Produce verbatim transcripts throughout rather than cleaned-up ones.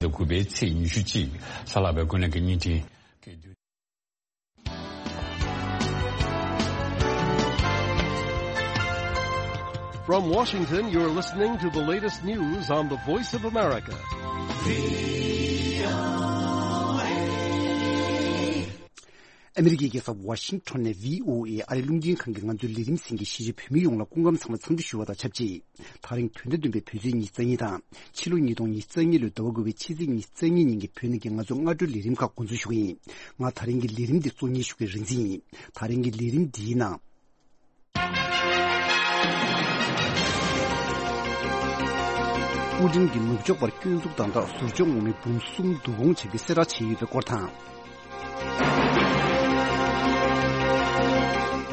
དང་དགུ་པའི་ཚེས་ཉི་ཤུ་གཅིག་གཟའ་ལྷག་པའི་དགོན་གནས་ཀྱི་བརྙན་འཕྲིན། From Washington, you're listening to the latest news on the Voice of America. ཨ་མི་རི་ཀའི་རྒྱལ་ས་ཝ་ཤིང་ཊོན་ནས་བྷི་ཨོ་ཨེ་ཨ་རིའི་རླུང་འཕྲིན་ཁང་གི་ང་ཚོའི་ལས་རིམ་གསན་མཁན་གཞིས་བྱེས་བོད་མི་ཡོངས་ལ་སྐུ་ཁམས་བཟང་པོའི་འཚམས་འདྲི་ཞུ་བ་དང་ཆབས་ཅིག་ད་རིང་བོད་ཟླ་བདུན་པའི་བོད་ཚེས་ཉི་ཤུ་རྩ་གཉིས་དང་ཕྱི་ལོ་ཉིས་སྟོང་ཉི་ཤུ་རྩ་གཉིས་ལོའི་ཟླ་བ་དགུ་པའི་ཕྱི་ཚེས་ཉི་ཤུ་རྩ་གཉིས་ཉིན་གྱི་བོད་ནང་གི་ང་ཚོའི་སྔ་དྲོའི་ལས་རིམ་ཁག་འགོ་འཛུགས་ཞུ་གི་ཡིན། ང་ད་རིང་གི་ལས་རིམ་འདི་གཙོ་གཉེར་ཞུ་མཁན་རིག་འཛིན་ཡིན། ད་རིང་གི་ལས་རིམ་འདིའི་ནང་། པུ་ཏིན་གྱིས་ནུབ་ཕྱོགས་པར་སྐྱོན་འཛུགས་དང་སྦྲགས་ཟུར་འཇོག་དངོས་མི་འབུམ་གསུམ་བསྡུ་སྐོང་བྱ་རྒྱུའི་གསལ་བསྒྲགས་བྱས་ཡོད་པའི་སྐོར་དང་།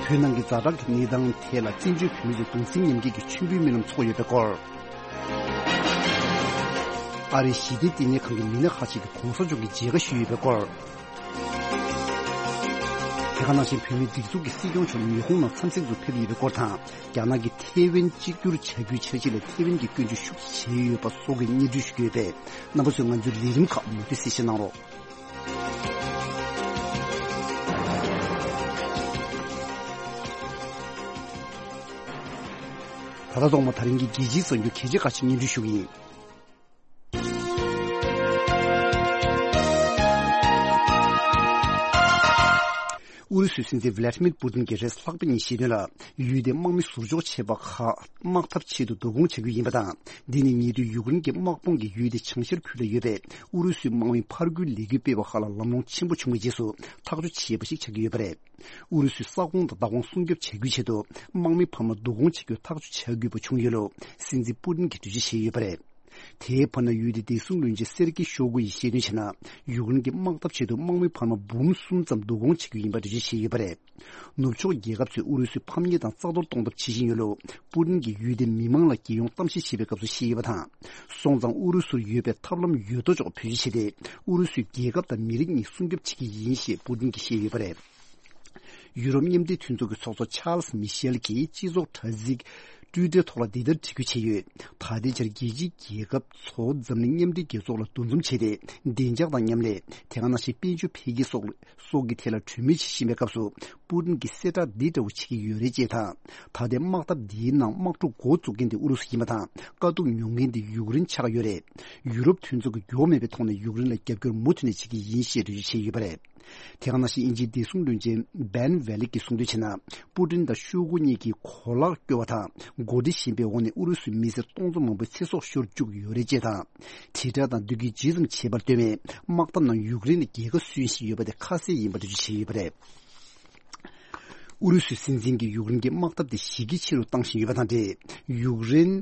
བོད་ནང་གི་ཛ་དྲག་གི་གནས་སྟངས་ཐད་ལ་བཙན་བྱོལ་བོད་མི་ཚོས་གདུང་སེམས་མཉམ་སྐྱེད་ཀྱི་མཆོད་འབུལ་སྨོན་ལམ་འཚོགས་ཡོད་པའི་སྐོར། ཨ་རིའི་ཞི་བདེ་ལྟེ་གནས་ཁང་གི་མི་སྣ་ཁག་ཅིག་གིས་གོང་ས་མཆོག་གི་མཇལ་ཁ་ཞུས་ཡོད་པའི་སྐོར། དེ་ག་ནང་བཞིན་བོད་མིའི་སྒྲིག་འཛུགས་ཀྱི་སྲིད་སྐྱོང་མཆོག་ཉི་ཧོང་ནང་འཚམས་གཟིགས་སུ་ཕེབས་ཡོད་པའི་སྐོར་དང་། རྒྱ་ནག་གིས་ཐེ་ཝན་གཅིག་གྱུར་བྱ་རྒྱུའི་འཆར་གཞི་ལ་ཐེ་ཝན་གྱིས་སྐྱོན་བརྗོད་ཤུགས་ཆེ་བྱས་ཡོད་པ་སོགས་ཀྱི་སྙན་སྒྲོན་ཞུ་གི་ཡོད་པས། རྣམ་པ་ཚོས་ང་ཚོའི་ལས་རིམ་ཁག་མུ་མཐུད་གསན་བཞེས་གནང་རོགས། ད་ལྟ་ཐོག་མ་ད་རིང་གི་རྒྱལ་སྤྱིའི་གསར་འགྱུར་གལ་ཆེ་ཁག་ཅིག་སྙན་སྒྲོན་ཞུ་གི་ཡིན། ཨུ་རུ་སུའི་སྲིད་འཛིན་ཝི་ལ་ཏི་མིར་པུ་ཏིན་གྱིས་རེས་ལྷག་པའི་ཉིན་བཤད་དོན་ལ། ཡུལ་དེའི་དམག་མི་ཟུར་འཇོག་བྱས་པ་ཁག་དམག་འཐབ་ཆེད་དུ་བསྡུ་སྐོང་བྱ་རྒྱུ་ཡིན་པ་དང་། འདི་ནི་ཉེ་དུས་ཡུཀ་རེན་གྱི་དམག་དཔུང་གིས་ཡུལ་དེའི་བྱང་ཤར་ཁུལ་ལ་ཡོད་པའི་ཨུ་རུ་སུའི་དམག་མི་ཕར་རྒོལ་ལས་འགུལ་སྤེལ་བ་ཁག་ལ་ལམ་ལྷོང་ཆེན་པོ་བྱུང་བའི་རྗེས་སུ་ཐག་གཅོད་བྱས་པ་ཞིག་ཆགས་ཀྱི་ཡོད་པ་རེད། ཨུ་རུ་སུའི་ས་ཁོངས་དང་མདའ་དབང་སྲུང་སྐྱོབ་བྱ་རྒྱུའི་ཆེད་དུ་དམག་མི་འཕར་མ་བསྡུ་སྐོང་བྱེད་རྒྱུར་ཐག་གཅོད་བྱ་དགོས་པ་བྱུང་ཡོད་ལུགས་སྲིད་འཛིན་པུ་ཏིན་གྱིས་འགྲེལ་བརྗོད་བྱས་ཡོད་པ་རེད། དེའི་བར་ན་ཡུལ་དེའི་བདེ་སྲུང་བློན་ཆེན་སེར་ཀི་ཤོ་གུ་ཡིས་བཤད་དོན་བྱས་ན། ཡུཀ་རེན་གྱི་དམག་འཐབ་ཆེད་དུ་དམག་མི་འཕར་མ་འབུམ་གསུམ་ཙམ་བསྡུ་སྐོང་བྱེད་རྒྱུ་ཡིན་པ་འགྲེལ་བརྗོད་བྱས་ཡོད་པ་རེད། ནུབ་ཕྱོགས་རྒྱལ་ཁབ་ཚོས་ཨུ་རུ་སུའི་ཕམ་ཉེས་དང་རྩ་གཏོར་གཏོང་ཐབས་བྱེད་བཞིན་ཡོད་ལུགས་པུ་ཏིན་གྱིས་ཡུལ་དེའི་མི་མང་ལ་རྒྱལ་ཡོངས་གཏམ་བཤད་བྱས་པའི་སྐབས་སུ་བཤད་ཡོད་པ་དང་། སོང་ཙང་ཨུ་རུ་སུར་ཡོད་པའི་ཐབས་ལམ་ཡོད་དོ་ཅོག་བེད་སྤྱོད་བྱས་ཏེ་ཨུ་རུ་སུའི་རྒྱལ་ཁབ་དང་མི་རིགས་གཉིས་སྲུང་སྐྱོབ་བྱེད་ཀྱི་ཡིན་ཞེས་པུ་ཏིན་གྱིས་བཤད་ཡོད་པ་རེད། ཡུ་རོབ་མཉམ་འབྲེལ་མཐུན་ཚོགས་ཀྱི་ཚོགས་གཙོ་ཆཱལ་སི་མི་ཤེལ་གྱིས་སྤྱི་ཚོགས་དྲ་ཚིགས་ཊུའི་ཊར་ཐོག་ལ་འདི་ལྟར་བྲིས་བསྐུལ་བྱས་ཡོད། ད་ལྟའི་ཆར་རྒྱལ་སྤྱིའི་རྒྱལ་ཁབ་ཚོ་འཛམ་གླིང་མཉམ་འབྲེལ་རྒྱལ་ཚོགས་ལ་འདུ་འཛོམས་བྱས་ཏེ་བདེ་འཇགས་དང་མཉམ་ལས། དེ་ག་ནང་བཞིན་དཔལ་འབྱོར་འཕེལ་རྒྱས་སོགས་སོགས་ཀྱི་ཐད་ལ་གྲོས་མོལ་བྱེད་བཞིན་པའི་སྐབས་སུ་པུ་ཏིན་གྱིས་གསལ་བསྒྲགས་འདི་འདྲ་བོ་བྱེད་ཀྱི་ཡོད་རེད་ཅེས་དང་། ད་ལྟའི་དམག་འཐབ་འདིའི་ནང་དམག་འཁྲུག་འགོ་བཙུགས་མཁན་དེ་ཨུ་རུ་སུ་ཡིན་པ་དང་། དཀའ་སྡུག་མྱོང་མཁན་དེ་ཡུཀ་རེན་ཆགས་ཡོད་རེད། ཡུ་རོབ་མཐུན་ཚོགས་ཀྱིས་འགྱུར་བ་མེད་པའི་ཐོག་ནས་ཡུཀ་རེན་ལ་རྒྱབ་སྐྱོར་མུ་མཐུད་ནས་བྱེད་ཀྱི་ཡིན་ཞེས་འགྲེལ་བརྗོད་བྱས་ཡོད་པ་རེད། དེ་ག་ནང་བཞིན་དབྱིན་ཇིའི་བདེ་སྲུང་བློན་ཆེན་བན་ཝེ་ལིག་གིས་གསུངས་དོན་བྱས་ན། པུ་ཏིན་དང་ཤོ་གུ་གཉིས་ཀྱིས་གོ་ལག་བསྐྱོར་བ་དང་གོ་སྒྲིག་བཞིན་པའི་འོག་ནས་ཨུ་རུ་སུའི་མི་སེར་སྟོང་ཚོ་མང་པོའི་ཚེ་སྲོག་ཤོར་བཅུག་ཡོད་རེད་ཅེས་དང་། དྲིལ་བསྒྲགས་དང་བསྡུ་སྐུལ་ཇི་ཙམ་བྱས་པར་ལྟོས་མེད་དམག་འཐབ་ནང་ཡུཀ་རེན་ལ་རྒྱལ་ཁ་སོན་བཞིན་ཡོད་པ་དེ་ཁ་གསལ་ཡིན་པ་འགྲེལ་བརྗོད་བྱས་ཡོད་པ་རེད། ཨུ་རུ་སུའི་སྲིད་འཛིན་གྱིས་ཡུཀ་རེན་གྱི་དམག་འཐབ་དེ་གཞི་རྒྱ་ཆེ་རུ་བཏང་བཞིན་ཡོད་པ་དང་འབྲེལ། ཡུཀ་རེན་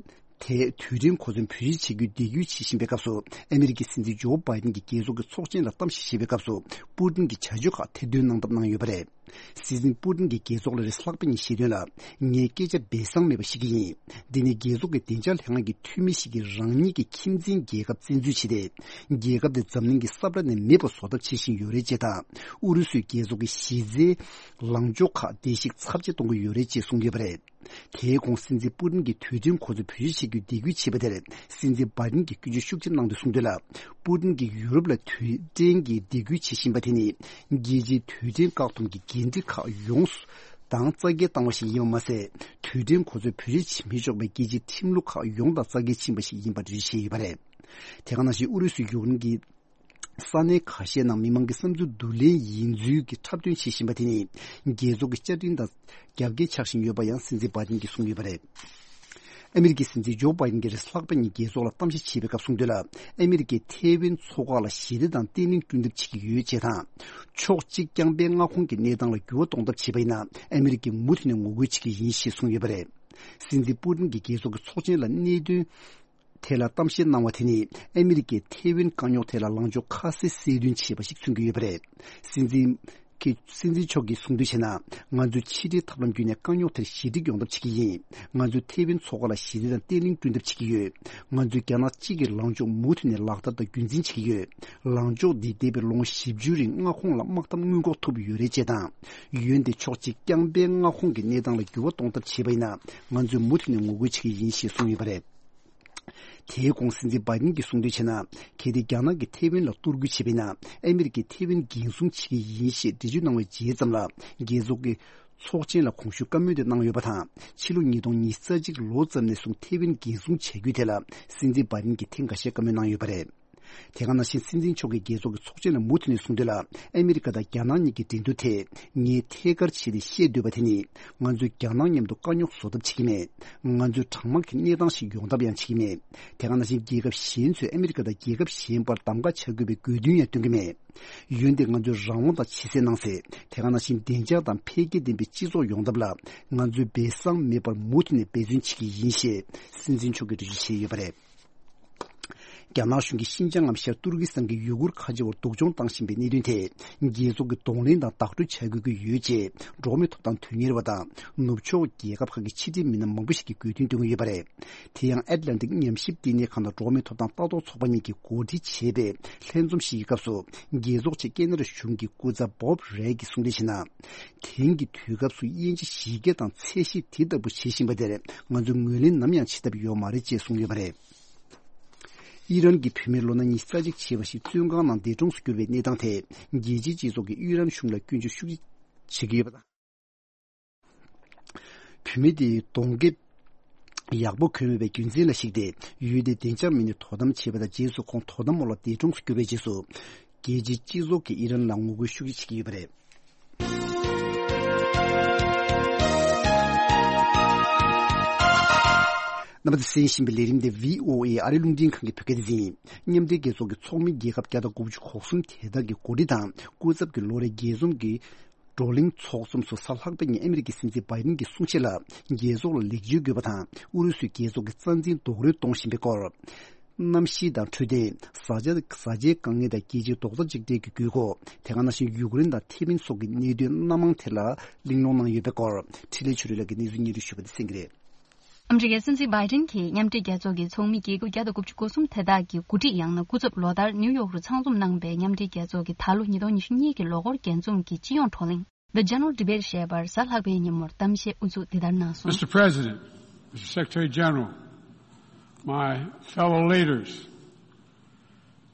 དེ་དུས་དྲན་གོ་མཚོན་བེད་སྤྱོད་བྱེད་རྒྱུའི་འདེད་སྐུལ་བྱེད་བཞིན་པའི་སྐབས་སུ། ཨ་མི་རི་ཀའི་སྲིད་འཛིན་ཇོ་བྷའི་ཏིན་གྱིས་རྒྱལ་ཚོགས་ཀྱི་ཚོགས་ཆེན་ལ་གཏམ་བཤད་བྱེད་པའི་སྐབས་སུ། པུ་ཏིན་གྱིས་བྱ་སྤྱོད་ཁག་ཐེར་འདོན་གནང་ཐབས་གནང་ཡོད་པ་རེད། སྲིད་འཛིན་པུ་ཏིན་གྱིས་རྒྱལ་ཚོགས་ལ་རེས་ལྷག་པའི་ཉིན་བཤད་དོན་ལ། ངས་སྐད་ཆ་སྦས་གསང་མེད་པ་བཤད་ཀྱི་ཡིན། འདི་ནི་རྒྱལ་ཚོགས་ཀྱི་བདེ་འཇགས་ལྷན་ཁང་གི་འཐུས་མི་ཞིག་གིས་རང་ཉིད་ཀྱི་ཁྱིམ་མཚེས་རྒྱལ་ཁབ་བཙན་འཛུལ་བྱས་ཏེ། རྒྱལ་ཁབ་དེ་འཛམ་གླིང་གི་ས་བཀྲ་ནས་མེད་པ་བཟོ་ཐབས་བྱེད་བཞིན་ཡོད་རེད་ཅེས་དང་། ཨུ་རུ་སུས་རྒྱལ་ཚོགས་ཀྱི་གཞི་རྩའི་ལངས་ཕྱོགས་ཁག་བརྡལ་བཤིག་ཚབས་ཆེ་གཏོང་གི་ཡོད་རེད་ཅེས་གསུངས་ཡོད་པ་རེད། དེའི་གོང་སྲིད་འཛིན་པུ་ཏིན་གྱིས་དུས་དྲན་གོ་མཚོན་བེད་སྤྱོད་བྱེད་རྒྱུའི་འདེད་སྐུལ་བྱས་པ་དེར། སྲིད་འཛིན་བྷའི་ཏིན་གྱིས་སྐྱོན་བརྗོད་ཤུགས་ཆེ་གནང་དུས་གསུངས་དོན་ལ། པུ་ཏིན་གྱིས་ཡུ་རོབ་ལ་དུས་དྲན་གྱི་འདེད་སྐུལ་བྱེད་བཞིན་པ་དེ་ནི། རྒྱལ་སྤྱིའི་དུས་དྲན་བཀག་སྡོམ་གྱི་འགན་འཁྲི་ཁག་ཡོངས་སུ་དང་རྩ་འགལ་བཏང་བ་ཞིག་ཡིན་པ་མ་ཟད། དུས་དྲན་གོ་མཚོན་བེད་སྤྱོད་བྱེད་མི་ཆོག་པའི་རྒྱལ་སྤྱིའི་ཁྲིམས་ལུགས་ཁག་ཡོངས་དང་རྩ་འགལ་ཕྱིན་པ་ཞིག་ཡིན་པ་འགྲེལ་བརྗོད་བྱས་ཡོད་པ་རེད། དེ་ག་ནང་བཞིན་ཨུ་རུ་སུས་ཡུཀ་རེན་གྱི་ས་གནས་ཁ་ཤས་ནང་མི་མང་གི་བསམ་ཚུལ་བསྡུ་ལེན་ཡིན་ཚུལ་གྱི་འཁྲབ་སྟོན་བྱེད་བཞིན་པ་དེ་ནི། རྒྱལ་ཚོགས་ཀྱི་བཅའ་ཁྲིམས་དང་རྒྱབ་འགལ་ཆགས་བཞིན་ཡོད་པ་ཡང་སྲིད་འཛིན་བྷའི་ཏིན་གྱིས་གསུངས་ཡོད་པ་རེད། ཨ་མི་རི་ཀའི་སྲིད་འཛིན་ཇོ་བྷའི་ཏིན་གྱིས་རེས་ལྷག་པའི་ཉིན་རྒྱལ་ཚོགས་ལ་གཏམ་བཤད་བྱས་པའི་སྐབས་གསུངས་དོན་ལ། ཨ་མི་རི་ཀས་ཐེ་ཝན་མཚོ་འགག་ལ་ཞི་བདེ་དང་བརྟན་ལྷིང་བསྐྲུན་ཐབས་བྱེད་ཀྱི་ཡོད་ཅེས་དང་། ཕྱོགས་གཅིག་རྐྱང་པའི་མངའ་ཁོངས་ཀྱི་གནས་སྟངས་ལ་འགྱུར་བ་གཏོང་ཐབས་བྱས་པ་ཡིན་ན། ཨ་མི་རི་ཀས་མུ་མཐུད་ནས་ངོ་རྒོལ་བྱེད་ཀྱི་ཡིན་ཞེས་གསུངས་ཡོད་པ་རེད། སྲིད་འཛིན་པུ་ཏིན་གྱིས་རྒྱལ་ཚོགས་ཀྱི་ཚོགས་ཆེན་ལ་གནད་དོན་ཐད་ལ་གཏམ་བཤད་གནང་བ་དེ་ནི། ཨ་མི་རི་ཀས་ཐེ་ཝན་དཀའ་རྙོག་ཐད་ལ་ལངས་ཕྱོགས་ཁ་གསལ་གསལ་སྟོན་བྱས་པ་ཞིག་མཚོན་གྱི་ཡོད་པ་རེད། སྲིད་འཛིན་གྱི་སྲིད་འཛིན་མཆོག་གིས་གསུངས་དོན་བྱས་ན། ང་ཚོས་ཕྱི་འབྲེལ་ཐབས་ལམ་བརྒྱུད་ནས་དཀའ་རྙོག་དེར་ཞི་འགྲིག་ཡོང་ཐབས་བྱེད་ཀྱི་ཡིན། ང་ཚོས་ཐེ་ཝན་མཚོ་འགག་ལ་ཞི་བདེ་དང་བརྟན་ལྷིང་བསྐྲུན་ཐབས་བྱེད་ཀྱི་ཡོད། ང་ཚོས་རྒྱ་ནག་གཅིག་གི་ལངས་ཕྱོགས་མུ་མཐུད་ནས་ལག་བསྟར་དང་རྒྱུན་འཛིན་བྱེད་ཀྱི་ཡོད། ལངས་ཕྱོགས་འདིས་འདས་པའི་ལོ་ངོ་བཞི་བཅུ་རིང་མངའ་ཁོངས་ལ་དམག་འཐབ་སྔོན་འགོག་ཐུབ་ཡོད་རེད་ཅེས་དང་། འོན་ཏེ་ཕྱོགས་གཅིག་རྐྱང་པའི་མངའ་ཁོངས་ཀྱི་གནས་སྟངས་ལ་འགྱུར་བ་གཏོང་ཐབས་བྱས་པ་ཡིན་ན། ང་ཚོས་མུ་མཐུད་ནས་ངོ་རྒོལ་བྱེད་ཀྱི་ཡིན་ཞེས་གསུངས་ཡོད་པ་རེད། དེའི་གོང་སྲིད་འཛིན་བྷའི་ཏིན་གྱིས་གསུངས་དོན་བྱས་ན། གལ་ཏེ་རྒྱ་ནག་གིས་ཐེ་ཝན་ལ་གཏོར་རྒོལ་བྱས་པ་ཡིན་ན། ཨ་མི་རི་ཀས་ཐེ་ཝན་འགན་སྲུང་བྱེད་ཀྱི་ཡིན་ཞེས་འགྲེལ་བརྗོད་གནང་བའི་རྗེས་ཙམ་ལ། རྒྱལ་ཚོགས་ཀྱི་ཚོགས་ཆེན་ལ་གོང་ཞུས་བཀའ་མོལ་དེ་གནང་ཡོད་པ་དང་། ཕྱི་ལོ་ཉིས་སྟོང་ཉི་ཤུ་རྩ་གཅིག་ལོ་ཙམ་ནས་བཟུང་ཐེ་ཝན་འགན་སྲུང་བྱ་རྒྱུའི་ཐད་ལ། སྲིད་འཛིན་བྷའི་ཏིན་གྱིས་ཐེངས་འགའ་ཤས་བཀའ་མོལ་གནང་ཡོད་པ་རེད། དེ་ག་ནང་བཞིན་སྲིད་འཛིན་མཆོག་གིས་རྒྱལ་ཚོགས་ཀྱི་ཚོགས་ཆེན་ལ་མུ་མཐུད་ནས་གསུངས་དོན་ལ། ཨ་མི་རི་ཀ་དང་རྒྱ་ནག་གཉིས་ཀྱི་འགྲན་བསྡུར་ཐད་ངས་ཐད་ཀར་བྱས་ཏེ་བཤད་འདོད་པ་དེ་ནི། ང་ཚོས་རྒྱ་ནག་མཉམ་དུ་དཀའ་རྙོག་བཟོ་ཐབས་བྱེད་ཀྱི་མེད། ང་ཚོས་གྲང་དམག་གི་གནས་སྟངས་ཤིག་ཡོང་ཐབས་ཡང་བྱེད་ཀྱི་མེད། དེ་ག་ནང་བཞིན་རྒྱལ་ཁབ་གཞན་ཚོས་ཨ་མི་རི་ཀ་དང་རྒྱལ་ཁབ་གཞན་བར་གདམ་ག་བྱ་དགོས་པའི་དགོས་འདུན་ཡང་སྟོན་གྱི་མེད། འོན་ཏེ་ང་ཚོས་རང་དབང་དང་ཇེ་བསྲེས་གནང་སྲིད། དེ་ག་ནང་བཞིན་བདེ་འཇགས་དང་འཕེལ་རྒྱས་ལྡན་པའི་སྤྱི་ཚོགས་ཡོང་ཐབས་ལ་ང་ཚོས་སྦས་གསང་མེད་པར་མུ་མཐུད་ནས་འབད་བརྩོན་བྱེད་ཀྱི་ཡིན་ཞེས་སྲིད་འཛིན་མཆོག་གིས་འགྲེལ་བརྗོད་བྱས་ཡོད་པ་རེད། རྒྱ་ནག་གཞུང་གིས་ཤིན་ཅང་ངམ་ཤར་ཏུར་ཀི་སི་ཐན་གྱི་ཡུ་གུར་ཁ་ཆེ་བར་སྡུག་སྦྱོང་བཏང་བཞིན་པའི་གནད་དོན་ཐད། རྒྱལ་ཚོགས་ཀྱིས་གདོང་ལེན་དང་བདག་སྤྲོད་བྱ་དགོས་ཀྱི་ཡོད་ཅེས། འགྲོ་བ་མིའི་ཐོབ་ཐང་དོན་གཉེར་བ་དང་། ནུབ་ཕྱོགས་རྒྱལ་ཁབ་ཁག་གི་ཕྱི་འབྲེལ་མི་སྣ་མང་པོ་ཞིག་གིས་དགོས་འདུན་བཏོན་གྱི་ཡོད་པ་རེད། དེ་ཡང་ཨེཊ་ལན་ཊིག་ཉམས་ཞིབ་ལྟེ་གནས་ཁང་དང་འགྲོ་བ་མིའི་ཐོབ་ཐང་ལྟ་རྟོག་ཚོགས་པ་གཉིས་ཀྱིས་གོ་སྒྲིག་བྱས་པའི་ལྷན་འཛོམས་ཤིག་གི་སྐབས་སུ། རྒྱལ་ཚོགས་ཆེད་ཀེ་ན་ཌ་གཞུང་གི་སྐུ་ཚབ་བྷོབ་རེད་ཀྱིས་གསུངས་དོན་བྱས་ན། དེང་གི་དུས་སྐབས་སུ་དབྱིན་ཇི་གཞི་རྒྱ་དང་ཚད་གཞི་དེ་ལྟ་བུ་བྱེད་བཞིན་པ་དེར་ང་ཚོས་ངོས་ལེན་ནམ་ཡང་བྱེད་ཐབས་ཡོད་མ་རེད་ཅེས་གསུངས་ཡོད་པ་རེད། ཨི་རན་གྱི་བུད་མེད་ལོ་ན་ཉི་ཤུ་རྩ་གཅིག་བྱས་པ་ཞིག་བཙོན་ཁང་ནང་འདས་གྲོངས་སུ་གྱུར་བའི་གནས་སྟངས་ཐད། རྒྱལ་སྤྱིའི་སྤྱི་ཚོགས་ཀྱིས་ཨི་རན་གཞུང་ལ་སྐྱོན་བརྗོད་ཤུགས་ཆེ་བྱེད་ཀྱི་ཡོད་པ་དང་། བུད་མེད་དེའི་གདོང་རྒྱབ་ཡག་པོ་གོན་མེད་པའི་རྒྱུ་མཚན་ལ་གཞིགས་ཏེ། ཡུལ་དེའི་བདེ་འཇགས་མི་སྣས་དོ་དམ་བྱས་པ་དང་། རྗེས་སུ་ཁོང་དོ་དམ་འོག་ལ་འདས་གྲོངས་སུ་གྱུར་བའི་རྗེས་སུ། རྒྱལ་སྤྱིའི་སྤྱི་ཚོགས་ཀྱིས་ཨི་རན་ལ་ངོ་རྒོལ་ཤུགས་ཆེ་བྱེད་ཀྱི་ཡོད་པ་རེད། རྣམ་པ་ཚོས་གསན་བཞིན་པའི་ལས་རིམ་དེ་བྷི་ཨོ་ཨེ་ཨ་རིའི་རླུང་འཕྲིན་ཁང་གི་བོད་སྐད་སྡེ་ཚན་ཡིན། མཉམ་འབྲེལ་རྒྱལ་ཚོགས་ཀྱི་ཚོགས་མི་རྒྱལ་ཁབ་བརྒྱ་དང་དགུ་བཅུ་གོ་གསུམ་དེ་དག་གི་འགོ་ཁྲིད་དང་སྐུ་ཚབ་ཀྱི་ལོ་རེའི་རྒྱས་འཛོམས་ཀྱི་བགྲོ་གླེང་ཚོགས་འཛོམས་སུ་གཟའ་ལྷག་པའི་ཉིན་ཨ་མི་རི་ཀའི་སྲིད་འཛིན་བྷའི་ཌེན་གྱིས་གསུང་བཤད་ལ། རྒྱལ་ཚོགས་ལ་ལེགས་བཅོས་དགོས་པ་དང་། ཨུ་རུ་སུས་རྒྱལ་ཚོགས་ཀྱི་རྩ་འཛིན་རྡོག་རོལ་གཏོང་བཞིན་པའི་སྐོར། གནམ་གཤིས་དང་འཕྲོད་བསྟེན། བཟའ་བཅའ། བཟའ་བཅའི་དཀའ་ངལ་དང་རྒྱལ་སྤྱིའི་རྡོག་རྩ་གཅིག་སྒྲིལ་གྱི་དགོས་མཁོ། དེ་ག་ནང་བཞིན་ཡུཀ་རེན་དང་ཐེ་ཝན་སོགས་ཀྱི་གནད་དོན་སྣ་མང་ཐད་ལ་གླེང་སློང་གནང་ཡོད་པའི་སྐོར། འཕྲིན་ལས་ཆོས་སྒྲོན་ལགས་ཀྱིས་གནས་ཚུལ་སྙན་སྒྲོན་ཞུས་པ་དེ་གསན་གྱི་རེད། ཨ་མི་རི་ཀའི་སྲིད་འཛིན་བྷའི་ཌེན་གྱིས་མཉམ་འབྲེལ་རྒྱལ་ཚོགས་ཀྱི་ཚོགས་མི་རྒྱལ་ཁབ་བརྒྱ་དང་དགུ་བཅུ་གོ་གསུམ་དེ་དག་གི་འགོ་ཁྲིད་ཡང་ན་སྐུ་ཚབ་ལོ་ལྟར་ནིའུ་ཡོག་རུ་ཚང་འཛོམས་གནང་བའི་མཉམ་འབྲེལ་རྒྱལ་ཚོགས་ཀྱི་ད་ལོ་ཉིས་སྟོང་ཉི་ཤུ་གཉིས་ཀྱི་ལོ་འཁོར་རྒྱས་འཛོམས་ཀྱི་སྤྱི་ཡོངས་བགྲོ་གླེང་། The General Debate ཞེས་པར་གཟའ་ལྷག་པའི་ཉིན་མོར་གཏམ་བཤད་དབུ་འཛུགས་འདི་ལྟར་གནང་སོང་། Mister President, Mister Secretary General, my fellow leaders,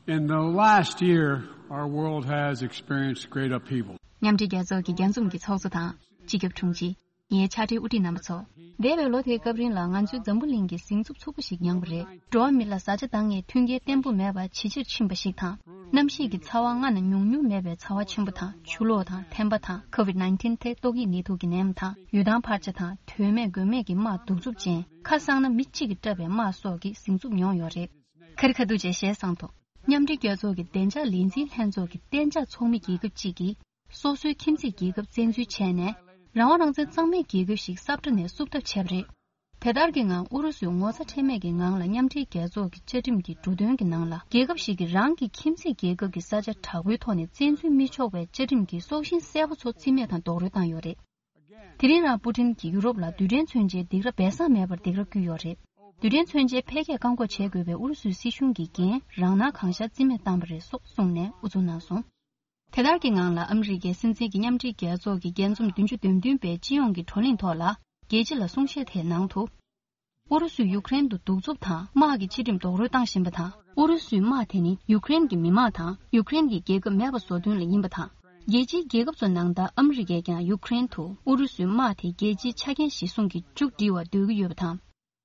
in the last year, our world has experienced great upheaval. མཉམ་འབྲེལ་རྒྱལ་ཚོགས་ཀྱི་རྒྱས་འཛོམས་ཀྱི་ཚོགས་གཙོ་དང་། སྤྱི་ཁྱབ་དྲུང་ཆེ། ངའི་ཕྱག་སྦྲེལ་དབུ་ཁྲིད་རྣམ་པ་ཚོ། འདས་པའི་ལོ་དེའི་སྐབས་རིང་ལ་ང་ཚོའི་འཛམ་བུ་གླིང་གི་ཟིང་འཛུགས་ཚུགས་པོ་ཞིག་མྱངས་པ་རེད། འགྲོ་བ་མི་ལ་བཟའ་བཅའ་འདང་ངེས་མཐུན་རྐྱེན་བརྟན་པོ་མེད་པ་ཇེ་ཆེར་ཕྱིན་པ་ཞིག་དང་། གནམ་གཤིས་ཀྱི་ཚ་བ་སྔ་ན་མྱོང་མྱོང་མེད་པའི་ཚ་བ་ཆེན་པོ་དང་། ཆུ་ལོག་དང་། ཐན་པ་དང་། ཀོ་ཝིད་ནའིན་ཊིན་ཐད་ཏོག་དབྱིབས་ནད་དུག་གི་ནད་ཡམས་དང་། ཡུལ་ཐང་འཕར་ཆ་དང་། དོན་མེད་དགོས་མེད་ཀྱི་དམག་གདུག་རྩུབ་ཅན། ཁ་གསང་ན་མི་གཅིག་གིས་བཀྲབ་པའི་དམག་སོགས་ཀྱི་ཟིང་འཛུགས་མྱོང་ཡོད་རེད། ཁ་རི་ཁ་ཐུག་བྱས་ཞེས་གསུངས་འདུག་མཉམ་འབྲེལ་རྒྱལ་ཚོགས་ཀྱི་བདེ་འཇགས་ལས་འཛིན་ལྷན་ཚོགས་ཀྱི་གཏན་འཇགས་ཚོགས་མི་རྒྱལ་ཁབ་གཅིག་གིས། སོ་སོའི་ཁྱིམ་མཚེས་རྒྱལ་ཁབ་བཙན་འཛུལ་བྱས་ནས། རང་དབང་རང་བཙན་གཙང་མའི་རྒྱལ་ཁབ་ཞིག་ས་བཀྲ་ནས་བསུབ་ཐབས་བྱས་པ་རེད། དེ་ལྟར་གྱི་ངང་ཨུ་རུ་སུས་ངོ་ཚ་ཁྲེལ་མེད་ཀྱི་ངང་ལ་མཉམ་འབྲེལ་རྒྱལ་ཚོགས་ཀྱི་བཅའ་ཁྲིམས་ཀྱི་འབྲུ་དོན་གྱི་ནང་ལ། རྒྱལ་ཁབ་ཞིག་གིས་རང་གི་ཁྱིམ་མཚེས་རྒྱལ་ཁབ་ཀྱི་ས་ཆ་དྲག་པོའི་ཐོག་ནས་བཙན་འཛུལ་མི་ཆོག་པའི་བཅའ་ཁྲིམས་ཀྱི་སྲོག་ཤིང་གསལ་པོ་ཚོ་རྩིས་མེད་དང་རྡོག་རོལ་བཏང་ཡོད་རེད། དེ་རིང་རང་པུ་ཊིན་གྱིས་ཡུ་རོབ་ལ་རྡུལ་ཕྲན་མཚོན་ཆའི་སྡིགས་ར་སྦས་གསང་མེད་པར་སྡིགས་ར་བསྐུལ་ཡོད་རེད། རྡུལ་ཕྲན་མཚོན་ཆའི་འཕེལ་རྒྱས་བཀག་འགོག་བྱེད་དགོས་པའི་ཨུ་རུ་སུའི་སྲིད་གཞུང་གི་འགན་རང་སྣང་གང་ཤར་རྩིས་མེད་བཏང་པ་རེད་སོགས་གསུངས་ནས་དབུ་འཛུགས་གནང་སོང་། དེ་ལྟར་གྱི་ངང་ལ་ཨ་མི་རི་ཀའི་སྲིད་འཛིན་གྱིས་མཉམ་འབྲེལ་རྒྱལ་ཚོགས་ཀྱི་རྒྱས་འཛོམས་བདུན་ཅུ་དོན་བདུན་པའི་སྤྱི་ཡོངས་ཀྱི་བགྲོ་གླེང་ཐོག་ལ་རྒྱལ་སྤྱི་ལ་གསུང་བཤད་དེའི་ནང་དུ། ཨུ་རུ་སུས་ཡུཀ་རེན་དུ་གདུག་རྩུབ་དང་དམག་གི་ཕྱི་འགྲིམ་རྡོག་རོལ་བཏང་བཞིན་པ་དང་། ཨུ་རུ་སུའི་དམག་དེ་ནི་ཡུཀ་རེན་གྱི་མི་དམངས་དང་ཡུཀ་རེན་གྱི་རྒྱལ་ཁབ་མེད་པ་བཟོ་དོན་ལ་ཡིན་པ་དང་། རྒྱལ་སྤྱིའི་རྒྱལ་ཁབ་ཚོ་ནང་ལྟར་ཨ་མི་རི་ཀས་ཀྱང་ཡུཀ་རེན་དུ་ཨུ་རུ་སུའི་དམག་དེ་རྒྱལ་སྤྱིའི་ཆ་རྐྱེན་གཞིར་བཟུང་གིས་མཇུག་སྒྲིལ་བར་འདོད་ཀྱི་ཡོད་པ་དང་།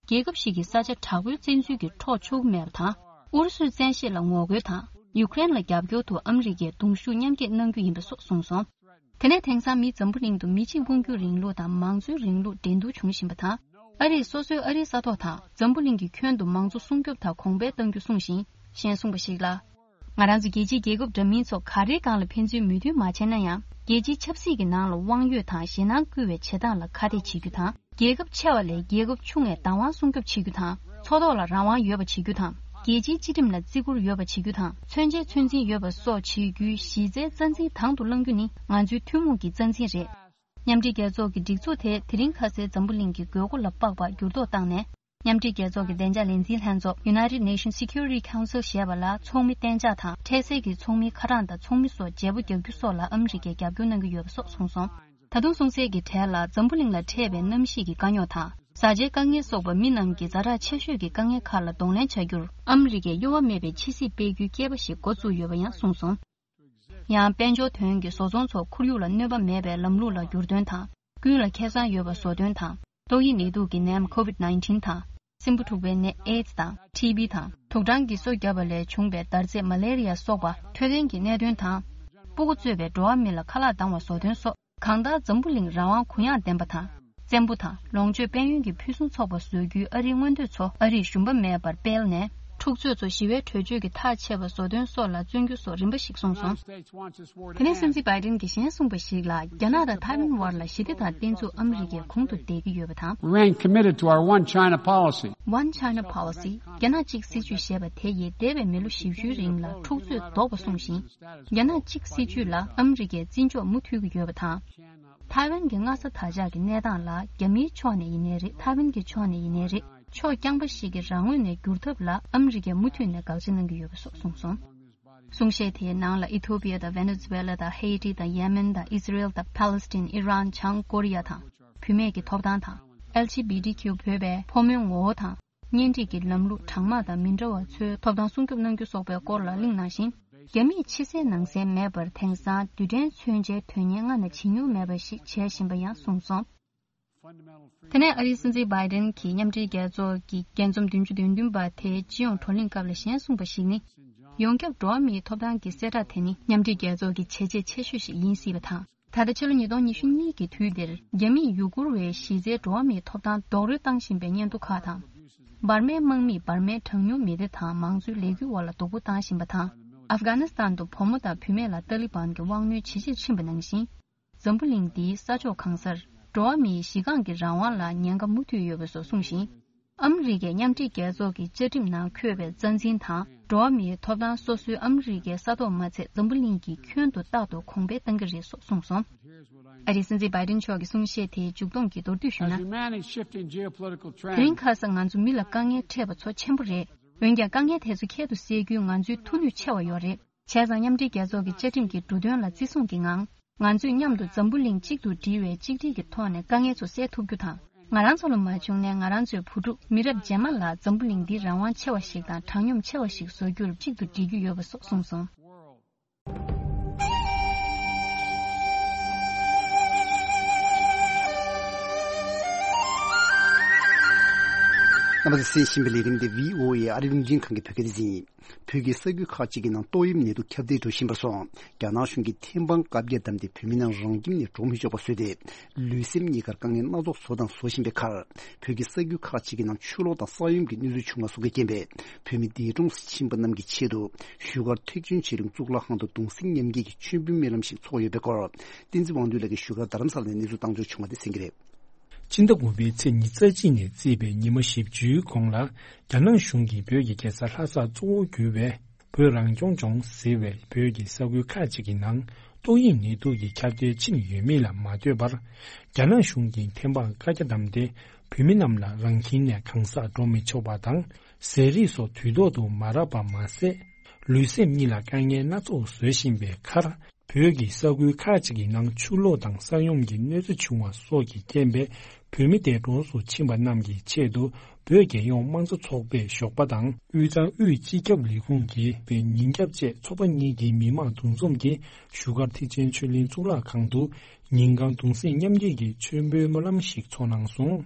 རྒྱལ་ཁབ་ཞིག་གི་ས་ཆ་དྲག་པོའི་བཙན་འཛུལ་གྱིས་འཕྲོག་ཆོག་གི་མེད་པ་དང་། ཨུ་རུ་སུའི་བཙན་ཤེད་ལ་ངོ་རྒོལ་དང་། ཡུཀ་རེན་ལ་རྒྱབ་སྐྱོར་དུ་ཨ་མི་རི་ཀས་གདུང་ཤུགས་མཉམ་སྐྱེད་གནང་རྒྱུ་ཡིན་པ་སོགས་གསུངས་སོང་། དེ་ནས་དེང་སང་མིས་འཛམ་བུ་གླིང་དུ་མི་གཅིག་དབང་སྒྱུར་རིང་ལུགས་དང་མང་གཙོའི་རིང་ལུགས་འགྲན་བསྡུར་བྱུང་བཞིན་པ་དང་། ཨ་རིས་སོ་སོའི་ཨ་རིའི་ས་ཐོག་དང་འཛམ་བུ་གླིང་གི་ཁྱོན་དུ་མང་གཙོ་སྲུང་སྐྱོབ་དང་གོང་འཕེལ་གཏང་རྒྱུ་གསུངས་ཤིང་། གཞན་གསུངས་པ་ཞིག་ལ། ང་རང་ཚོ་རྒྱལ་སྤྱིའི་རྒྱལ་ཁབ་འདྲ་མིན་ཚོ་ག་རེའི་སྒང་ལ་ཕན་ཚུན་མོས་མཐུན་མ་བྱས་ན་ཡང་། རྒྱལ་སྤྱིའི་ཆབ་སྲིད་ཀྱི་ནང་ལ་དབང་ཡོད་དང་ཞེད་སྣང་བསྐུལ་བའི་བྱེད་སྟངས་ལ་ཁ་གཏད་བྱེད་རྒྱུ་དང་། རྒྱལ་ཁབ་ཆེ་བ་ལས་རྒྱལ་ཁབ་ཆུང་བའི་བདག་དབང་སྲུང་སྐྱོབ་བྱེད་རྒྱུ་དང་། མཚོ་ཐོག་ལ་རང་དབང་ཡོད་པ་བྱེད་རྒྱུ་དང་། རྒྱལ་སྤྱིའི་སྤྱི་ཁྲིམས་ལ་བརྩི་བཀུར་ཡོད་པ་བྱེད་རྒྱུ་དང་། མཚོན་ཆའི་ཚོད་འཛིན་ཡོད་པ་སོགས་བྱེད་རྒྱུའི་གཞི་རྩའི་རྩ་འཛིན་དང་དུ་བླང་རྒྱུ་ནི་ང་ཚོའི་ཐུན་མོང་གི་རྩ་འཛིན་རེད། མཉམ་འབྲེལ་རྒྱལ་ཚོགས་ཀྱི་སྒྲིག་འཛུགས་དེ་དེ་རིང་ཁ་སའི་འཛམ་བུ་གླིང་གི་དགོས་མཁོ་ལ་དཔག་པ་འགྱུར་ལྡོག་བཏང་ནས། མཉམ་འབྲེལ་རྒྱལ་ཚོགས་ཀྱི་བདེ་འཇགས་ལས་འཛིན་ལྷན་ཚོགས་United Nations Security Council ཞེས་པ་ལ་ཚོགས་མི་གཏན་འཇགས་དང་འཕྲལ་སེལ་གྱི་ཚོགས་མིའི་ཁ་གྲངས་དང་ཚོགས་མི་སོགས་བརྗེ་པོ་རྒྱག་རྒྱུ་སོགས་ལ་ཨ་མི་རི་ཀས་རྒྱབ་སྐྱོར་གནང་གི་ཡོད་པ་སོགས་གསུངས་སོང་། ད་དུང་གསུང་གསལ་གྱི་གྲས་ལ་འཛམ་བུ་གླིང་ལ་འཕྲད་པའི་གནམ་གཤིས་ཀྱི་དཀའ་རྙོག་དང་ བཟའ་བཅའི་དཀའ་ངལ་སོགས་པ་མི་རྣམས་ཀྱི་ཛ་དྲག་ཆེ་ཤོས་ཀྱི་དཀའ་ངལ་ཁག་ལ་གདོང་ལེན་བྱ་རྒྱུར་ཨ་མི་རི་ཀས་གཡོ་བ་མེད་པའི་ཕྱི་སྲིད་སྤེལ་རྒྱུའི་སྐད་པ་ཞིག་འགོ་བཙུགས་ཡོད་པ་ཡང་གསུངས་སོང་། ཡང་དཔལ་འབྱོར་དོན་གྱི་བཟོ་ཚོང་སོགས་ཁོར་ཡུག་ལ་གནོད་པ་མེད་པའི་ལམ་ལུགས་ལ་འགྱུར་དོན་དང་། ཀུན་ལ་ཁེ་བཟང་ཡོད་པ་བཟོ་དོན་དང་། ཏོག་དབྱིབས་ནད་དུག་གི་ནད་ཡམས་COVID nineteen དང་། སྲིན་འབུ་འཁྲུག་པའི་ནད་ཨེ་ཛི་དང་ཊི་བི་དང་། དུག་སྦྲང་གིས་གསོ་བརྒྱབ་པ་ལས་བྱུང་བའི་འདར་རྫས་མ་ལེ་རི་ཡ་སོགས་པ་འཕྲོད་བསྟེན་གྱི་གནད་དོན་དང་། སྤུ་གུ་གཙོས་པའི་འགྲོ་བ་མི་ལ་ཁ་ལག་བཏང་བ་བཟོ་དོན་སོགས། གང་ལྟར་འཛམ་བུ་གླིང་རང་དབང་གུ་ཡངས་ལྡན་པ་དང་། བཙན་པོ་དང་ལོངས་སྤྱོད་དཔལ་ཡོན་གྱི་ཕུན་སུམ་ཚོགས་པ་བཟོ་རྒྱུའི་ཨ་རིའི་མངོན་འདོད་ཚོ་ཨ་རིས་ཞུམ་པ་མེད་པར་སྤེལ་ནས། འཁྲུག་རྩོད་ཚོ་ཞི་བའི་གྲོས་ཆོད་ཀྱི་ཐག་ཆད་པ་བཟོ་དོན་སོགས་ལ་བརྩོན་རྒྱུ་སོགས་རིམ་པ་ཞིག་གསུངས་སོང་། དེ་ནས་སྲིད་འཛིན་བྷའི་ཌེན་གྱིས་གཞན་གསུངས་པ་ཞིག་ལ། རྒྱ་ནག་དང་ཐའེ་ཝན་དབར་ལ་ཞི་བདེ་དང་བརྟན་ཚུགས་ཨ་མི་རི་ཀས་གོང་དུ་འདེགས་ཀྱི་ཡོད་པ་དང་། Remain committed to our One China policy. One China Policy། རྒྱ་ནག་གཅིག་སྲིད་ཇུས་ཞེས་པ་དེ་ཡིས་འདས་པའི་མི་ལོ་བཞི་བཅུའི་རིང་ལ་འཁྲུག་རྩོད་ལྡོག་པ་སྲུང་ཞིང་། རྒྱ་ནག་གཅིག་སྲིད་ཇུས་ལ་ཨ་མི་རི་ཀས་བརྩི་འཇོག་མུ་མཐུད་ཀྱི་ཡོད་པ་དང་། ཐའེ་ཝན་གྱི་མངའ་ས་དར་ཆགས་ཀྱི་གནས་སྟངས་ལ་རྒྱ་མིའི་ཕྱོགས་ནས་ཡིན་ནའི་རེད། ཐའེ་ཝན་གྱི་ཕྱོགས་ནས་ཡིན་ནའི་རེད། ཕྱོགས་རྐྱང་པ་ཞིག་གི་རང་ངོས་ནས་བསྒྱུར་ཐབས་ལ་ཨ་མི་རི་ཀས་མུ་མཐུད་ནས་དགག་བྱ་གནང་གི་ཡོད་པ་སོགས་གསུངས་སོང་། གསུང་བཤད་དེའི་ནང་ལ་ཨི་ཐོ་པི་ཡ་དང་ཝེ་ནེ་ཛུ་ཝེ་ལ་དང་ཧེ་ཊི་དང་ཡེ་མེན་དང་ཨི་སི་རེལ་དང་ཕཱ་ལེ་སི་ཐན། ཨི་རན། བྱང་ཀོ་རི་ཡ་དང་། བུད་མེད་ཀྱི་ཐོབ་ཐང་དང་། ཨེལ་ཇི་བི་ཊི་ཀིའུ་བོད་པའི་ཕོ་མོའི་ངོ་བོ་དང་། གཉེན་སྒྲིག་གི་ལམ་ལུགས་གྲངས་མང་དང་མི་འདྲ་བ་ཚོའི་ཐོབ་ཐང་སྲུང་སྐྱོབ་གནང་རྒྱུ་སོགས་པའི་སྐོར་ལ་གླེང་གནང་ཞིང་། རྒྱ་མིས་ཕྱི་གསལ་ནང་གསལ་མེད་པར་དེང་སང་རྡུལ་ཕྲན་མཚོན་ཆའི་དོན་གཉེར་སྔ་ནས་བྱེད་མྱོང་མེད་པ་ཞིག་བྱེད་བཞིན་པ་ཡང་གསུངས་སོང་། དེ་ནས་ཨ་རིའི་སྲིད་འཛིན་བྷའི་ཌེན་གྱིས་མཉམ་འབྲེལ་རྒྱལ་ཚོགས་ཀྱི་རྒྱས་འཛོམས་བདུན་ཅུ་དོན་བདུན་པ་དེའི་སྤྱི་ཡོངས་བགྲོ་གླེང་སྐབས་ལ་གཞན་གསུངས་པ་ཞིག་ནི། ཡོངས་ཁྱབ་འགྲོ་བ་མིའི་ཐོབ་ཐང་གི་གསལ་བསྒྲགས་དེ་ནི་མཉམ་འབྲེལ་རྒྱལ་ཚོགས་ཀྱི་བྱས་རྗེས་ཆེ་ཤོས་ཤིག་ཡིན་སྲིད་པ་དང་། ད་ལྟ་ཕྱི་ལོ་ཉིས་སྟོང་ཉི་ཤུ་གཉིས་ཀྱི་དུས་འདིར་རྒྱ་མིས་ཡུ་གུར་བའི་གཞི་རྩའི་འགྲོ་བ་མིའི་ཐོབ་ཐང་རྡོག་རོལ་བཏང་བཞིན་པའི་སྙན་ཐོ་ཁག་དང་། འབར་མའི་དམག་མིས་འབར་མའི་གྲངས་ཉུང་མི་སྡེ་དང་མང་གཙོའི་ལས་འགུལ་འོག་ལ་སྡུག་པོ་བཏང་བཞིན་པ་དང་། ཨབ་གྷ་ནི་སི་ཐན་དུ་བུ་མོ་དང་བུད་མེད་ལ་ཏཱ་ལི་བན་གྱི་དབང་གནོད་ཇེ་ཆེར་ཕྱིན་པ་ནང་བཞིན། འཛམ་བུ་གླིང་འདིའི་ས་ཕྱོགས་གང་སར་འགྲོ་བ་མིའི་གཞི་རྐང་གི་རང་དབང་ལ་ཉེན་ཁ་མུ་མཐུད་ཡོད་པ་སོགས་གསུངས་ཤིང་། ཨ་མི་རི་ཀས་མཉམ་འབྲེལ་རྒྱལ་ཚོགས་ཀྱི་བཅའ་ཁྲིམས་ནང་འཁོད་པའི་རྩ་འཛིན་དང་འགྲོ་བ་མིའི་ཐོབ་ཐང་སོ་སོའི་ཨ་མི་རི་ཀའི་ས་ཐོག་མ་ཚད་འཛམ་བུ་གླིང་གི་ཁྱོན་དུ་རྟག་ཏུ་གོང་འཕེལ་གཏང་གི་རེད་སོགས་གསུངས་སོང་། ཨ་རིའི་སྲིད་འཛིན་བྷའི་ཌེན་མཆོག་གི་གསུང་བཤད་དེའི་མཇུག་སྡོམ་གྱི་མདོར་བསྡུས་ཞུས་ན། As humanity's shifting geopolitical དེ་རིང་trends ཁ་སང་ང་ཚོ་མི་ལ་དཀའ་ངལ་འཕྲད་པ་ཚོ་ཆེན་པོ་རེད། འོན་ཀྱང་དཀའ་ངལ་དེ་ཚོ་ཁྱད་དུ་བསད་རྒྱུའི་ང་ཚོའི་མཐུ་ནུས་ཆེ་བ་ཡོད་རེད། བྱས་ཙང་མཉམ་འབྲེལ་རྒྱལ་ཚོགས་ཀྱི་བཅའ་ཁྲིམས་ཀྱི་འབྲུ་དོན་ལ་བརྩི་སྲུང་གི་ངང་། ང་ཚོས་མཉམ་དུ་འཛམ་བུ་གླིང་གཅིག་ཏུ་སྒྲིལ་བའི་གཅིག་སྒྲིལ་གྱི་ཐོག་ནས་དཀའ་ངལ་ཚོ་སེལ་ཐུབ་རྒྱུ་དང་། ང་རང་ཚོ་ལ་མ་བྱུང་ན་ང་རང་ཚོའི་བུ་ཕྲུག་མི་རབས་རྗེས་མ་ལ་འཛམ་བུ་གླིང་འདི་རང་དབང་ཆེ་བ་ཞིག་དང་དྲང་སྙོམས་ཆེ་བ་ཞིག་བཟོ་རྒྱུར་གཅིག་ཏུ་སྒྲིལ་རྒྱུ་ཡོད་པ་སོགས་གསུངས་སོང་། རྣམ་པ་ཚོས་གསན་བཞིན་པའི་ལས་རིམ་འདི་བྷི་ཨོ་ཨེ་ཨ་རི་རླུང་འཕྲིན་ཁང་གི་བོད་སྐད་སྡེ་ཚན་ཡིན། བོད་ཀྱི་ས་ཁུལ་ཁག་ཅིག་གི་ནང་ཏོག་དབྱིབས་ནད་དུག་ཁྱབ་གདལ་འགྲོ་བཞིན་པར་སོང་། རྒྱ་ནག་གཞུང་གིས་ཐེམ་སྤང་བཀག་རྒྱ་བསྡམས་ཏེ་བོད་མི་རྣམས་རང་ཁྱིམ་ནས་འགྲོ་མི་ཆོག་པ་བཟོས་ཏེ། ལུས་སེམས་གཉིས་ཀར་དཀའ་ངལ་སྣ་ཚོགས་བཟོ་དང་བཟོ་བཞིན་པའི་ཁར། བོད་ཀྱི་ས་ཁུལ་ཁག་ཅིག་གི་ནང་ཆུ་ལོག་དང་ས་ཡོམ་གྱི་གནོད་འཚེ་བྱུང་བ་སོགས་ཀྱི་རྐྱེན་པས། བོད་མི་འདས་གྲོངས་སུ་ཕྱིན་པ་རྣམས་ཀྱི་ཆེད་དུ། བཞུགས་སྒར་ཐེག་ཆེན་ཆོས་གླིང་གཙུག་ལག་ཁང་དུ་གདུང་སེམས་མཉམ་སྐྱེད་ཀྱི་མཆོད་འབུལ་སྨོན་ལམ་ཞིག་ཚོགས་ཡོད་པའི་སྐོར། བསྟན་འཛིན་དབང་འདུས་ལགས་ཀྱིས་བཞུགས་སྒར་རྡ་རམ་ས་ལ་ནས་གནས་ཚུལ་བཏང་འབྱོར་བྱུང་བ་དེ་གསན་གྱི་རེད། ཕྱི་ཟླ་དགུ་པའི་ཚེས་ཉི་ཤུ་རྩ་གཅིག་ནས་བརྩིས་པའི་ཉི་མ་བཞི་བཅུའི་གོང་ལ། རྒྱ་ནག་གཞུང་གིས་བོད་ཀྱི་རྒྱལ་ས་ལྷ་སར་གཙོ་བོར་གྱུར་པའི་བོད་རང་སྐྱོང་ལྗོངས་ཟེར་བའི་བོད་ཀྱི་ས་ཁུལ་ཁག་ཅིག་གི་ནང་ཏོག་དབྱིབས་ནད་དུག་གི་ཁྱབ་གདལ་ཕྱིན་ཡོད་མེད་ལ་མ་ལྟོས་པར། རྒྱ་ནག་གཞུང་གིས་ཐེམ་སྤང་བཀའ་རྒྱ་བསྡམས་ཏེ། བོད་མི་རྣམས་ལ་རང་ཁྱིམ་ནས་གང་སར་འགྲོ་མི་ཆོག་པ་དང་། ཟས་རིགས་སོགས་དུས་ཐོག་ཏུ་མ་རག་པ་མ་ཟད། ལུས་སེམས་གཉིས་ལ་དཀའ་ངལ་སྣ་ཚོགས་བཟོ་བཞིན་པའི་ཁར། བོད་ཀྱི་ས་ཁུལ་ཁག་ཅིག་གི་ནང་ཆུ་ལོག་དང་ས་ཡོམ་གྱི་གནོད་འཚེ་བྱུང་བ་སོགས་ཀྱི་རྐྱེན་པས། བོད་མི་འདས་གྲོངས་སུ་ཕྱིན་པ་རྣམས་ཀྱི་ཆེད་དུ། བོད་རྒྱལ་ཡོངས་དམངས་གཙོ་ཚོགས་པས་ཞོགས་པ་དང་། དབུས་གཙང་དབུས་སྤྱི་ཁྱབ་ལས་ཁུངས་ཀྱིས་ཉིན་རྒྱབ་བཅས་ཚོགས་པ་གཉིས་ཀྱི་མི་མང་འདུ་འཛོམས་ཀྱིས་བཞུགས་སྒར་ཐེག་ཆེན་ཆོས་གླིང་གཙུག་ལག་ཁང་དུ། ཉིན་གང་གདུང་སེམས་མཉམ་སྐྱེད་ཀྱི་མཆོད་འབུལ་སྨོན་ལམ་ཞིག་ཚོགས་གནང་སོང་།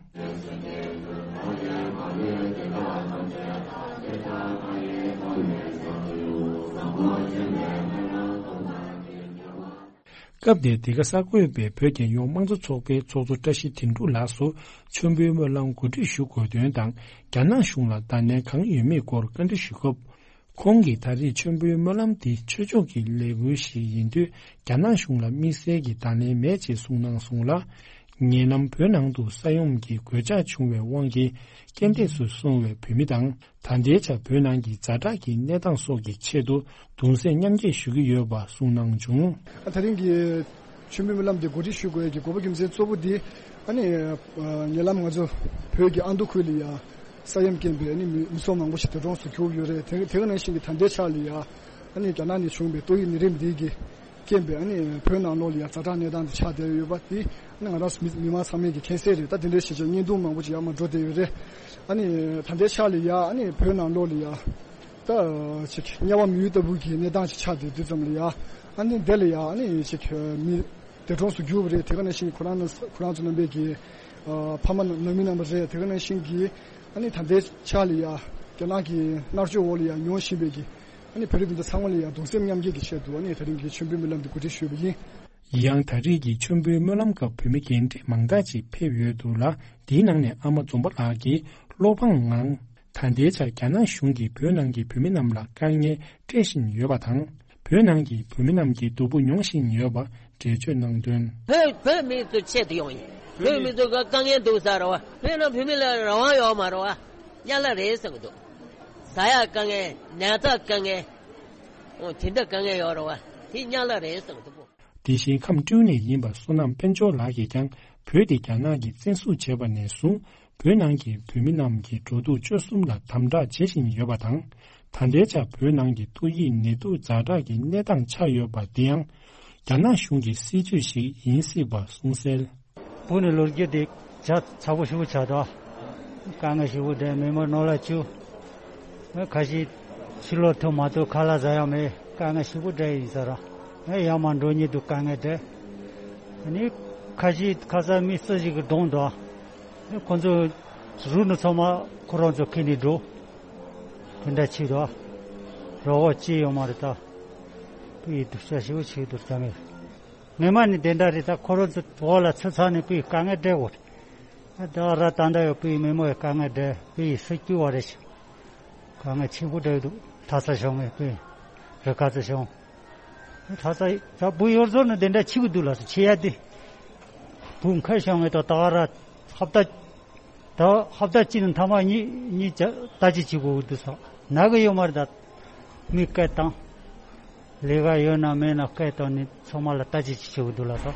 སྐབས་དེར་འདི་ག་གསར་འགོད་པས་བོད་རྒྱལ་ཡོངས་དམངས་གཙོ་ཚོགས་པའི་ཚོགས་གཙོ་བཀྲ་ཤིས་དོན་གྲུབ་ལགས་སུ་མཆོད་འབུལ་སྨོན་ལམ་གོ་སྒྲིག་ཞུ་དགོས་དོན་དང་རྒྱ་ནག་གཞུང་ལ་བརྡ་ལན་གང་ཡོད་མེད་སྐོར་བཀའ་འདྲི་ཞུས་སྐབས། ཁོང་གིས་ད་རེས་མཆོད་འབུལ་སྨོན་ལམ་འདི་ཆོས་ཕྱོགས་ཀྱི་ལས་འགུལ་ཞིག་ཡིན་དུས་རྒྱ་ནག་གཞུང་ལ་དམིགས་བསལ་གྱི་བརྡ་ལན་མེད་ཅེས་གསུངས་གནང་སོང་ལ། ཉེ་ལམ་བོད་ནང་དུ་ས་ཡོམ་གྱི་གོད་ཆག་བྱུང་བའི་དབང་གིས་རྐྱེན་འདས་སུ་སོང་བའི་བོད་མི་དང་། ད་ལྟའི་ཆར་བོད་ནང་གི་ཛ་དྲག་གི་གནས་སྟངས་སོགས་ཀྱི་ཆེད་དུ་གདུང་སེམས་མཉམ་སྐྱེད་ཞུ་གི་ཡོད་པ་གསུངས་གནང་བྱུང་། ད་རིང་གི་ཆུ་མིག་སྨོན་ལམ་འདི་གོ་སྒྲིག་ཞུ་དགོས་ཀྱི་དགོས་པ་རྒྱུ་མཚན་གཙོ་བོ་འདི་ཨ་ནི་ཉེ་ལམ་ང་ཚོ་བོད་ཀྱི་ཨ་མདོ་ཁུལ་ལ་ཡ་ས་ཡོམ་རྐྱེན་པས་ཨ་ནི་མི་མི་ཚོགས་མང་པོ་ཞིག་འདས་གྲོངས་སུ་གྱུར་ཡོད་རེད། དེ་དེ་ག་ནང་བཞིན་གྱི་ད་ལྟའི་ཆར་ལ་ཡ་ཨ་ནི་རྒྱ་ནག་ནས་བྱུང་བའི་ཏོག་དབྱིབས་ནད་རིམས་འདི་གི་ རྐྱེན་པས་ཨ་ནི་བོད་ནང་ལོགས་ལ་ཡ་ཛ་དྲག་གནས་སྟངས་དེ་ཆགས་བསྡད་ཡོད་པ་དེ་ཨ་ནི་ང་རང་ཚོ་མི་མི་མང་ཚང་མས་ཀྱི་མཁྱེན་གསལ་རེད། ད་དེ་འདྲའི་ཞེ་ཆེ་བརྙན་ཐུང་མང་པོ་ཅིག་ཡར་མར་འགྲོ་བསྡད་ཡོད་རེད། ཨ་ནི་ད་ལྟའི་ཆ་ལ་ཡ་ཨ་ནི་བོད་ནང་ལོགས་ལ་ཡ་ད་ཅིག་དམྱལ་བ་མི་ཡུལ་ལྟ་བུ་གི་གནས་སྟངས་ཅིག་ཆགས་བསྡད་དུས་ཙམ་ལ་ཡ་ཨ་ནི་དེ་ལ་ཡ་ཨ་ནི་ཅིག་མི་འདས་གྲོངས་སུ་གྱུར་པ་རེད། དེ་ག་ནང་བཞིན་ཁོ་རང་ཁོ་རང་ཚོ་རྣམ་པའི་གི་ཕ་མ་ནང་མི་རྣམ་པ་རེད། དེ་ག་ནང་བཞིན་གྱི་ཨ་ནི་ད་ལྟའི་ཆ་ལ་ཡ་རྒྱ་ནག་གི་མནར་གཅོད་འོག་ལ་ཡ་མྱོང་བཞིན་པའི་གི་ཨ་ནི་བོད་རིགས་སྤུན་ཟླ་ཚང་མ་ལ་ཡ་གདུང་སེམས་མཉམ་སྐྱེད་ཀྱི་ཆེད་དུ་ཨ་ནི་དེ་རིང་གི་མཆོད་འབུལ་སྨོན་ལམ་དེ་གོ་སྒྲིག་ཞུས་པ་ཡིན། ཡང་ད་རེས་ཀྱི་མཆོད་འབུལ་སྨོན་ལམ་སྐབས་བོད་མི་རྒན་གྲས་མང་དག་ཅིག་ཕེབས་ཡོད་འདུག་ལ། འདིའི་ནང་ནས་ཨ་མ་འཛོམས་པ་ལགས་ཀྱིས་བློ་ཕངས་ངང་། ད་ལྟའི་ཆར་རྒྱ་ནག་གཞུང་གིས་བོད་ནང་གི་བོད་མི་རྣམས་ལ་དཀའ་ངལ་སྤྲད་བཞིན་ཡོད་པ་དང་། བོད་ནང་གི་བོད་མི་རྣམས་ཀྱི་སྡུག་པོ་མྱོང་བཞིན་ཡོད་པ་འགྲེལ་བརྗོད་གནང་དོན། བོད་བོད་མི་ཚོའི་ཆེད་དུ་ཡོང་ཡིན། བོད་མི་ཚོ་ག་དཀའ་ངལ་འདུག་ས་རེད་བ། བོད་ནང་བོད་མི་ལ་རང་དབང་ཡོད་མ་རེད་བ། དམྱལ་བ་རེད་བསམ་གྱི་འདུག་ཟ་ཡག་དཀའ་ངལ། ཉལ་ས་དཀའ་ངལ། འོ་དེ་འདྲ་དཀའ་ངལ་ཡོད་རེད་བ། དེ་དམྱལ་བ་རེད་བསམ་གྱི་འདུག་དེ་བཞིན་ཁམས་སྤྲེའུ་ནས་ཡིན་པ་བསོད་ནམས་དཔལ་འབྱོར་ལགས་ཀྱིས་ཀྱང་བོད་དེ་རྒྱ་ནག་གིས་བཙན་བཟུང་བྱས་པ་ནས་བཟུང་བོད་ནང་གི་བོད་མི་རྣམས་ཀྱི་འགྲོ་འདུག་སྤྱོད་གསུམ་ལ་དམ་དྲག་བྱེད་བཞིན་ཡོད་པ་དང་། ད་ལྟའི་ཆར་བོད་ནང་གི་ཏོག་དབྱིབས་ནད་དུག་ཛ་དྲག་གི་གནས་སྟངས་ཆགས་ཡོད་པ་འདི་ཡང་རྒྱ་ནག་གཞུང་གི་སྲིད་བྱུས་ཤིག་ཡིན་སྲིད་པ་གསུངས་གསལ། བོད་ནས་ལོ་རྒྱུས་དེ་ཇ་ཚ་པོ་ཞེ་པོ་ཆགས་འདུག་དཀའ་ངལ་ཞེ་པོ་འདྲ། མི་མང་ནང་ལ་བཅུག་ཁ་ཤས་ཕྱི་ལོགས་ཐོན་མ་ཐུབ། ཁ་ལག་ཟ་ཡག་མེད། དཀའ་ངལ་ཞེ་པོ་འདྲ་ཡིན་ས་རེད། ཡར་མར་འགྲོ་ཉེན་དུ་དཀའ་ངལ་འདྲ། ཨ་ནི་ཁ་ཤས་ཁ་སང་མི་སུ་ཞིག་གིས་བསྡོམས་འདུག་ཁོ་ཚོ་རུ་ནི་ཚང་མ་ཁོ་རང་ཚོ་ཁྱེར་ནས་འགྲོ། དེ་འདྲ་བྱས་འདུག་རོགས་པ་ཅི་ཡོད་མ་རེད་ད། བོད་ཡིག་སྡུག་ཅག་ཞེ་པོ་བྱས་འདུག་ད་ངས། སྔོན་མ་ནས་དེ་འདྲ་རེད། ད་ཁོ་རང་ཚོ་འོག་ལ་ཚུད་ཚར་ནས་བོད་ཡིག་དཀའ་ངལ་འཕྲད་ཡོད་རེད། ད་ར་ད་ལྟ་ཡང་བོད་ཡིག་མི་མང་ཡང་དཀའ་ངལ་འཕྲད། བོད་ཡིག་སུ་སྐྱོ་བ་རེད་ཤག་དཀའ་ངལ་ཆེན་པོ་འཕྲད་འདུག་གྲྭ་ས་གཞུང་ངས་བོད་ཡིག་རི་ཁ་ཚ་གཞུང་། གྲྭ་ས་ད་བོད་ཡིག་ཟུར་ནས་དེ་འདྲ་བྱེད་དགོས་འདུག་ལགས་སོ། བྱེད་ཡ་དེ་བོད་མཁས་གཞུང་ངས་ད་ད་ར་ཧབ་ད། ད་ཧབ་ད་གཅིག་ནས་ཐ་མ་གཉིས་གཉིས་ལྟ་ཅི་བྱེད་དགོས་འདུག་ཟེར། ན་གི་ཡོད་མ་རེད་ད། མི་སྐད་བཏང་། ལས་ཀ་ཡོད་ན་མེད་ན་སྐད་བཏང་ནས་ཚང་མ་ལ་ལྟ་ཅི་བྱེད་དགོས་འདུག་ལགས་སོ།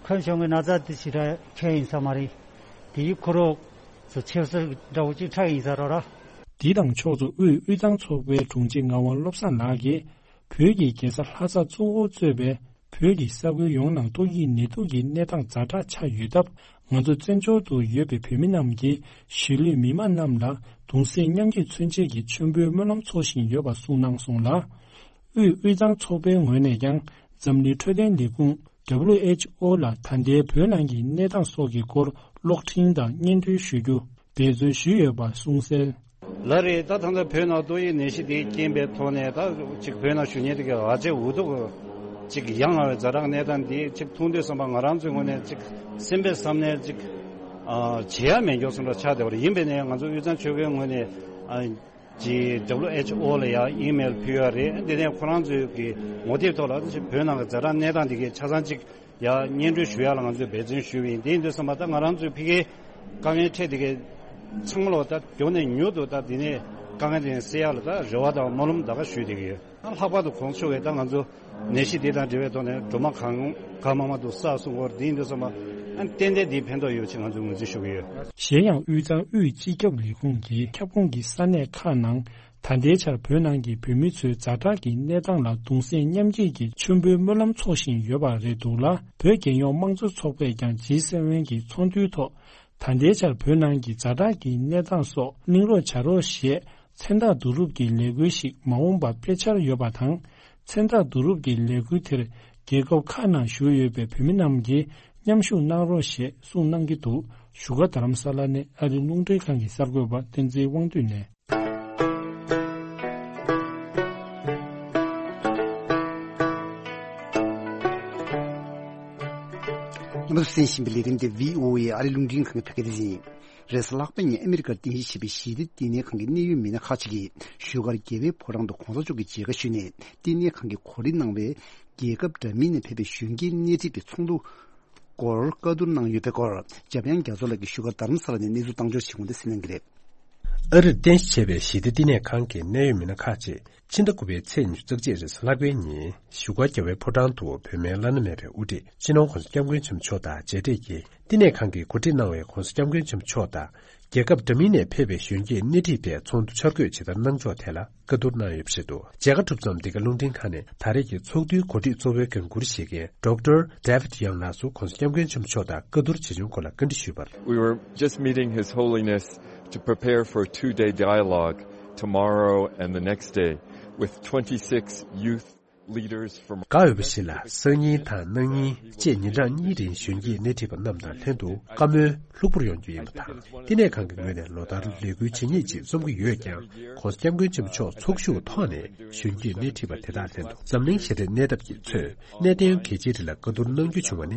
མཁན་གཞུང་གི་ན་ཚ་དེ་ཞེ་དྲག་ཁྱོན་ཡིན་ས་མ་རེད། དེ་ཡི་ཁོ་རང་ཚོ་ཆབ་སྲིད་འདྲ་བོ་ཅིག་ཆགས་ཡིན་ས་རེད་ར། འདི་དང་ཕྱོགས་མཚུངས་དབུས་དབུས་གཙང་ཚོགས་པའི་དྲུང་ཆེ་ངག་དབང་བློ་བཟང་ལགས་ཀྱིས། བོད་ཀྱི་རྒྱལ་ས་ལྷ་ས་གཙོ་བོར་གཙོས་པའི་བོད་ཀྱི་ས་ཁུལ་ཡོངས་ནང་ཏོག་དབྱིབས་ནད་དུག་གི་གནས་སྟངས་ཛ་དྲག་ཆགས་ཡོད་སྟབས། ང་ཚོ་བཙན་བྱོལ་དུ་ཡོད་པའི་བོད་མི་རྣམས་ཀྱིས་གཞིས་ལུས་མི་མང་རྣམས་ལ་གདུང་སེམས་མཉམ་སྐྱེད་མཚོན་ཆེད་ཀྱི་མཆོད་འབུལ་སྨོན་ལམ་འཚོགས་བཞིན་ཡོད་པ་གསུངས་གནང་སོང་ལ། དབུས་དབུས་གཙང་ཚོགས་པའི་ངོས་ནས་ཀྱང་འཛམ་གླིང་འཕྲོད་བསྟེན་ལས་ཁུངས་W H O ལ་ད་ལྟའི་བོད་ནང་གི་གནས་སྟངས་སོགས་ཀྱི་སྐོར་གློག་འཕྲིན་དང་སྙན་སྒྲོན་ཞུ་རྒྱུ་འབད་བརྩོན་ཞུས་ཡོད་པ་གསུངས་གསལ། ལགས་རེད། ད་ད་ལྟ་བོད་ནང་ཏོག་དབྱིབས་ནད་གཞི་དེ་རྐྱེན་པས་ཐོག་ནས་ད་ཅིག་བོད་ནང་བཞུགས་མཁན་དེ་གའི་ཨ་ཅེ་འུ་ཐུག་ཅིག་ཡ་ང་བའི་ཛ་དྲག་གནས་སྟངས་འདི་ཅིག་མཐོང་དུས་ཙམ་པ་ང་རང་ཚོའི་ངོས་ནས་ཅིག་སེམས་པའི་བསམ་ནས་ཅིག་ཨ་བྱེད་ཡ་མེད་མགྱོགས་སོང་འདྲ་ཆགས་བསྡད་པ་རེད། ཡིན་པས་ནས་ང་ཚོ་དབུས་གཙང་ཆོལ་ཁའི་ངོས་ནས་ཨ་ཅིག་W H O ལ་ཡ་ཨི་མེལ་ཕུལ་ཡ་རེད། འདི་ནས་ཁོ་རང་ཚོའི་གི་ངོ་དེབ་ཐོག་ལ་ཅིག་བོད་ནང་གི་ཛ་དྲག་གནས་སྟངས་འདི་གའི་ཆ་ཚང་ཅིག་ཡ་སྙན་སྒྲོན་ཞུ་ཡ་ལ་ང་ཚོས་འབད་བརྩོན་ཞུས་པ་ཡིན། དེ་ཡིན་དུས་ཙམ་པ་ད་ང་རང་ཚོའི་ཕ་གིའི་དཀའ་ངལ་འཕྲད་དེ་གའི་ཚང་མ་ལོ་ད་མགྱོགས་ནས་མྱུར་དུ་ད་འདི་ནས་དཀའ་ངལ་དེ་སེལ་ཡ་ལ་ད་རེ་བ་དང་སྨོན་ལམ་ད་ག་ཞུས་བསྡད་ཀྱི་ཡོད། ད་ལྷག་པར་དུ་གོང་ས་མཆོག་གིས་ད་ང་ཚོ་ནད་གཞི་འདི་དང་འབྲེལ་བའི་ཐོག་ནས་སྒྲོལ་མ་གང་གང་མང་མང་དུ་བསགས་གསུང་སྐོར་འདི་ཡིན་དུས་ཙམ་པ་ཨ་ཏན་ཏན་འདི་ཕན་ཐོགས་ཡོད་ཅེས་ང་ཚོས་ངོས་འཛིན་ཞུ་གི་ཡོད། གཞན་ཡང་དབུས་གཙང་དབུས་སྤྱི་ཁྱབ་ལས་ཁུངས་ཀྱི་ཁྱབ་ཁོངས་ཀྱི་ས་གནས་ཁག་ནང་། ད་ལྟའི་ཆར་བོད་ནང་གི་བོད་མི་ཚོའི་ཛ་དྲག་གི་གནས་སྟངས་ལ་གདུང་སེམས་མཉམ་སྐྱེད་ཀྱི་མཆོད་འབུལ་སྨོན་ལམ་འཚོགས་བཞིན་ཡོད་པ་རེད་འདུག་ལ། བོད་རྒྱལ་ཡོངས་དམངས་གཙོ་ཚོགས་པས་ཀྱང་ཇི་སེ་ཝེན་གྱི་ཚོགས་འདུའི་ཐོག་ད་ལྟའི་ཆར་བོད་ནང་གི་ཛ་དྲག་གི་གནས་སྟངས་སོགས་གླེང་རོགས་བྱ་རོགས་ཞེས་མཚན་རྟགས་བསྡུ་རུབ་ཀྱི་ལས་འགུལ་ཞིག་མ་འོངས་པར་སྤེལ་འཆར་ཡོད་པ་དང་། མཚན་རྟགས་བསྡུ་རུབ་ཀྱི་ལས་འགུལ་དེར་རྒྱལ་ཁབ་ཁག་ནང་བཞུགས་ཡོད་པའི་བོད་མི་རྣམས་ཀྱིས་མཉམ་ཞུགས་གནང་རོགས་ཞེས་གསུངས་གནང་གི་འདུག་བཞུགས་སྒར་རྡ་རམ་ས་ལ་ནས་ཨ་རི་རླུང་འཕྲིན་ཁང་གི་གསར་འགོད་པ་བསྟན་འཛིན་དབང་འདུས་ནས། རྣམ་པ་ཚོས་གསན་བཞིན་པའི་ལས་རིམ་དེ་V O A ཨ་རི་རླུང་འཕྲིན་ཁང་གི་བོད་སྐད་སྡེ་ཚན་ཡིན། རེས་གཟའ་ལྷག་པའི་ཉིན་ཨ་མི་རི་ཀར་རྟེན་གཞི་བྱས་པའི་ཞི་བདེ་བསྟི་གནས་ཁང་གི་གནད་ཡོད་མི་སྣ་ཁག་ཅིག་གིས་བཞུགས་སྒར་རྒྱལ་བའི་ཕོ་བྲང་དུ་གོང་ས་མཆོག་གི་མཇལ་ཁ་ཞུས་ནས་བསྟི་གནས་ཁང་གིས་གོ་སྒྲིག་གནང་བའི་རྒྱལ་ཁབ་འདྲ་མིན་ནས་ཕེབས་པའི་གཞོན་སྐྱེས་སྣེ་ཁྲིད་ཀྱི་ཚོགས་འདུ་སྐོར་བཀའ་བསྡུར་གནང་ཡོད་པའི་སྐོར་འཇམ་དབྱངས་རྒྱ་མཚོ་ལགས་ཀྱིས་བཞུགས་སྒར་རྡ་རམ་ས་ལ་ནས་གནས་ཚུལ་བཏང་འབྱོར་བྱེད་ཁུངས་དེ་གསན་གནང་གི་རེད། ཨ་རིར་རྟེན་གཞི་བྱས་པའི་ཞི་བདེ་བསྟི་གནས་ཁང་གི་གནད་ཡོད་མི་སྣ་ཁག་ཅིག་ཕྱི་ཟླ་དགུ་པའི་ཚེས་ཉི་ཤུ་རྩ་གཅིག་རེས་གཟའ་ལྷག་པའི་ཉིན་བཞུགས་སྒར་རྒྱལ་བའི་ཕོ་བྲང་དུ་བོད་མིའི་བླ་ན་མེད་པའི་དབུ་ཁྲིད་སྤྱི་ནོར་༸གོང་ས་༸སྐྱབས་མགོན་ཆེན་པོ་མཆོག་དང་མཇལ་འཕྲད་ཀྱིས་བསྟི་གནས་ཁང་གིས་གོ་སྒྲིག་གནང་བའི་༸གོང་ས་༸སྐྱབས་མགོན་ཆེན་པོ་མཆོག་དང་ རྒྱལ་ཁབ་འདྲ་མིན་ནས་ཕེབས་པའི་གཞོན་སྐྱེས་སྣེ་ཁྲིད་པས་ཚོགས་འདུ་འཆར་འགོད་ཇི་ལྟར་གནང་ཕྱོགས་ཐད་ལ་བཀའ་བསྡུར་གནང་ཡོད་པ་རེད་འདུག་མཇལ་ཁ་གྲུབ་མཚམས་འདི་ག་རླུང་འཕྲིན་ཁང་ནས་ད་རེས་ཀྱི་ཚོགས་འདུའི་གོ་སྒྲིག་གཙོ་བོའི་འགན་འཁུར་བཞེས་མཁན་ཌོག་ཊར་David Young ལགས་སུ་༸གོང་ས་༸སྐྱབས་མགོན་ཆེན་པོ་མཆོག་དང་བཀའ་བསྡུར་བྱེད་བྱུང་སྐོར་ལ་བཀའ་འདྲི་ཞུས་པར། We were just meeting His Holiness to prepare for a two-day dialogue tomorrow and the next day with twenty-six youth leaders from དགའ་འོས་པ་ཞིག་ལ་སང་ཉིན་དང་གནངས་ཉིན་བཅས་ཉིན་གྲངས་གཉིས་རིང་གཞོན་སྐྱེས་སྣེ་ཁྲིད་པ་རྣམས་དང་ལྷན་དུ་བཀའ་མོལ་ལྷུག་པོར་ཡོང་རྒྱུ་ཡིན་པ་དང་། བསྟི་གནས་ཁང་གི་ངོས་ནས་ལོ་ལྟར་ལས་འགུལ་ཇི་སྙེད་ཅིག་རྩོམ་གྱི་ཡོད་ཀྱང་༸གོང་ས་༸སྐྱབས་མགོན་ཆེན་པོ་མཆོག་ཚོགས་ཞུགས་ཐོག་ནས་གཞོན་སྐྱེས་སྣེ་ཁྲིད་པ་དེ་དག་ལྷན་དུ་འཛམ་གླིང་ཞི་བདེ་གནས་སྟངས་ཀྱི་ཚོད་གནད་དོན་གལ་ཆེའི་རིགས་ལ་བཀའ་བསྡུར་གནང་རྒྱུ་བྱུང་བ་ནི་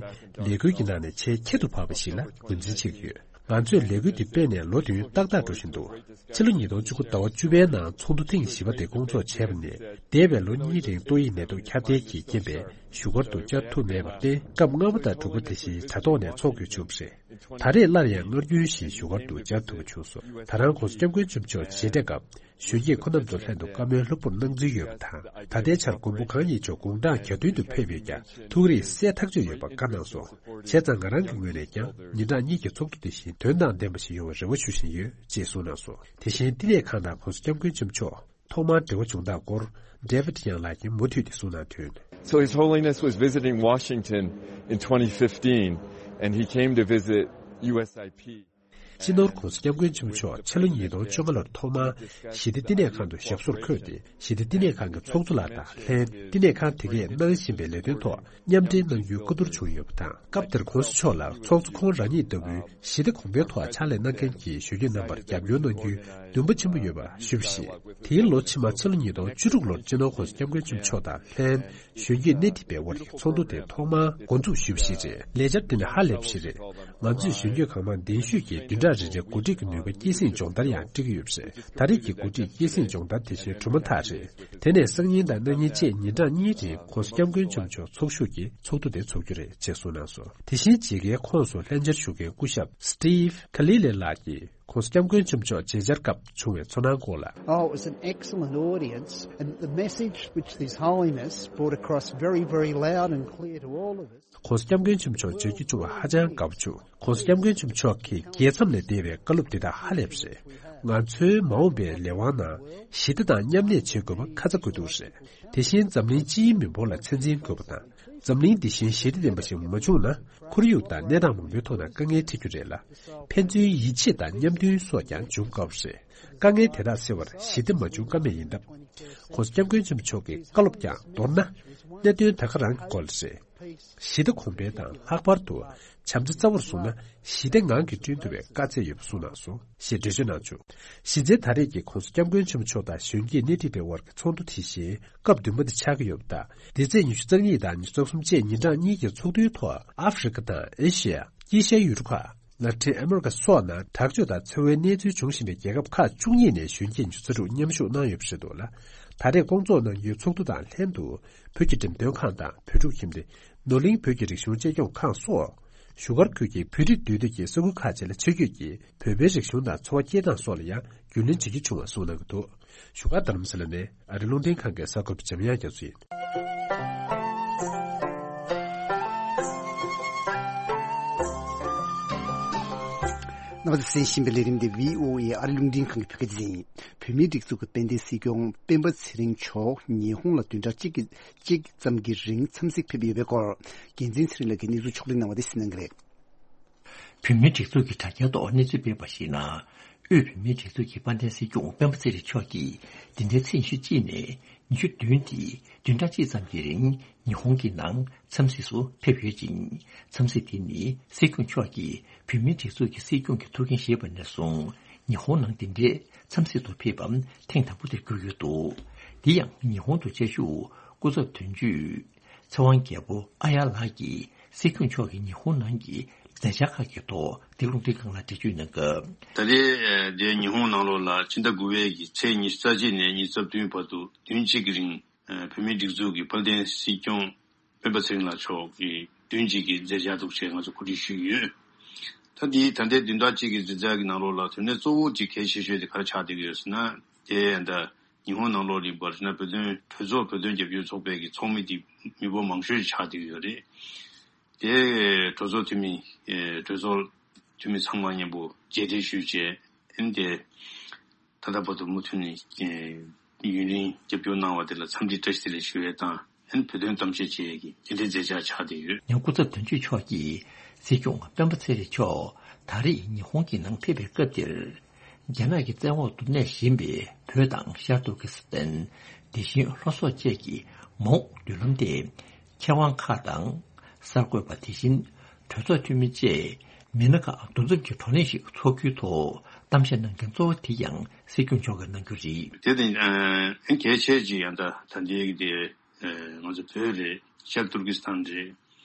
ལས་འགུལ་གྱི་ནང་ནས་ཆེས་ཁྱད་དུ་འཕགས་པ་ཞིག་ལ་ངོས་འཛིན་བྱེད་ཀྱི་ཡོད། ང་ཚོས་ལས་འགུལ་འདི་སྤེལ་ནས་ལོ་བདུན་ཏག་ཏག་འགྲོ་བཞིན་འདུག་ཕྱི་ལོ་ཉིས་སྟོང་བཅུ་དགུ་ཟླ་བ་བཅུ་པའི་ནང་ཚོགས་འདུ་ཐེངས་བཞི་པ་དེ་སྐོང་ཚོགས་བྱས་པ་ནས་འདས་པའི་ལོ་གཉིས་རིང་ཏོག་དབྱིབས་ནད་དུག་ཁྱབ་གདལ་གྱི་རྐྱེན་པས་བཞུགས་སྒར་དུ་བཅར་ཐུབ་མེད་པར་བརྟེན། སྐབས་ལྔ་པ་དང་དྲུག་པ་དེ་བཞིན་དྲ་ཐོག་ནས་ཚོགས་དགོས་བྱུང་བ་རེད། ད་རེས་སླར་ཡང་སྔར་རྒྱུན་བཞིན་བཞུགས་སྒར་དུ་བཅར་ཐུབ་པ་བྱུང་སོང་། ད་རང་༸གོང་ས་༸སྐྱབས་མགོན་ཆེན་པོ་མཆོག་མཇལ་འཕྲད་སྐབས་གཞོན་སྐྱེས་ཁོ་རྣམ་ཚོ་ལྷན་དུ་བཀའ་མོལ་ལྷུག་པོར་གནང་རྩིས་ཡོད་པ་དང་། ད་ལྟའི་ཆར་མགོན་པོ་གང་ཉིད་མཆོག་དགུང་གྲངས་གྱ་བདུན་དུ་ཕེབས་ཡོད་ཀྱང་ཐུགས་རེ་གསལ་ཐག་ཆོད་ཡོད་པ་བཀའ་གནང་སོང་། བྱས་ཙང་ང་རང་གི་ངོས་ནས་ཀྱང་ཉིན་གྲངས་གཉིས་ཀྱི་ཚོགས་འདུ་དེ་བཞིན་དོན་དང་ལྡན་པ་ཞིག་ཡོང་བའི་རེ་བ་ཞུ་བཞིན་ཡོད་ཅེས་གསུངས་གནང་སོང་། དེ་བཞིན་བསྟི་གནས་ཁང་ནང་༸གོང་ས་༸སྐྱབས་མགོན་ཆེན་པོ་མཆོག་ཐོག་མར་འབྲེལ་བ་བྱུང་སྟངས་སྐོར་David Young ལགས་ཀྱིས་མུ་མཐུད་དེ་གསུངས་གནང་དོན། So His Holiness was visiting Washington in twenty fifteen, and he came to visit U S I P. སྤྱི་ནོར་༸གོང་ས་༸སྐྱབས་མགོན་ཆེན་པོ་མཆོག་ཕྱི་ལོ་ཉིས་སྟོང་བཅོ་ལྔ་ལོར་ཐོག་མར་ཞི་བདེ་བསྟི་གནས་ཁང་དུ་ཞབས་སོར་འཁོད་དེ། ཞི་བདེ་བསྟི་གནས་ཁང་གི་ཚོགས་གཙོ་ལགས་དང་ལྷན་བསྟི་གནས་ཁང་དེ་གས་གནང་བཞིན་པའི་ལས་དོན་ཐོག་མཉམ་འབྲེལ་གནང་རྒྱུའི་བཀའ་བསྡུར་བྱུང་ཡོད་པ་དང་། སྐབས་དེར་༸གོང་ས་མཆོག་ལ་ཚོགས་གཙོ་ཁོང་རང་ཉིད་ལྟ་བུའི་ཞི་བདེ་གོང་འཕེལ་ཐོག་ཕྱག་ལས་གནང་མཁན་གྱི་གཞོན་སྐྱེས་རྣམ་པར་རྒྱབ་སྐྱོར་གནང་རྒྱུའི་འདུན་པ་ཆེན་པོ་ཡོད་པ་ཞུས་པ་རེད། དེའི་ལོ་ཕྱི་མ་ཕྱི་ལོ་ཉིས་སྟོང་བཅུ་དྲུག་ལོར་སྤྱི་ནོར་༸གོང་ས་༸སྐྱབས་མགོན་ཆེན་པོ་མཆོག་དང་ལྷན་གཞོན་སྐྱེས་སྣེ་ཁྲིད་པའི་དབར་གྱི་ཚོགས་འདུ་དེ་ཐོག་མར་འགོ་འཛུགས་ཞུས་པ་ཞིག་རེད། ལས་འཆར་འདི་ནི་ཧ་ལས་པ་ཞིག་རེད། ང་ཚོས་གཞོན་སྐྱེས་གང་མང་གདན་ཞུས་ཀྱིས་བདུན་ཕྲག་རེ་རེའི་འགོ་ཁྲིད་ཀྱི་ནུས་པ་སྐྱེད་སྲིང་སྦྱོང་བརྡར་ཡང་སྤྲད་ཀྱི་ཡོད་པ་རེད། ད་རེས་ཀྱི་འགོ་ཁྲིད་སྐྱེད་སྲིང་སྦྱོང་བརྡར་དེ་བཞིན་གྲུབ་མ་ཐག་རེད། དེ་ནས་སང་ཉིན་དང་གནངས་ཉིན་བཅས་ཉིན་གྲངས་གཉིས་རིང་༸གོང་ས་༸སྐྱབས་མགོན་ཆེན་པོ་མཆོག་ཚོགས་ཞུགས་ཀྱིས་ཚོགས་འདུ་དེ་ཚོགས་རྒྱུ་རེད་ཅེས་གསུངས་གནང་སོང་། དེ་བཞིན་མཇལ་ཁའི་ཁོངས་སུ་ལྷན་བཅར་ཞུ་མཁན་སྐུ་ཞབས་Steve Kalile ལགས་ཀྱིས་༸གོང་ས་༸སྐྱབས་མགོན་ཆེན་པོ་མཆོག་མཇལ་བཅར་སྐབས་བྱུང་བའི་ཚོར་སྣང་སྐོར་ལ། Oh, it was an excellent audience, and the message which His Holiness brought across very, very loud and clear to all of us. ༸གོང་ས་༸སྐྱབས་མགོན་ཆེན་པོ་མཆོག་མཇལ་རྒྱུ་བྱུང་བ་ཧ་ཅང་དགའ་པོ་བྱུང་། ༸གོང་ས་༸སྐྱབས་མགོན་ཆེན་པོ་མཆོག་གིས་རྒྱལ་མཚམས་ལས་འདས་པའི་བཀའ་སློབ་འདི་དག་ཧ་ལས་པ་རེད། ང་ཚོའི་མ་འོངས་པའི་ལས་དབང་ནང་ཞི་བདེ་དང་མཉམ་གནས་བྱེད་དགོས་པ་ཁ་ཚ་དགོས་གཏུགས་རེད། དེ་བཞིན་འཛམ་གླིང་སྤྱིའི་མི་འབོར་ལ་ཚད་འཛིན་དགོས་པ་དང་། འཛམ་གླིང་འདི་བཞིན་ཞི་བདེ་ལྡན་པ་ཞིག་མ་བྱུང་ན། ཁོར་ཡུག་དང་གནས་སྟངས་མང་པོའི་ཐོག་ན་དཀའ་ངལ་འཕྲད་རྒྱུ་རེད་ལ། ཕན་ཚུན་ཡིད་ཆེས་དང་མཉམ་མཐུན་སོགས་ཀྱང་འབྱུང་དཀའ་བ་རེད། དཀའ་ངལ་དེ་དག་སེལ་བར་ཞི་བདེ་མ་བྱུང་ཀ་མེད་ཡིན་སྟབས། ༸གོང་ས་༸སྐྱབས་མགོན་ཆེན་པོ་མཆོག་གི་བཀའ་སློབ་ཀྱང་མདོར་ན། གནད་དོན་ད་ག་རང་གི་སྐོར་ལ་རེད། ཞི་བདེ་གོང་འཕེལ་དང་ལྷག་པར་དུ་བྱམས་བརྩེ་རྩ་བོར་བཟུང་ན་ཞི་བདེ་ངང་གིས་བསྐྲུན་ཐུབ་པའི་བཀའ་སྩལ་ཡོད་པ་གསུངས་གནང་སོང་ཞེས་འགྲེལ་བརྗོད་གནང་བྱུང་། གཞི་རྩའི་ད་རེས་ཀྱི་༸གོང་ས་༸སྐྱབས་མགོན་ཆེན་པོ་མཆོག་དང་གཞོན་སྐྱེས་སྣེ་ཁྲིད་པའི་དབར་གྱི་ཚོགས་འདུ་དེ་བཞིན་སྐབས་བདུན་པ་དེ་ཆགས་ཀྱི་ཡོད་པ་དང་། འདི་ཚེས་ཉི་ཤུ་རྩ་གཉིས་དང་ཉི་ཤུ་རྩ་གསུམ་བཅས་ཉིན་གྲངས་གཉིས་ཀྱི་ཚོགས་འདུའི་ཐོག་ཨ་ཧྥེ་རི་ཁ་དང་ཨེ་ཤི་ཡ། དཀྱིལ་ཤར་ཡུལ་གྲུ་ཁག་ལ་ཏིན་ཨ་མེ་རི་ཀ་སོགས་ནང་དྲག་སྤྱོད་དང་འཚེ་བའི་གནས་ཚུལ་འབྱུང་བཞིན་པའི་རྒྱལ་ཁབ་ཁག་བཅུ་གཉིས་ནས་གཞོན་སྐྱེས་ཉི་ཤུ་རྩ་དྲུག་མཉམ་ཞུགས་གནང་ཡོད་པ་རེད་འདུག་ལ། ད་རེས་སྐོང་ཚོགས་གནང་རྒྱུའི་ཚོགས་འདུ་དང་ལྷན་དུ་བོད་ཀྱི་འགྲེམས་སྟོན་ཁང་དང་བོད་ཕྲུག་ཁྱིམ་སྡེ། ནོར་གླིང་བོད་ཀྱི་རིག་གཞུང་གཅེས་སྐྱོང་ཁང་སོགས། བཞུགས་སྒར་ཁུལ་གྱི་བོད་རིགས་འདུས་སྡོད་ཀྱི་ས་ཁུལ་ཁག་ཅིག་ལ་ཆེད་བསྐྱོད་ཀྱིས་བོད་པའི་རིག་གཞུང་དང་འཚོ་བ་སྐྱེལ་སྟངས་སོགས་ལ་ཡང་རྒྱུས་ལོན་བྱེད་རྒྱུ་བྱུང་བ་གསུངས་གནང་གི་འདུག་བཞུགས་སྒར་རྡ་རམ་ས་ལ་ནས་ཨ་རི་རླུང་འཕྲིན་ཁང་གི་གསར་འགོད་པ་འཇམ་དབྱངས་རྒྱ་མཚོ་ཡིན། རྣམ་པ་ཚོས་གསན་བཞིན་པའི་ལས་རིམ་འདི་བྷི་ཨོ་ཨེ་ཨ་རི་རླུང་འཕྲིན་ཁང་གི་བོད་སྐད་སྡེ་ཚན་ཡིན། བོད་མིའི་སྒྲིག་འཛུགས་ཀྱི་དཔལ་ལྡན་སྲིད་སྐྱོང་སྤེན་པ་ཚེ་རིང་མཆོག་ཉི་ཧོང་ལ་བདུན་ཕྲག་གཅིག་གི་གཅིག་ཙམ་གྱི་རིང་འཚམས་གཟིགས་ཕེབས་ཡོད་པའི་སྐོར། རྒྱལ་མཚན་ཚེ་རིང་ལགས་ཀྱིས་གནས་ཚུལ་ཕྱོགས་སྒྲིག་གནང་བ་དེ་གསན་གནང་གི་རེད། བོད་མིའི་སྒྲིག་འཛུགས་ཀྱི་དྲ་རྒྱའི་ཐོག་གནས་ཚུལ་སྤེལ་བར་གཞིགས་ན། དབུས་བོད་མིའི་སྒྲིག་འཛུགས་ཀྱི་དཔལ་ལྡན་སྲིད་སྐྱོང་སྤེན་པ་ཚེ་རིང་མཆོག་གིས་འདི་ཟླའི་ཚེས་ཉི་ཤུ་གཅིག་ནས་ཉི་ཤུ་བདུན་ཏེ་བདུན་ཕྲག་གཅིག་ཙམ་གྱི་རིང་ཉི་ཧོང་གི་ནང་འཚམས་གཟིགས་སུ་ཕེབས་ཡོད་ཅིང་། འཚམས་གཟིགས་དེ་ནི་སྲིད་སྐྱོང་མཆོག་གིས་བོད་མིའི་སྒྲིག་འཛུགས་ཀྱི་སྲིད་སྐྱོང་གི་ཐུགས་འགན་བཞེས་པ་ནས་བཟུང་ཉི་ཧོང་ནང་འདི་འདྲའི་འཚམས་གཟིགས་སུ་ཕེབས་པ་ཐེངས་དང་པོ་དེར་གྱུར་ཡོད་འདུག་དེ་ཡང་ཉི་ཧོང་དུ་བཅའ་བཞུགས་སྐུ་ཚབ་དོན་གཅོད་ཚེ་དབང་རྒྱལ་པོ་ཨ་ཡར་ལགས་ཀྱིས་སྲིད་སྐྱོང་མཆོག་གིས་ཉི་ཧོང་ནང་གི་མཛད་འཆར་ཁག་གི་ཐོག་འདི་རླུང་འཕྲིན་ཁང་ལ་འགྲེལ་བརྗོད་གནང་སྐབས། ད་རེས་འདིར་ཉི་ཧོང་ནང་ལོགས་ལ་ཕྱི་ཟླ་དགུ་པའི་གི་ཚེས་ཉི་ཤུ་རྩ་གཅིག་ནས་ཉི་ཤུ་རྩ་བདུན་བར་དུ་བདུན་གཅིག་གི་རིང་བོད་མིའི་སྒྲིག་འཛུགས་ཀྱི་དཔལ་ལྡན་སྲིད་སྐྱོང་སྤེན་པ་ཚེ་རིང་ལགས་མཆོག་གིས་བདུན་གཅིག་གི་མཛད་འཆར་འདུག་ཅེས་ང་ཚོ་གོ་སྒྲིག་ཞུས་ཡོད། ད་འདི་ད་ལྟའི་བདུན་ཕྲག་གཅིག་གི་མཛད་འཆར་གྱི་ནང་ལོགས་ལ་དོན་གནད་གཙོ་བོ་གཅིག་གལ་ཆེ་ཤོས་དེ་ག་རེ་ཆགས་བསྡད་ཀྱི་ཡོད་ཟེར་ན། དེ་ད་ཉི་ཧོང་ནང་ལོགས་ལ་ཡིན་པར་ན་བོད་དོན་གྲོས་ཚོགས་བོད་དོན་རྒྱབ་སྐྱོར་ཚོགས་པའི་གི་ཚོགས་མི་དེ་མི་འབོར་མང་ཤོས་ཆགས་བསྡད་ཀྱི་ཡོད་རེད། དེ་གྲོས་ཚོགས་འཐུས་མི་གྲོས་ཚོགས་འཐུས་མི་ཚང་མ་མཉམ་པོ་མཇལ་འཕྲད་ཞུས་བྱས། ཨེ་འདི་ད་ལྟ་བར་དུ་མུ་མཐུད་ནས་ཡུན་རིང་རྒྱབ་སྐྱོར་གནང་བ་དེ་ལ་འཚམས་འདྲི་བཀྲ་ཤིས་བདེ་ལེགས་ཞུ་ཡས་དང་། ཨེ་བོད་དོན་གཏམ་བཤད་བྱེད་ཡས་ཀྱི་དེ་འདྲའི་མཛད་འཆར་ཆགས་བསྡད་ཡོད། ཡང་སྐུ་ཚབ་དོན་གཅོད་མཆོག་གིས་སྲིད་སྐྱོང་སྤེན་པ་ཚེ་རིང་མཆོག་ད་རེས་ཉི་ཧོང་གི་ནང་ཕེབས་པའི་སྐབས་དེར། རྒྱ་ནག་གི་བཙན་འོག་ཏུ་གནས་བཞིན་པའི་བོད་དང་ཤར་ཏུར་ཀི་སི་ཐན། དེ་བཞིན་ལྷོ་སོག་བཅས་ཀྱི་མ་འོངས་མདུན་ལམ་དེ། མཁས་དབང་ཁག་དང་། གསར་འགོད་པ། དེ་བཞིན་གྲོས་ཚོགས་འཐུས་མི་བཅས་མི་སྣ་ཁག་འདུ་འཛོམས་ཀྱི་བགྲོ་གླེང་ཞིག་འཚོགས་རྒྱུའི་ཐོག་གཏམ་བཤད་གནང་མཁན་གཙོ་བོ་དེ་ཡང་སྲིད་སྐྱོང་མཆོག་གིས་གནང་རྒྱུ་རེད། དེ་དེ་གལ་ཆེ་ཅིག་ཡང་ད་ད་ལྟའི་གི་དེ་ང་ཚོ་བོད་རེད། ཤར་ཏུར་ཀི་སི་ཐན་རེད།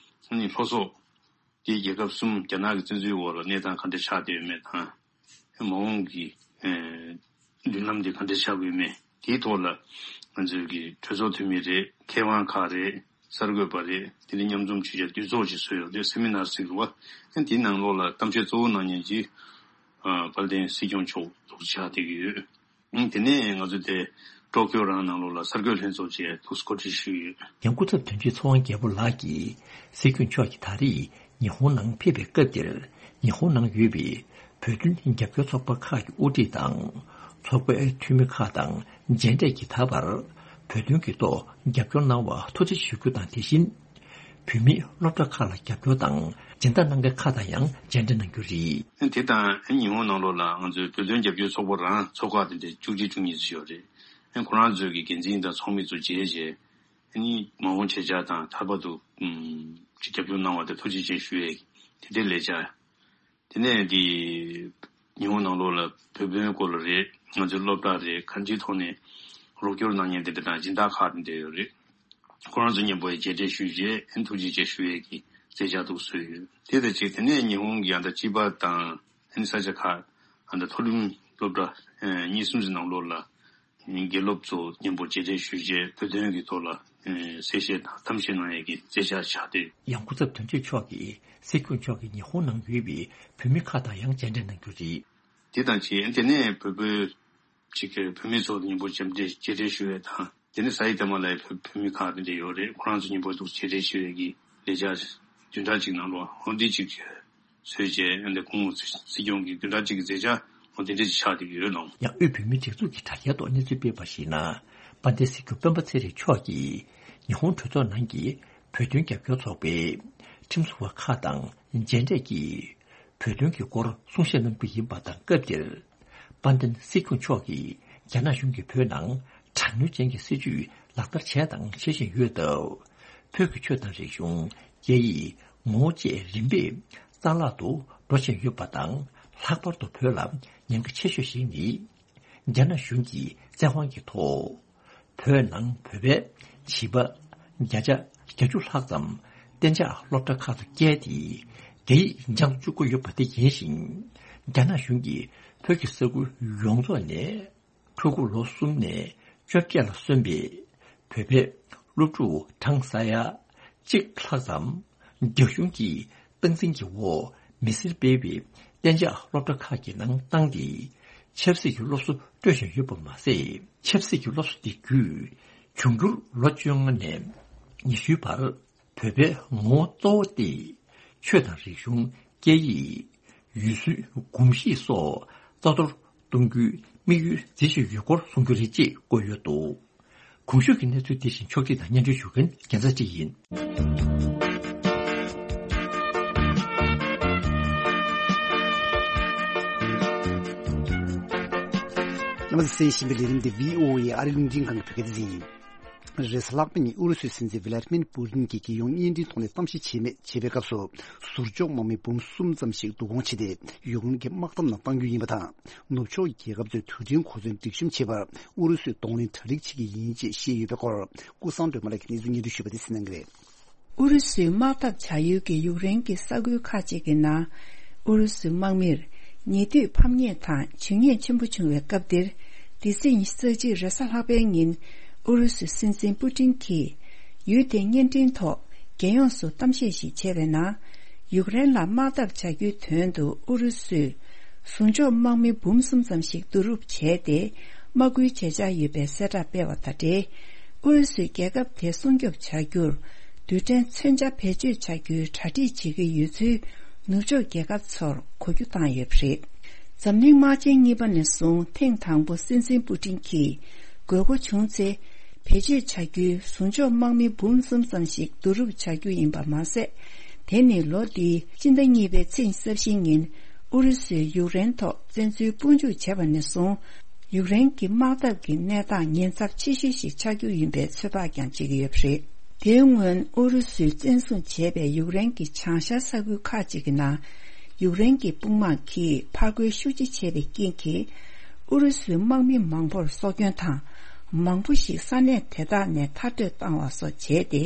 ཨ་ནི་ལྷོ་སོག་དེའི་རྒྱལ་ཁབ་གསུམ་རྒྱ་ནག་གི་བཙན་འཛུལ་འོག་ལ་གནས་སྟངས་ག་འདྲ་ཆགས་བསྡད་ཡོད་མེད་དང་། མ་འོངས་ཀྱི་མདུན་ལམ་དེ་ག་འདྲ་ཆགས་ཀྱི་ཡོད་མེད་དེའི་ཐོག་ལ་ང་ཚོའི་གི་གྲོས་ཚོགས་འཐུས་མི་རེད། མཁས་དབང་ཁག་རེད། གསར་འགོད་པ་རེད། དེ་ནས་མཉམ་འཛོམས་ཆོས་རྒྱ་འདུས་ཚོགས་ཅིག་བཟོས་ཡོད་རེད། སེ་མི་ནར་ཟེར་གི་རེད་བ། དེའི་ནང་ལོགས་ལ་གཏམ་བཤད་གཙོ་བོ་གནང་མཁན་གྱི་དཔལ་ལྡན་སྲིད་སྐྱོང་མཆོག་ཐུགས་རྗེ་ཆེ་ཆགས་བསྡད་ཀྱི་ཡོད། དེ་ནས་ང་ཚོ་དེ་ཀྲོ་ཀྱོ་རང་ནང་ལོགས་ལ་གསར་འགོད་ལྷན་ཚོགས་བཅས་ཐུགས་གོ་སྒྲིག་ཞུས་ཡོད། ཡང་སྐུ་ཚབ་དོན་གཅོད་ཚེ་དབང་རྒྱལ་པོ་ལགས་ཀྱིས་སྲིད་སྐྱོང་མཆོག་གིས་ད་རེས་ཉི་ཧོང་ནང་ཕེབས་པའི་སྐབས་དེར། ཉི་ཧོང་ནང་ཡོད་པའི་བོད་དོན་རྒྱབ་སྐྱོར་ཚོགས་པ་ཁག་གི་དབུ་ཁྲིད་དང་། ཚོགས་པའི་འཐུས་མི་ཁག་དང་མཇལ་འཕྲད་ཀྱིས་ད་བར་བོད་དོན་གྱི་ཐོག་རྒྱབ་སྐྱོར་གནང་བར་ཐུགས་རྗེ་ཆེ་ཞུ་རྒྱུ་དང་། དེ་བཞིན། བོད་མིའི་སློབ་གྲྭ་ཁག་ལ་རྒྱབ་སྐྱོར་དང་སྦྱིན་བདག་གནང་མཁན་ཁག་དང་ཡང་མཇལ་འཕྲད་གནང་རྒྱུ་རེད། དེ་དང་ཉི་ཧོང་ནང་ལོགས་ལ་ང་ཚོའི་བོད་དོན་རྒྱབ་སྐྱོར་ཚོགས་པ་རང་ཚོགས་ཁག་དེ་འདྲ་བཅུ་གཅིག་བཅུ་གཉིས་ཙམ་ཡོད་རེད། ཁོ་རང་ཚོའི་གི་འགན་འཛིན་དང་ཚོགས་མི་ཚོ་མཇལ་རྗེས། མ་འོངས་བྱེད་འཆར་དང་ད་བར་དུ་ཅིག་རྒྱབ་སྐྱོར་གནང་བ་དེ་ཐུགས་རྗེ་ཆེ་ཞུ་ཡས་དེ་འདྲའི་ལས་འཆར། དེ་ནས་དེ་ཉི་ཧོང་ནང་ལོགས་ལ་བོད་དོན་སྐོར་ལ་རེད། ང་ཚོའི་སློབ་གྲྭ་རེད། གང་ཅིའི་ཐོག་ནས་རོགས་སྐྱོར་གནང་མཁན་དེ་འདྲ་དང་སྦྱིན་བདག་ཁག་དེ་འདྲ་ཡོད་རེད། ཁོ་རང་ཚོ་མཉམ་པོ་ཡི་མཇལ་འཕྲད་ཞུས་རྗེས་ཨན་ཐུགས་རྗེ་ཆེ་ཞུ་ཡས་ཀྱི་མཛད་འཆར་འདུག་བཟོས་ཡོད། དེ་དང་གཅིག་དེ་ནས་ཉི་ཧོང་གི་ཨ་ད་ཅི་པ་དང་ཨན་ས་ཆ་ཁག་ཨ་ད་མཐོ་རིམ་སློབ་གྲྭ་གཉིས་གསུམ་ཞིག་ནང་ལོགས་ལ་དགེ་སློབ་ཚོ་མཉམ་པོ་མཇལ་འཕྲད་ཞུས་རྗེས་བོད་དོན་གྱི་ཐོག་ལ་གསལ་བཤད་དང་གཏམ་བཤད་གནང་ཡས་ཀྱི་མཛད་འཆར་ཆགས་ཏེ། ཡང་སྐུ་ཚབ་དོན་གཅོད་མཆོག་གིས་སྲིད་སྐྱོང་མཆོག་གིས་ཉི་ཧོང་ནང་ཡོད་པའི་བོད་མི་ཁག་དང་ཡང་མཇལ་འཕྲད་གནང་རྒྱུ་རེད། དེ་དང་གཅིག་དེ་ནས་བོད་པའི་ཅིག་གི་བོད་མི་ཚོ་མཉམ་པོ་མཇལ་འཕྲད་མཇལ་འཕྲད་ཞུ་ཡས་དང་། དེ་ནས་ས་ཡི་ཐ་མ་ལ་ཡི་བོད་བོད་མི་ཁག་དེ་འདྲ་ཡོད་རེད། ཁོ་རང་ཚོ་མཉམ་པོ་འདུག་མཇལ་འཕྲད་ཞུ་ཡས་ཀྱི་ལས་འཆར་བདུན་ཕྲག་གཅིག་ནང་ལོགས་འོ་འདི་ཅིག་བཟོས་བྱས། ཨ་འདི་ཁོང་སྲིད་སྐྱོང་གི་བདུན་ཕྲག་གཅིག་གི་མཛད་འཆར་འོ་དེ་འདྲ་ཅིག་ཆགས་བསྡད་ཀྱི་ཡོད་ལགས། ཡང་དབུས་བོད་མིའི་སྒྲིག་འཛུགས་ཀྱི་དྲ་རྒྱའི་ཐོག་གནས་ཚུལ་སྤེལ་བར་གཞིགས་ན། དཔལ་ལྡན་སྲིད་སྐྱོང་སྤེན་པ་ཚེ་རིང་མཆོག་གིས་ཉི་ཧོང་གྲོས་ཚོགས་ནང་གི་བོད་དོན་རྒྱབ་སྐྱོར་ཚོགས་པའི་ཁྲིམས་བཟོ་བ་ཁག་དང་མཇལ་འཕྲད་ཀྱིས། བོད་དོན་གྱི་སྐོར་གསུང་བཤད་གནང་རྒྱུ་ཡིན་པ་དང་། སྐབས་དེར་དཔལ་ལྡན་སྲིད་སྐྱོང་མཆོག་གིས་རྒྱ་ནག་གཞུང་གིས་བོད་ནང་དྲག་གནོན་ཅན་གྱི་སྲིད་བྱུས་ལག་བསྟར་བྱས་དང་བྱེད་བཞིན་ཡོད་སྟབས། བོད་ཀྱི་ཆོས་དང་རིག་གཞུང་། སྐད་ཡིག་ངོ་བོ་བཅས་རིམ་པས་རྩ་བརླག་ཏུ་འགྲོ་བཞིན་ཡོད་པ་དང་། ལྷག་པར་དུ་བོད་ལ་ཉེན་ཁ་ཆེ་ཤོས་ཤིག་ནི། རྒྱ་ནག་གཞུང་གིས་བཙན་དབང་གི་ཐོག་བོད་ནང་བོད་པའི་བྱིས་པ་བརྒྱ་ཆ་བརྒྱད་ཅུ་ལྷག་ཙམ་གཏན་འཇགས་སློབ་གྲྭ་ཁག་ཏུ་བསྐྱལ་ཏེ། རྒྱ་ཡིག་སྦྱང་བཅུག་གི་ཡོད་པ་དེ་ཡིན་ཞིང་། རྒྱ་ནག་གཞུང་གིས་བོད་ཀྱི་ས་ཁུལ་ཡོངས་རྫོགས་ནས་ཕྲུ་གུ་ལོ་གསུམ་ནས་བཅོ་བརྒྱད་ལ་སོན་པའི་བོད་པའི་སློབ་ཕྲུག་གྲངས་ས་ཡ་གཅིག་ལྷག་ཙམ་རྒྱ་གཞུང་གིས་སྟངས་འཛིན་གྱི་འོག་མི་སེར་སྤེལ་བའི་གཏན་འཇགས་སློབ་གྲྭ་ཁག་གི་ནང་བཏང་སྟེ། ཆབ་སྲིད་ཀྱི་སློབ་གསོ་སྤྲོད་བཞིན་ཡོད་པ་མ་ཟད། ཆབ་སྲིད་ཀྱི་སློབ་གསོ་དེ་བརྒྱུད་འབྱུང་འགྱུར་ལོ་བཅོ་ལྔ་ནས་ཉི་ཤུའི་བར་བོད་པའི་ངོ་བོ་གཙོ་བོ་སྟེ། ཆོས་དང་རིག་གཞུང་། སྐད་ཡིག་ཡུལ་སྲོལ་གོམས་གཤིས་སོགས་རྩ་གཏོར་གཏོང་རྒྱུའི་དམིགས་ཡུལ་མཛད་བཞིན་ཡོད་སྐོར་གསུང་རྒྱུ་རེད་ཅེས་བཀོད་ཡོད་འདུག། གོང་ཞུས་ཀྱི་གནས་ཚུལ་དེ་བཞིན་ཕྱོགས་སྒྲིག་དང་སྙན་སྒྲོན་ཞུ་མཁན་རྒྱལ་མཚན་བཀྲ་ཤིས་ཡིན། རྣམ་པ་ཚོས་གསན་བཞིན་པའི་ལས་རིམ་འདི་བྷི་ཨོ་ཨེ་ཨ་རིའི་རླུང་འཕྲིན་ཁང་གི་བོད་སྐད་སྡེ་ཚན་ཡིན། རེས་གཟའ་ལྷག་པ་ཉིན་ཨུ་རུ་སུའི་སྲིད་འཛིན་ཝི་ལ་ཏི་མིར་པུ་ཏིན་གྱིས་རྒྱལ་ཡོངས་བརྙན་འཕྲིན་ཐོག་ནས་གཏམ་བཤད་བྱས་མེད་བྱས་པའི་སྐབས་སུ། ཟུར་འཇོག་དམག་མི་འབུམ་གསུམ་ཙམ་ཞིག་བསྡུ་སྐོང་བྱས་ཏེ། ཡུཀ་རེན་གྱི་དམག་འཐབ་ནང་གཏང་རྒྱུ་ཡིན་པ་དང་། ནུབ་ཕྱོགས་རྒྱལ་ཁབ་ཚོས་དུས་དྲན་གོ་མཚོན་སྒྲིག་གཤོམ་བྱེད་པར་ཨུ་རུ་སུས་གདོང་ལེན་གྲ་སྒྲིག་བྱེད་ཀྱི་ཡིན་ཅེས་བཤད་ཡོད་པའི་སྐོར། ཀུན་བཟང་སྒྲོལ་མ་ལགས་ཀྱིས་གནས་ཚུལ་སྙན་སྒྲོན་ཞུས་པ་དེ་གསན་གནང་གི་རེད། ཨུ་རུ་སུའི་དམག་འཐབ་བྱ་ཡུལ་གྱི་ཡུཀ་རེན་གྱི་ས་ཁུལ་ཁག་ཅིག་གི་ནང་། ཨུ་རུ་སུའི་དམག་མིར་ཉེ་དུས་ཕམ་ཉེས་དང་འཇུ་ཉེས་ཆེན་པོ་བྱུང་བའི་སྐབས་འདིར། འདི་ཟེར་ཉི་ཤུ་རྩ་གཅིག་རེས་གཟའ་ལྷག་པའི་ཉིན། ཨུ་རུ་སུའི་སྲིད་འཛིན་པུ་ཏིན་གྱིས། ཡུལ་དེའི་བརྙན་འཕྲིན་ཐོག་རྒྱལ་ཡོངས་སུ་གཏམ་བཤད་ཞིག་བྱས་པའི་ནང་། ཡུཀ་རེན་ལ་དམག་འཐབ་བྱ་རྒྱུའི་དོན་དུ་ཨུ་རུ་སུས། ཟུར་འཇོག་དམག་མི་འབུམ་གསུམ་ཙམ་ཞིག་བསྡུ་རུབ་བྱས་ཏེ། དམག་སྐུལ་བྱེད་འཆར་ཡོད་པའི་གསལ་བསྒྲགས་སྤེལ་བ་དང་འབྲེལ། ཨུ་རུ་སུས་རྒྱལ་ཁབ་དེ་སྲུང་སྐྱོབ་བྱ་རྒྱུར། རྡུལ་ཕྲན་མཚོན་ཆ་བེད་སྤྱོད་བྱ་རྒྱུའི་གྲ་སྒྲིག་བྱེད་ཀྱི་ཡོད་ཚུལ། ནུབ་ཕྱོགས་རྒྱལ་ཁབ་ཚོར་གོ་རྒྱུ་བཏང་ཡོད་པ་རེད། འཛམ་གླིང་དམག་ཆེན་གཉིས་པ་ནས་བཟུང་ཐེངས་དང་པོ་སྲིད་འཛིན་པུ་ཏིན་གྱིས་དགོས་མཁོ་བྱུང་ཚེ། བེད་སྤྱོད་བྱ་རྒྱུའི་ཟུང་འཇོག་དམག་མི་འབུམ་གསུམ་ཙམ་ཞིག་བསྡུ་རུབ་བྱ་རྒྱུ་ཡིན་པ་མ་ཟད། དེ་ནི་ལོ་འདིའི་སྤྱི་ཟླ་གཉིས་པའི་ཚེས་ཉི་ཤུ་རྩ་བཞི་ཉིན་ཨུ་རུ་སུས་ཡུཀ་རེན་ཐོག་བཙན་འཛུལ་དཔུང་འཇུག་བྱས་པ་ནས་བཟུང་། ཡུཀ་རེན་གྱི་དམག་འཐབ་ཀྱི་གནས་སྟངས་ཉེན་ཚབས་ཆེ་ཤོས་ཤིག་ཆགས་རྒྱུ་ཡིན་པའི་ཚོད་དཔག་ཀྱང་བྱེད་ཀྱི་ཡོད་པ་རེད། དེའི་སྔོན་ཨུ་རུ་སུས་བཙན་བཟུང་བྱས་པའི་ཡུཀ་རེན་གྱི་བྱང་ཤར་ས་ཁུལ་ཁག་ཅིག་གི་ནང་། ཡུཀ་རེན་གྱི་དཔུང་དམག་གིས་ཕར་རྒོལ་ཤུགས་ཆེ་བྱས་པའི་རྐྱེན་གྱིས། ཨུ་རུ་སུའི་དམག་མི་མང་པོར་སྲོག་སྐྱོན་དང་། མང་པོ་ཞིག་ས་གནས་དེ་དག་ནས་མཐར་སྐྲོད་བཏང་བ་སོགས་བྱས་ཏེ།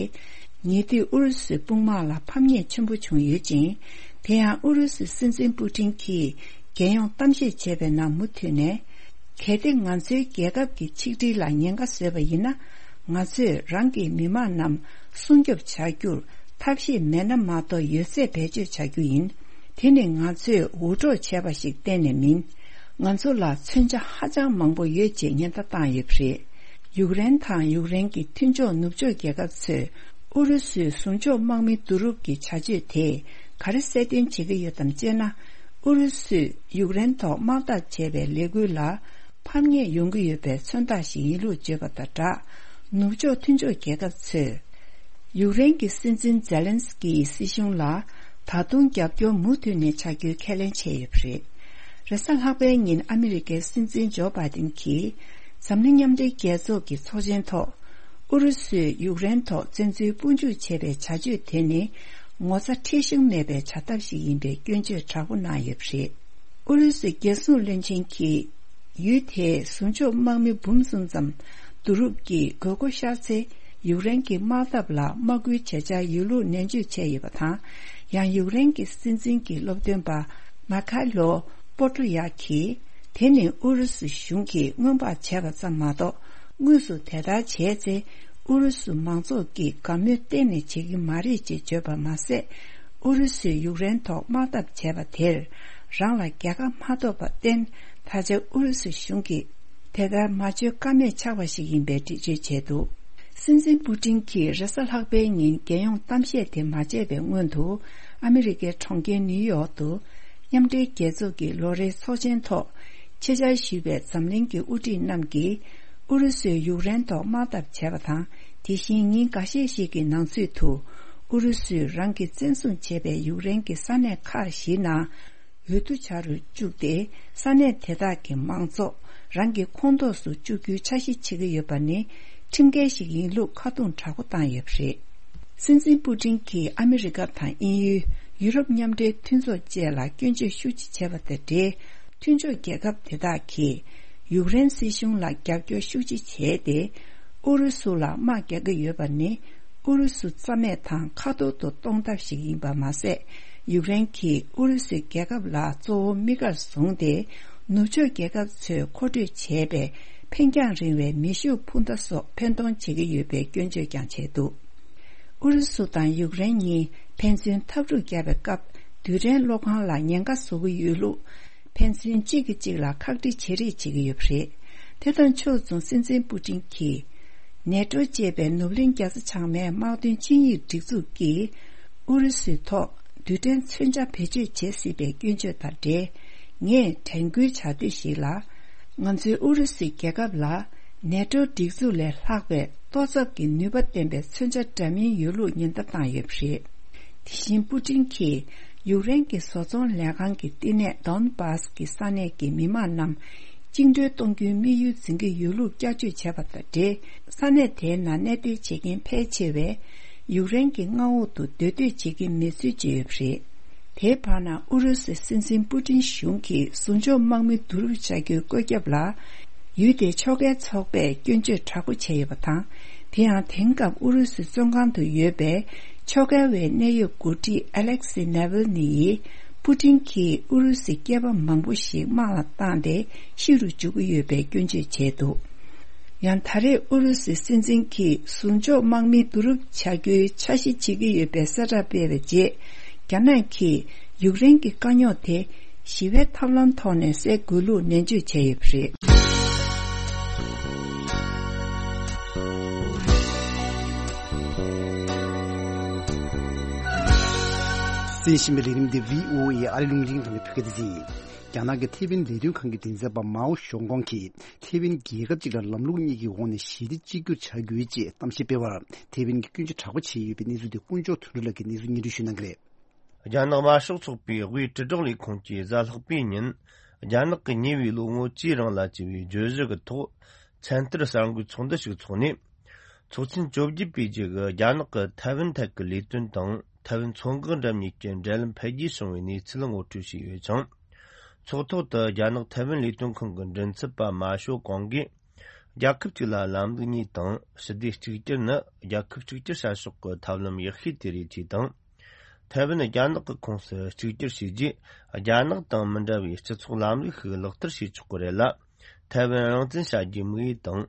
ཉེ་དུས་ཨུ་རུ་སུའི་དཔུང་དམག་ལ་ཕམ་ཉེས་ཆེན་པོ་བྱུང་ཡོད་ཅིང་། དེ་ཡང་ཨུ་རུ་སུའི་སྲིད་འཛིན་པུ་ཏིན་གྱིས་རྒྱལ་ཡོངས་གཏམ་བཤད་བྱས་པའི་ནང་མུ་མཐུད་ནས། གལ་ཏེ་ང་ཚོའི་རྒྱལ་ཁབ་ཀྱི་ཆིག་སྒྲིལ་ལ་ཉེན་ཁ་བཟོས་པ་ཡིན་ན། ང་ཚོས་རང་གི་མི་དམངས་རྣམས་སྲུང་སྐྱོབ་བྱ་རྒྱུར་ཐབས་ཤེས་མེད་ན་མ་གཏོགས་ཡོད་ཚད་བེད་སྤྱོད་བྱ་རྒྱུ་ཡིན། དེ་ནི་ང་ཚོས་འུར་སྒྲོག་བྱས་པ་ཞིག་གཏན་ནས་མིན། ང་ཚོ་ལ་མཚོན་ཆ་ཧ་ཅང་མང་པོ་ཡོད་ཅེས་ཉེན་བརྡ་བཏང་ཡོད་པ་རེད། ཡུཀ་རེན་དང་ཡུཀ་རེན་གྱི་མཐུན་ཕྱོགས་ནུབ་ཕྱོགས་རྒྱལ་ཁབ་ཚོས་ཨུ་རུ་སུའི་ཟུང་འཇོག་དམག་མི་བསྡུ་རུབ་ཀྱི་བྱ་སྤྱོད་དེས་ག་རེ་གསལ་སྟོན་བྱེད་ཀྱི་ཡོད་དམ་ཅེ་ན། ཨུ་རུ་སུས་ཡུཀ་རེན་ཐོག་དམག་འཐབ་བྱས་པའི་ལས་འགུལ་ལ། ཕམ་ཉེས་ཡོང་གི་ཡོད་པའི་མཚོན་རྟགས་ཤིག་ཡིན་ལུགས་བརྗོད་པ་དང་སྦྲགས། ནུབ་ཕྱོགས་མཐུན་ཕྱོགས་རྒྱལ་ཁབ་ཚོས། ཡུཀ་རེན་གྱི་སྲིད་འཛིན་ཛེ་ལན་སི་ཀི་ཡི་སྲིད་གཞུང་ལ། ད་དུང་རྒྱབ་སྐྱོར་མུ་མཐུད་ནས་བྱ་རྒྱུའི་ཁས་ལེན་བྱས་ཡོད་པ་རེད། རེས་གཟའ་ལྷག་པའི་ཉིན་ཨ་མི་རི་ཀའི་སྲིད་འཛིན་ཇོ་བྷའི་ཏིན་གྱིས། འཛམ་གླིང་མཉམ་འབྲེལ་རྒྱལ་ཚོགས་ཀྱི་ཚོགས་ཆེན་ཐོག་ཨུ་རུ་སུས་ཡུཀ་རེན་ཐོག་བཙན་འཛུལ་དཔུང་འཇུག་བྱས་པའི་བྱ་སྤྱོད་དེ་ནི། ངོ་ཚ་ཁྲེལ་གཞུང་མེད་པའི་བྱ་ཐབས་ཤིག་ཡིན་པའི་སྐྱོན་བརྗོད་དྲག་པོ་གནང་ཡོད་པ་རེད། ཨུ་རུ་སུའི་རྒྱལ་སྲུང་བློན་ཆེན་གྱིས། ཡུལ་དེའི་ཟུང་འཇོག་དམག་མི་འབུམ་གསུམ་ཙམ་བསྡུ་རུབ་ཀྱིས་དགོས་མཁོ་ཤར་ཚེ། ཡུཀ་རེན་གྱི་དམག་འཐབ་ལ་དམག་སྐུལ་བྱེད་འཆར་ཡོད་ལུགས་ནན་བརྗོད་བྱས་ཡོད་པ་དང་། ཡང་ཡུཀ་རེན་གྱི་སྲིད་འཛིན་གྱི་སློབ་སྟོན་པ་མ་ཁ་ལོ་པོ་ཏྲོ་ཡ་གིས། དེ་ནི་ཨུ་རུ་སུ་གཞུང་གིས་སྔོན་དཔག་བྱས་པ་ཙམ་མ་གཏོགས། དངོས་སུ་དེ་ལྟར་བྱས་ཚེ། ཨུ་རུ་སུ་མང་ཚོགས་ཀྱིས་དགའ་མོས་གཏན་ནས་བྱེད་ཀྱི་མ་རེད་ཅེས་བརྗོད་པ་མ་ཟད། ཨུ་རུ་སུས་ཡུཀ་རེན་ཐོག་དམག་འཐབ་བྱས་པ་དེར། རང་ལ་རྒྱལ་ཁ་མ་ཐོབ་པར་བརྟེན། ད་ཆ་ཨུ་རུ་སུ་གཞུང་གིས། དེ་ལྟར་མ་བརྗོད་ཀ་མེད་ཆགས་པ་ཞིག་ཡིན་པའི་འགྲེལ་བརྗོད་བྱས་འདུག་སྲིད་འཛིན་པུ་ཏིན་གྱིས་རེས་གཟའ་ལྷག་པའི་ཉིན་རྒྱལ་ཡོངས་གཏམ་བཤད་དེ་མ་བྱས་པའི་སྔོན་དུ། ཨ་མི་རི་ཀའི་གྲོང་ཁྱེར་ནིའུ་ཡོག་ཏུ། མཉམ་འབྲེལ་རྒྱལ་ཚོགས་ཀྱི་ལོ་རེའི་ཚོགས་ཆེན་ཐོག་ཆེད་བཅར་ཞུས་པའི་འཛམ་གླིང་གི་དབུ་ཁྲིད་རྣམས་ཀྱིས། ཨུ་རུ་སུས་ཡུཀ་རེན་ཐོག་དམག་འཐབ་བྱས་པ་དང་། དེ་བཞིན་ཉིན་འགའ་ཤས་ཤིག་གི་ནང་ཚུད་དུ། ཨུ་རུ་སུས་རང་གིས་བཙན་བཟུང་བྱས་པའི་ཡུཀ་རེན་གྱི་ས་གནས་ཁག་བཞིའི་ནང་། འོས་བསྡུ་བྱ་རུ་བཅུག་སྟེ། ས་གནས་དེ་དག་གི་མང་ཚོགས་རང་གི་ཁོངས་གཏོགས་སུ་བཅུག་རྒྱུའི་འཆར་གཞི་བྱེད་ཀྱི་ཡོད་པ་ནི། ཁྲིམས་འགལ་ཞིག་ཡིན་ལུགས་ཁ་རྡུང་དྲག་པོ་བཏང་ཡོད་པ་རེད། སྲིད་འཛིན་པུ་ཏིན་གྱིས་ཨ་མི་རི་ཀ་དང་དབྱིན་ཡུལ། ཡུ་རོབ་མཉམ་འབྲེལ་མཐུན་ཚོགས་བཅས་ལ་སྐྱོན་བརྗོད་ཤུགས་ཆེ་བྱས་པ་དང་འབྲེལ། མཐུན་ཕྱོགས་རྒྱལ་ཁབ་དེ་དག་གིས། ཡུཀ་རེན་སྲིད་གཞུང་ལ་རྒྱབ་སྐྱོར་ཤུགས་ཆེ་བྱས་ཏེ། ཨུ་རུ་སུ་ལ་དམག་རྒྱག་གི་ཡོད་པ་ནི། ཨུ་རུ་སུ་རྩ་མེད་དང་ཁ་ཐོར་དུ་གཏོང་ཐབས་ཤིག་ཡིན་པ་མ་ཟད། ཡུཀ་རེན་གྱིས་ཨུ་རུ་སུའི་རྒྱལ་ཁབ་ལ་གཙོ་བོ་དམིགས་བཀར་བཟུང་སྟེ། ནུབ་ཕྱོགས་རྒྱལ་ཁབ་ཚོས་མཁོ་སྤྲོད་བྱས་པའི་འཕེན་རྒྱང་རིང་བའི་མེ་ཤུགས་འཕུར་མདའ་སོགས་འཕེན་གཏོང་བྱེད་ཀྱི་ཡོད་པའི་སྐྱོན་བརྗོད་ཀྱང་བྱས་འདུག་ཨུ་རུ་སུ་དང་ཡུཀ་རེན་གཉིས་ཕན་ཚུན་འཐབ་འཁྲུག་བརྒྱབ་པའི་སྐབས། རྡུལ་ཕྲན་གློག་ཁང་ལ་ཉེན་ཁ་བཟོ་གི་ཡོད་ལུགས། ཕན་ཚུན་གཅིག་གིས་གཅིག་ལ་ཁག་དཀྲི་བྱེད་རེས་བྱེད་ཀྱི་ཡོད་པ་རེད། དེ་དང་ཕྱོགས་མཚུངས་སྲིད་འཛིན་པུ་ཏིན་གྱིས། ནེ་ཏྲོ་ཅེས་པའི་ནུབ་གླིང་རྒྱལ་ས་བྱང་མའི་དམག་དོན་ཆིངས་ཡིག་སྒྲིག་འཛུགས་ཀྱིས། ཨུ་རུ་སུའི་ཐོག་རྡུལ་ཕྲན་མཚོན་ཆ་བེད་སྤྱོད་བྱེད་སྲིད་པའི་སྐྱོན་བརྗོད་དང་འབྲེལ། ངས་དྲན་སྐུལ་བྱ་འདོད་ཞིག་ལ། ང་ཚོའི་ཨུ་རུ་སུའི་རྒྱལ་ཁབ་ལ། ནེ་ཏྲོ་སྒྲིག་འཛུགས་ལས་ལྷག་པའི་གཏོར་ཚབ་ཀྱི་ནུས་པ་ལྡན་པའི་མཚོན་ཆ་འདྲ་མིན་ཡོད་ལུགས་ཉེན་བརྡ་བཏང་ཡོད་པ་རེད། དེ་བཞིན་པུ་ཏིན་གྱིས་ཡུཀ་རེན་གྱི་བཟོ་ཚོང་ལས་ཁང་གི་བསྟི་གནས་དོན་བཱས་ཀྱི་ས་གནས་ཀྱི་མི་དམངས་རྣམས་བཅིངས་འགྲོལ་གཏོང་རྒྱུའི་དམིགས་ཡུལ་འཛིན་གྱི་ཡོད་ལུགས་བསྐྱར་བཅོས་བྱས་པ་དང་འབྲེལ། ས་གནས་དེའི་ནང་གནས་སྡོད་བྱེད་མཁན་ཕལ་ཆེ་བས་ཡུཀ་རེན་གྱི་མངའ་འོག་ཏུ་སྡོད་འདོད་བྱེད་ཀྱི་མེད་ཚུལ་བརྗོད་ཡོད་པ་རེད། དེའི་བར་ན་ཨུ་རུ་སུའི་སྲིད་འཛིན་པུ་ཏིན་གཞུང་གིས་ཟུང་འཇོག་དམག་མི་བསྡུ་རུབ་བྱ་རྒྱུའི་བཀོད་ཁྱབ་ལ། ཡུལ་དེའི་ཕྱོགས་འགལ་ཚོགས་པས་སྐྱོན་བརྗོད་དྲག་པོ་བྱས་ཡོད་པ་དང་། དེ་ཡང་དེང་སྐབས་ཨུ་རུ་སུའི་བཙོན་ཁང་དུ་ཡོད་པའི་ཕྱོགས་འགལ་བའི་གནད་ཡོད་འགོ་ཁྲིད་ཨ་ལེག་སི་ནེ་ཝིལ་ནི་ཡིས་པུ་ཏིན་གྱིས་ཨུ་རུ་སུའི་སྐྱེས་པ་མང་པོ་ཞིག་དམག་ལ་བཏང་སྟེ་ཤི་རུ་འཇུག་གི་ཡོད་པའི་སྐྱོན་བརྗོད་བྱས་འདུག་ཡང་ད་རེས་ཨུ་རུ་སུའི་སྲིད་འཛིན་གྱིས་ཟུང་འཇོག་དམག་མི་བསྡུ་རུབ་བྱ་རྒྱུའི་འཆར་གཞི་བྱེད་ཀྱི་ཡོད་པའི་གསལ་བསྒྲགས་སྤེལ་བའི་རྗེས། རྒྱ་ནག་གིས་ཡུཀ་རེན་གྱི་དཀའ་རྙོག་དེ་ཞི་བའི་ཐབས་ལམ་ཐོག་ནས་སེལ་དགོས་ལུགས་ནན་བརྗོད་བྱས་ཡོད་པ་རེད། གསན་བཞིན་པའི་ལས་རིམ་འདི་བྷི་ཨོ་ཨེ་ཨ་རི་རླུང་འཕྲིན་ཁང་གི་བོད་སྐད་སྡེ་ཚན་ཡིན། རྒྱ་ནག་གི་ཐེ་ཝན་ལས་དོན་ཁང་གི་མགྲིན་ཚབ་པ་མའོ་ཞོང་ཀོང་གིས་ཐེ་ཝན་རྒྱལ་ཁབ་ཅིག་ལ་ལམ་ལུགས་གཉིས་ཀྱི་འོག་ནས་ཞི་བདེ་གཅིག་གྱུར་བྱ་རྒྱུ་ཡིན་ཅེས་གཏམ་བཤད་སྤེལ་བར་ཐེ་ཝན་གྱིས་སྐྱོན་བརྗོད་དྲག་པོ་བྱས་ཡོད་པའི་གནས་ཚུལ་དེ་དཀོན་མཆོག་དོན་གྲུབ་ལགས་ཀྱིས་གནས་ཚུལ་སྙན་སྒྲོན་ཞུ་གནང་གི་རེད། རྒྱ་ནག་དམར་ཤོག་ཚོགས་པའི་དབུས་དྲིལ་སྒྲོག་ལས་ཁུངས་ཀྱིས་གཟའ་ལྷག་པའི་ཉིན། རྒྱ་ནག་གི་ཉེ་བའི་ལོ་ངོ་བཅུའི་རིང་ལ་བྱས་པའི་བརྗོད་གཞི་གི་ཐོག་ཚན་ཐར་གསར་འགོད་ཚོགས་འདུ་ཞིག་འཚོགས་ནས། ཚོགས་ཆེན་བཅོ་བརྒྱད་པའི་རྗེས་ཀྱི་རྒྱ་ནག་གི་ཐའེ་ཝན་ཐད་ཀྱི་ལས་དོན་དང་། ཐའེ་ཝན་མཚོ་འགག་འགྲམ་གཉིས་ཀྱི་འབྲེལ་ལམ་འཕེལ་རྒྱས་བྱུང་བའི་གནས་ཚུལ་ངོ་སྤྲོད་བྱས་ཡོད་ཅིང་། ཚོགས་ཐོག་ཏུ་རྒྱ་ནག་ཐའེ་ཝན་ལས་དོན་ཁང་གི་མགྲིན་ཚབ་པ་མ་ཞོ་ཀོང་གིས། རྒྱལ་ཁབ་གཅིག་ལ་ལམ་ལུགས་གཉིས་དང་། ཞི་བདེ་གཅིག་གྱུར་ནི་རྒྱལ་ཁབ་གཅིག་གྱུར་བྱ་ཕྱོགས་ཀྱི་ཐབས་ལམ་ཡག་ཤོས་དེ་རེད་ཅེས་དང་། ཐའེ་ཝན་རྒྱ་ནག་གི་ཁོངས་སུ་གཅིག་གྱུར་བྱས་རྗེས། རྒྱ་ནག་དང་མི་འདྲ་བའི་སྤྱི་ཚོགས་ལམ་ལུགས་ཤིག་ལག་བསྟར་བྱེད་ཆོག་གི་རེད་ལ། ཐའེ་ཝན་རང་བཙན་བྱ་རྒྱུའི་དམིགས་ཡུལ་དང་།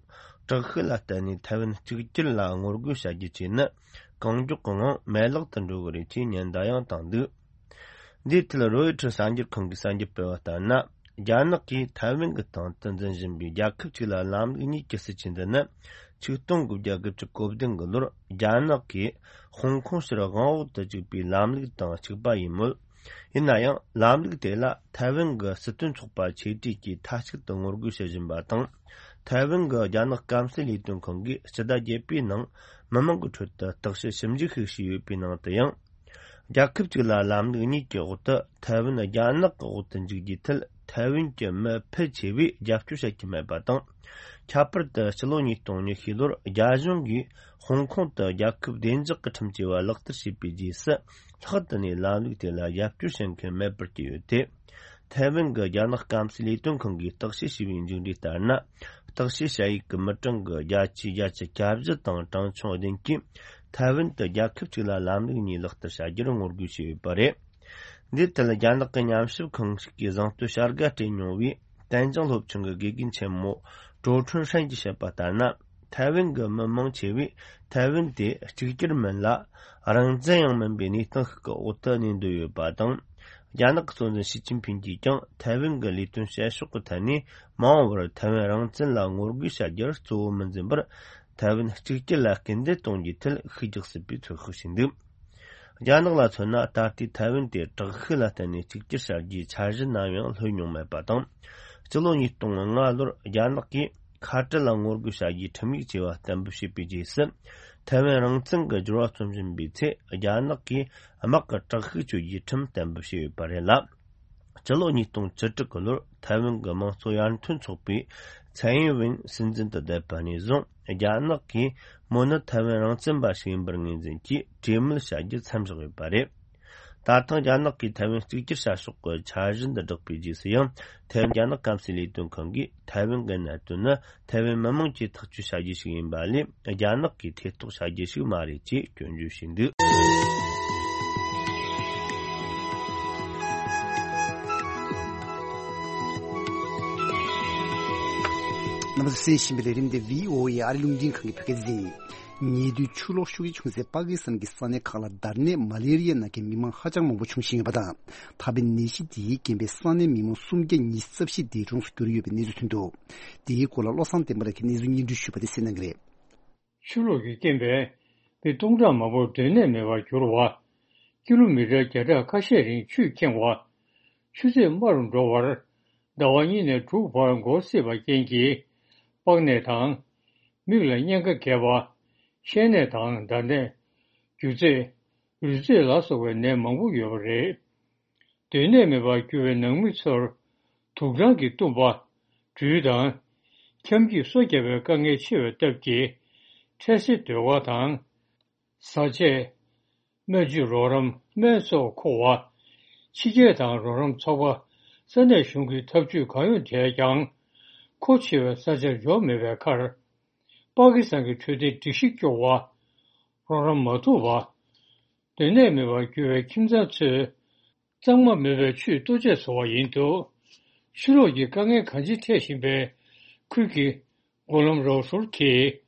དྲག་ཤུགས་ལ་བརྟེན་ནས་ཐའེ་ཝན་གཅིག་གྱུར་ལ་ངོ་རྒོལ་བྱ་རྒྱུ་བཅས་ནི། གང་མགྱོགས་ཀྱི་ངང་མེད་བརླག་ཏུ་འགྲོ་གི་རེད་ཅེས་ཉེན་བརྡ་ཡང་བཏང་འདུག་འདིའི་ཐད་རོའི་ཊར་གསར་འགྱུར་ཁང་གིས་གསར་འགྱུར་སྤེལ་བ་ལྟར་ན། རྒྱ་ནག་གིས་ཐའེ་ཝན་གྱི་སྟེང་དུ་འཛིན་བཞིན་པའི་རྒྱལ་ཁབ་གཅིག་ལ་ལམ་ལུགས་གཉིས་ཀྱི་སྲིད་བྱུས་འདི་ནི། ཆིག་སྟོང་དགུ་བརྒྱ་དགུ་བཅུ་གོ་བདུན་གྱི་ལོར་རྒྱ་ནག་གིས་ཧོང་ཀོང་ཕྱིར་དབང་འོག་ཏུ་བཅུག་པའི་ལམ་ལུགས་དང་གཅིག་པ་ཡིན་མོད། ཡིན་ན་ཡང་ལམ་ལུགས་དེ་ལ་ཐའེ་ཝན་གྱི་སྲིད་དོན་ཚོགས་པ་ཆེ་གྲས་ཀྱིས་མཐའ་གཅིག་ཏུ་ངོ་རྒོལ་བྱེད་བཞིན་པ་དང་། ཐའེ་ཝན་གྱི་རྒྱ་ནག་སྐམ་སའི་ལས་དོན་ཁང་གིས་སྤྱི་ཟླ་བརྒྱད་པའི་ནང་མི་མང་གི་ཁྲོད་དུ་བརྟག་དཔྱད་ཞིབ་འཇུག་ཞིག་བྱས་ཡོད་པའི་ནང་དུ་ཡང་། རྒྱལ་ཁབ་གཅིག་ལ་ལམ་ལུགས་གཉིས་ཀྱི་འོག་ཏུ་ཐའེ་ཝན་རྒྱ་ནག་གི་འོག་ཏུ་འཇུག་རྒྱུའི་ཐད་ཐའེ་ཝན་གྱི་མི་ཕལ་ཆེ་བས་རྒྱབ་སྐྱོར་བྱེད་ཀྱི་མེད་པ་དང་། ཁྱད་པར་དུ་ཕྱི་ལོ་ཉིས་སྟོང་ཉི་ཤུ་ལོར་རྒྱ་གཞུང་གིས་ཧོང་ཀོང་དུ་རྒྱལ་ཁབ་བདེ་འཇགས་ཀྱི་ཁྲིམས་ཅེས་པ་ལག་བསྟར་བྱས་པའི་རྗེས་སུ། ལྷག་ཏུ་ནས་ལམ་ལུགས་དེ་ལ་རྒྱབ་སྐྱོར་བྱེད་མཁན་མེད་པར་གྱུར་ཡོད་དེ། ཐའེ་ཝན་གྱི་རྒྱ་ནག་སྐམ་སའི་ལས་དོན་ཁང་གིས་བརྟག་དཔྱད་བྱས་པའི་མཇུག་འབྲས་ལྟར་ན། བརྟག་དཔྱད་བྱ་ཡུལ་གྱི་མི་གྲངས་ཀྱི་བརྒྱ་ཆ་བརྒྱད་ཅུ་གྱ་བཞི་དང་གྲངས་ཆུང་བདུན་གྱིས་ཐའེ་ཝན་དུ་རྒྱལ་ཁབ་གཅིག་ལ་ལམ་ལུགས་གཉིས་ལག་བསྟར་བྱ་རྒྱུར་ངོ་རྒོལ་བྱས་ཡོད་པ་རེད། འདིའི་ཐད་རྒྱ་ནག་གི་ཉམས་ཞིབ་ཁང་ཞིག་གིས་གཟེངས་བསྟོད་བྱ་དགའ་སྤྲད་མྱོང་བའི་ཏན་ཅང་སློབ་ཆེན་གྱི་དགེ་རྒན་ཆེན་མོ་ཀྲོའུ་ཁྲུན་ཧྲན་གྱིས་བཤད་པ་ལྟར་ན། ཐའེ་ཝན་གྱི་མི་མང་ཆེ་བས་ཐའེ་ཝན་དེ་གཅིག་གྱུར་མིན་ལ། རང་བཙན་ཡང་མིན་པའི་གནས་སྟངས་ཤིག་གི་འོག་ཏུ་གནས་འདོད་ཡོད་པ་དང་། རྒྱ་ནག་གི་གཙོ་འཛིན་ཞི་ཅིན་ཕིན་གྱིས་ཀྱང་ཐའེ་ཝན་གྱི་ལས་དོན་བྱེད་ཕྱོགས་ཀྱི་ཐད་ནས་མ་འོངས་པར་ཐའེ་ཝན་རང་བཙན་ལ་ངོ་རྒོལ་བྱ་རྒྱུར་གཙོ་བོ་མི་འཛིན་པར། ཐའེ་ཝན་གཅིག་གྱུར་ལ་སྐུལ་འདེད་གཏོང་རྒྱུའི་ཐད་ཤུགས་རྒྱག་སྲིད་པའི་ཚོད་དཔག་བྱས་འདུག་རྒྱ་ནག་ལ་མཚོན་ན། ད་ལྟའི་ཐའེ་ཝན་དེ་དྲག་ཤུགས་ལ་བརྟེན་ནས་གཅིག་གྱུར་བྱ་རྒྱུའི་འཆར་གཞི་ནམ་ཡང་ལྷོད་མྱོང་མེད་པ་དང་། སྤྱི་ལོ་ཉིས་སྟོང་ལྔ་ལོར་རྒྱ་ནག་གིས་ཁ་བྲལ་ལ་ངོ་རྒོལ་བྱ་རྒྱུའི་ཁྲིམས་ཡིག་ཅེས་པ་གཏན་འབེབས་བྱས་པའི་རྗེས་སུ། ཐའེ་ཝན་རང་བཙན་གྱི་སྦྱོར་བ་རྩོམ་བཞིན་པའི་ཚེ། རྒྱ་ནག་གིས་དམག་གི་དྲག་ཤུགས་གཅོད་རྒྱུའི་ཁྲིམས་གཏན་འབེབས་བྱས་ཡོད་པ་རེད་ལ། སྤྱི་ལོ་ཉིས་སྟོང་བཅུ་དྲུག་གི་ལོར་ཐའེ་ཝན་གྱི་དམངས་གཙོ་ཡར་ཐོན་ཚོགས་པའི་ཚའེ་ཡིན་ཝེན་སྲིད་འཛིན་དུ་བསྡད་པ་ནས་བཟུང་། རྒྱ་ནག་གིས་མོ་ནི་ཐའེ་ཝན་རང་བཙན་པ་ཞིག་ཡིན་པར་ངོས་འཛིན་གྱིས་གྲོས་མོལ་བྱ་རྒྱུ་མཚམས་བཞག་ཡོད་པ་རེད། ད་ཐེངས་རྒྱ་ནག་གིས་ཐའེ་ཝན་གཅིག་གྱུར་བྱ་ཕྱོགས་ཀྱི་འཆར་གཞི་འདི་བསྒྲགས་པའི་རྗེས་སུ་ཡང་། ཐའེ་ཝན་རྒྱ་ནག་སྐམ་སའི་ལས་དོན་ཁང་གིས་ཐའེ་ཝན་གྱི་གནད་དོན་ནི་ཐའེ་ཝན་མི་དམངས་ཀྱིས་ཐག་གཅོད་བྱ་རྒྱུ་ཞིག་ཡིན་པ་ལས། རྒྱ་ནག་གིས་ཐེ་གཏོགས་བྱ་རྒྱུ་ཞིག་མ་རེད་ཅེས་སྐྱོན་བརྗོད་བྱས་འདུག་རྣམ་པ་ཚོས་གསན་བཞིན་པའི་ལས་རིམ་འདི་བྷི་ཨོ་ཨེ་ཨ་རི་རླུང་འཕྲིན་ཁང་གི་བོད་སྐད་སྡེ་ཚན་ཡིན། ཉེ་དུས་ཆུ་ལོག་ཤུགས་ཆེ་བྱུང་སའི་པ་ཀི་སི་ཐན་གྱི་ས་གནས་ཁག་ལ་འདར་ནད་མ་ལེ་རི་ཡ་ན་མཁན་མི་མང་ཧ་ཅང་མང་པོ་འབྱུང་བཞིན་ཡོད་པ་དང་། ད་ཕན་ནད་གཞི་དེའི་རྐྱེན་པས་ས་གནས་མི་མང་སུམ་བརྒྱ་ཉི་ཤུ་རྩ་བཞི་འདས་གྲོངས་སུ་གྱུར་ཡོད་པའི་གནས་ཚུལ་ཐོན་འདུག་དེའི་སྐོར་ལ་བློ་བཟང་བསྟན་པ་ལགས་ཀྱིས་གནས་ཚུལ་སྙན་སྒྲོན་ཞུས་པ་དེ་གསན་གནང་གི་རེད། ཆུ་ལོག་གི་རྐྱེན་པས་མི་སྟོང་ཕྲག་མང་པོ་སྡོད་གནས་མེད་པར་གྱུར་བ། ཀི་ལོ་མི་ཊར་བརྒྱ་ཕྲག་ཁ་ཤས་རིང་ཆུས་ཁེངས་བ། ཆུ་ཚད་དམའ་རུ་འགྲོ་བར་ཟླ་བ་གཉིས་ནས་དྲུག་བར་འགོར་སྲིད་པ་རྐྱེན་གྱིས། པགས་ནད་དང་། མིག་ལ་གཉན་ཁ་རྒྱས་པ། བཤལ་ནད་དང་འདར་ནད། རྒྱུ་ཚེག་རུས་ཚེག་ལ་སོགས་པའི་ནད་མང་པོ་ཡོད་པ་རེད། སྡོད་གནས་མེད་པར་གྱུར་བའི་ནང་མི་ཚོར་དུག་སྦྲང་གིས་བཏུམས་པ། སྦྲུལ་དང་། ཁྱབ་འགྱེད་སོ་བརྒྱབ་པའི་དཀའ་ངལ་ཆེ་བའི་སྟབས་ཀྱིས། འཕྲལ་སེལ་སྡོད་སྒར་དང་། བཟའ་ཆས། སྨན་བཅོས་རོགས་རམ་སྨན་སོགས་མཁོ་བ། ཕྱི་རྒྱལ་དང་རོགས་རམ་ཚོགས་པ། ས་གནས་གཞུང་གི་ཐབས་ཇུས་གང་ཡོང་བྱས་ཀྱང་། མཁོ་ཆེ་བའི་ས་ཆར་འབྱོར་མེད་པའི་ཁར། པ་ཀི་སི་ཐན་གྱི་འཕྲོད་བསྟེན་སྒྲིག་གཞི་སྐྱོ་བ། རོགས་རམ་མ་ཐུབ་པ། སྡོད་གནས་མེད་པར་གྱུར་བའི་ཁྱིམ་ཚང་ཚོས། གཙང་མ་མེད་པའི་ཆུས་ལྟོ་ཆས་བཟོ་བ་ཡིན་འདུག་ཆུ་ལོག་གི་དཀའ་ངལ་གང་ཅི་འཕྲད་བཞིན་པའི་ཁུལ་གྱི་མགོ་ལོམ་རའོ་ཧྲུལ་གྱིས།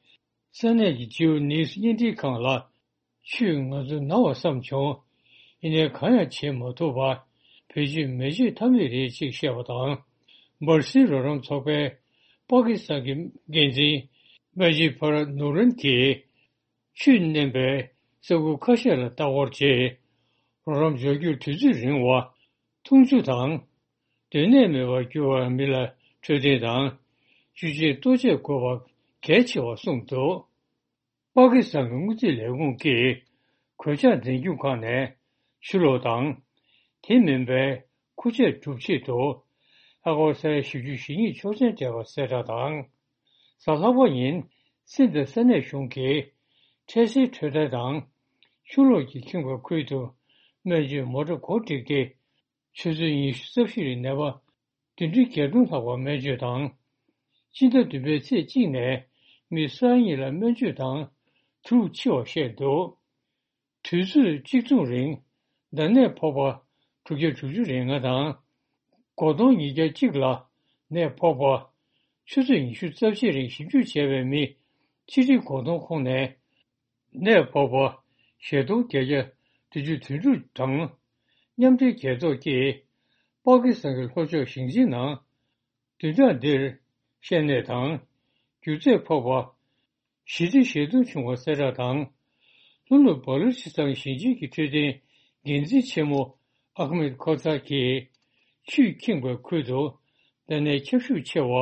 ས་གནས་ཀྱི་ཇིའུ་ནིའུ་སི་བརྙན་འཕྲིན་ཁང་ལ། ཆུས་ང་ཚོ་ན་བ་བསམ་བྱུང་། ཡིན་ནའི་གང་ཡང་བྱེད་མ་ཐུབ་པ། བེད་སྤྱོད་མི་བྱེད་ཐབས་མེད་རེད་ཅེས་བཤད་པ་དང་། འབར་སིལ་རོགས་རམ་ཚོགས་པའི་པ་ཀི་སི་ཐན་གྱི་འགན་འཛིན་མ་ཇི་ཕར་ནུ་རན་གྱིས། ཆུས་མནན་པའི་ས་ཁུལ་ཁ་ཤས་ལ་ལྟ་སྐོར་བྱས། རོགས་རམ་འབྱོར་རྒྱུར་དུས་ཚོད་རིང་བ། འཐུང་ཆུ་དང་། སྡོད་གནས་མེད་པར་གྱུར་བར་མི་ལ་འཕྲོད་བསྟེན་དང་། བཅུད་ཆེན་ལྟོ་ཆས་དགོས་པ་གལ་ཆེ་བར་གསུངས་འདུག་པ་ཀི་སི་ཐན་གྱི་དངུལ་རྩིས་ལས་ཁུངས་ཀྱིས་གོད་ཆག་འཛིན་སྐྱོང་ཁང་ནས་ཆུ་ལོག་དང་། དེ་མིན་པའི་ཁུར་ཆས་སྒྲུབ་ཆེད་དུ་ཨ་སྒོར་ས་ཡ་བཞི་བཅུ་ཞེ་གཉིས་ཆོག་མཆན་སྤྲད་པ་གསལ་བསྒྲགས་དང་། གཟའ་ལྷག་པ་ཉིན་སྲིད་དང་ས་གནས་གཞུང་གིས་འཕྲལ་སེལ་འཕྲོད་བསྟེན་དང་། ཆུ་ལོག་གིས་ཁེངས་པའི་ཁུལ་དུ་སྨན་བཅོས་མོ་ཊ་གོ་སྒྲིག་སྟེ། ཆུ་ཚོད་ཉི་ཤུ་རྩ་བཞི་རིང་ནད་པ་བདུན་ཁྲི་བརྒྱད་སྟོང་ལྷག་པར་སྨན་བཅོས་དང་། སྤྱི་ཟླ་བདུན་པའི་ཚེས་གཅིག་ནས་མི་ས་ཡ་གཉིས་ལ་སྨན་བཅོས་དང་དྲུག་འཆི་བར་བཤད་འདུག་དུས་ཚོད་གཅིག་མཚུངས་རིང་འདམ་ནད་ཕོག་པ་དྲུག་བརྒྱ་དྲུག་ཅུ་རེ་ལྔ་དང་། སྒོར་སྟོང་ཉིས་བརྒྱ་གཅིག་ལ་ནད་ཕོག་པ། ཆུ་ཚོད་ཉི་ཤུ་རྩ་བཞི་རིང་ཞིབ་འཇུག་བྱས་པའི་མི་ཆིག་ཁྲི་གོ་སྟོང་ཁོངས་ནས། ནད་ཕོག་པ་བཞི་སྟོང་བརྒྱད་བརྒྱ་བདུན་ཅུ་དོན་དྲུག་དང་། མཉམ་འབྲེལ་རྒྱལ་ཚོགས་ཀྱིས་པ་ཀི་སི་ཐན་གྱི་ལྷོ་ཕྱོགས་ཞིང་ཆེན་ནང་བདུན་ཕྲག་འདིར་བཤལ་ནད་དང་། རྒྱུ་ཚད་ཕོག་པ་བཞི་ཁྲི་ཞེ་སྟོང་བྱུང་བ་གསལ་བསྒྲགས་དང་། ལྷོ་ནུབ་བ་ལུ་ཆི་སི་ཐན་ཞིང་ཆེན་གྱི་འཕྲོད་བསྟེན་འགན་འཛིན་ཆེན་མོ་ཨ་ཁ་མེད་ཁོ་ཚར་གྱིས། ཆུས་ཁེངས་པའི་ཁུལ་དུ་འདམ་ནད་ཁྱབ་ཤུགས་ཆེ་བ།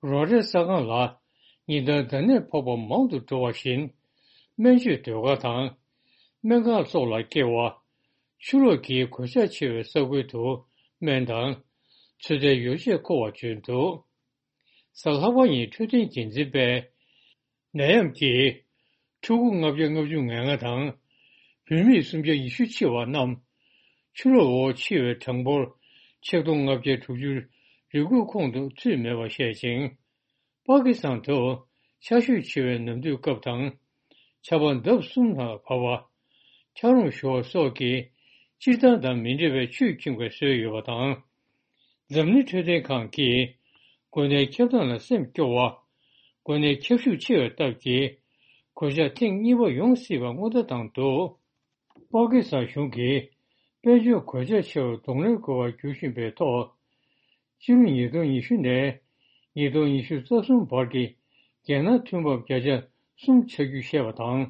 རོགས་རེས་ས་ཁང་ལ་ཉིན་ལྟར་འདམ་ནད་ཕོག་པ་མང་དུ་འགྲོ་བ་བཞིན། སྨན་བཅོས་སྡོད་སྒར་དང་། སྨན་ཁང་སོགས་ལ་སྐྱེལ་བ། ཆུ་ལོག་གིས་གོད་ཆག་ཆེ་བའི་ས་ཁུལ་དུ་སྨན་དང་། ཚོད་ལྟའི་ཡོ་བྱད་མཁོ་བར་བྱོན་འདུག་གཟའ་ལྷག་པ་ཉིན་འཕྲོད་བསྟེན་འགན་འཛིན་པས། ནད་ཡམས་ཀྱིས་ཕྲུ་གུ་ལྔ་བརྒྱ་ལྔ་བཅུ་ང་ལྔ་དང་། བུད་མེད་སུམ་བརྒྱ་ཉི་ཤུ་འཆི་བ་རྣམས་ཆུ་ལོག་འོག་འཆི་བའི་གྲངས་འབོར་ཆིག་སྟོང་ལྔ་བརྒྱ་དྲུག་ཅུ་རེ་དགུའི་ཁོངས་སུ་ཚུད་མེད་པར་བཤད་ཅིང་། པ་ཀི་སི་ཐན་དུ་ཆར་ཞོད་ཆེ་བའི་ནམ་དུས་སྐབས་དང་། ཆར་པ་ལྡབ་གསུམ་ལྷག་བབས་པ། འཁྱགས་རོམ་ཤོར་བ་སོགས་ཀྱིས་སྤྱིར་བཏང་དང་མི་འདྲ་བའི་ཆུས་ཁེངས་པའི་སྲོལ་ཡོད་པ་དང་། འཛམ་གླིང་འཕྲོད་བསྟེན་ཁང་གིས་འགོས་ནད་ཁྱབ་སྟངས་ལ་སེམས་སྐྱོ་བ། འགོས་ནད་ཁྱབ་ཤུགས་ཆེ་བའི་སྟབས་ཀྱིས་གོད་ཆག་ཐེངས་གཉིས་པ་ཡོང་སྲིད་པ་སྔོན་བརྡ་བཏང་འདུག་པ་ཀི་སི་ཐན་གཞུང་གིས་དཔལ་འབྱོར་གོད་ཆག་ཆེ་བར་གདོང་ལེན་དགོས་པར་འགྱུར་བཞིན་པའི་ཐོག་སྤྱི་ལོ་ཉིས་སྟོང་ཉི་ཤུ་ནས་ཉིས་སྟོང་ཉི་ཤུ་རྩ་གསུམ་བར་གྱི་རྒྱལ་ནང་ཐོན་འབབ་བརྒྱ་ཆ་གསུམ་ཆག་རྒྱུ་བཤད་པ་དང་།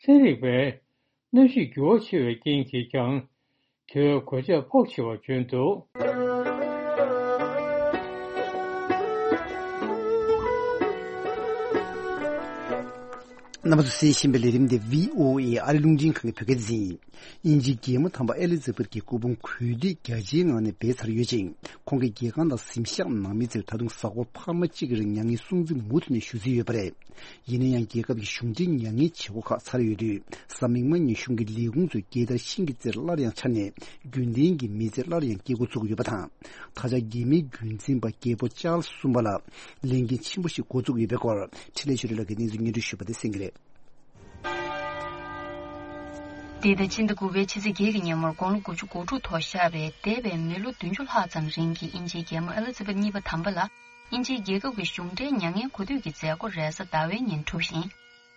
ཚན་རིག་པས། གནམ་གཤིས་འགྱུར་བ་ཆེ་བའི་རྐྱེན་གྱིས་ཀྱང་། དེ་བས་གོད་ཆག་ཕོག་ཆེ་བར་བྱོན་འདུག་རྣམ་པ་ཚོས་གསན་བཞིན་པའི་ལས་རིམ་འདི་བྷི་ཨོ་ཨེ་ཨ་རི་རླུང་འཕྲིན་ཁང་གི་བོད་སྐད་སྡེ་ཚན་ཡིན། དབྱིན་ཇིའི་རྒྱལ་མོ་དམ་པ་ཨེ་ལི་ཛ་བེད་ཀྱི་སྐུ་ཕུང་གུས་འདུད་རྒྱ་ཆེའི་ངང་ནས་སྦས་ཚར་ཡོད་ཅིང་། ཁོང་གི་རྒྱལ་ཁང་དང་གཟིམ་ཤག་ནང་མི་ཚོས་ད་དུང་གཟའ་འཁོར་འཕར་མ་གཅིག་རིང་མྱ་ངན་སྲུང་བརྩི་མུ་མཐུད་ནས་ཞུ་རྩིས་ཡོད་པ་རེད། ཡིན་ན་ཡང་། རྒྱལ་ཁབ་ཀྱི་གཞུང་འབྲེལ་མྱ་ངན་བྱེད་སྒོ་ཁག་ཚར་ཡོད་དུས། གཟའ་མིག་དམར་ཉིན་གཞུང་གི་ལས་ཁུངས་ཚོས་རྒྱལ་དར་ཤིང་གི་རྩེར་སླར་ཡང་འཕྱར་ནས། རྒྱུན་ལྡན་གྱི་མི་ཚེ་སླར་ཡང་སྐྱེལ་འགོ་ཚུགས་ཀྱི་ཡོད་པ་དང་། ད་ཆ་རྒྱལ་མིའི་རྒྱུན་འཛིན་པ་རྒྱལ་པོ་ཅཱལ་གསུམ་པ་ལ་ལས་འགན་ཆེན་པོ་ཞིག་འགོ་བཙུགས་ཡོད་པའི་སྐོར། འཕྲིན་ལས་ཆོས་སྒྲོན་ལགས་ཀྱིས་གནས་ཚུལ་སྙན་སྒྲོན་ཞུས་པ་དེ་གསན་གྱི་རེད། འདི་ཟླ་ཕྱི་ཟླ་དགུ་པའི་ཕྱི་ཚེས་བརྒྱད་ཀྱི་ཉིན་མོར་དགུང་ལོ་དགུ་བཅུ་གོ་དྲུག་ཐོག་བཞག་པའི་འདས་པའི་མི་ལོ་བདུན་ཅུ་ལྷག་ཙམ་རིང་གི་དབྱིན་ཇིའི་རྒྱལ་མོ་ཨེ་ལི་ཛ་བེད་གཉིས་པ་དམ་པ་ལ། དབྱིན་ཇིའི་རྒྱལ་ཁབ་ཀྱི་གཞུང་འབྲེལ་མྱ་ངན་གོ་ཐོས་ཀྱི་མཛད་སྒོ་རེས་གཟའ་ཟླ་བའི་ཉིན་གྲུབ་ཞིང་།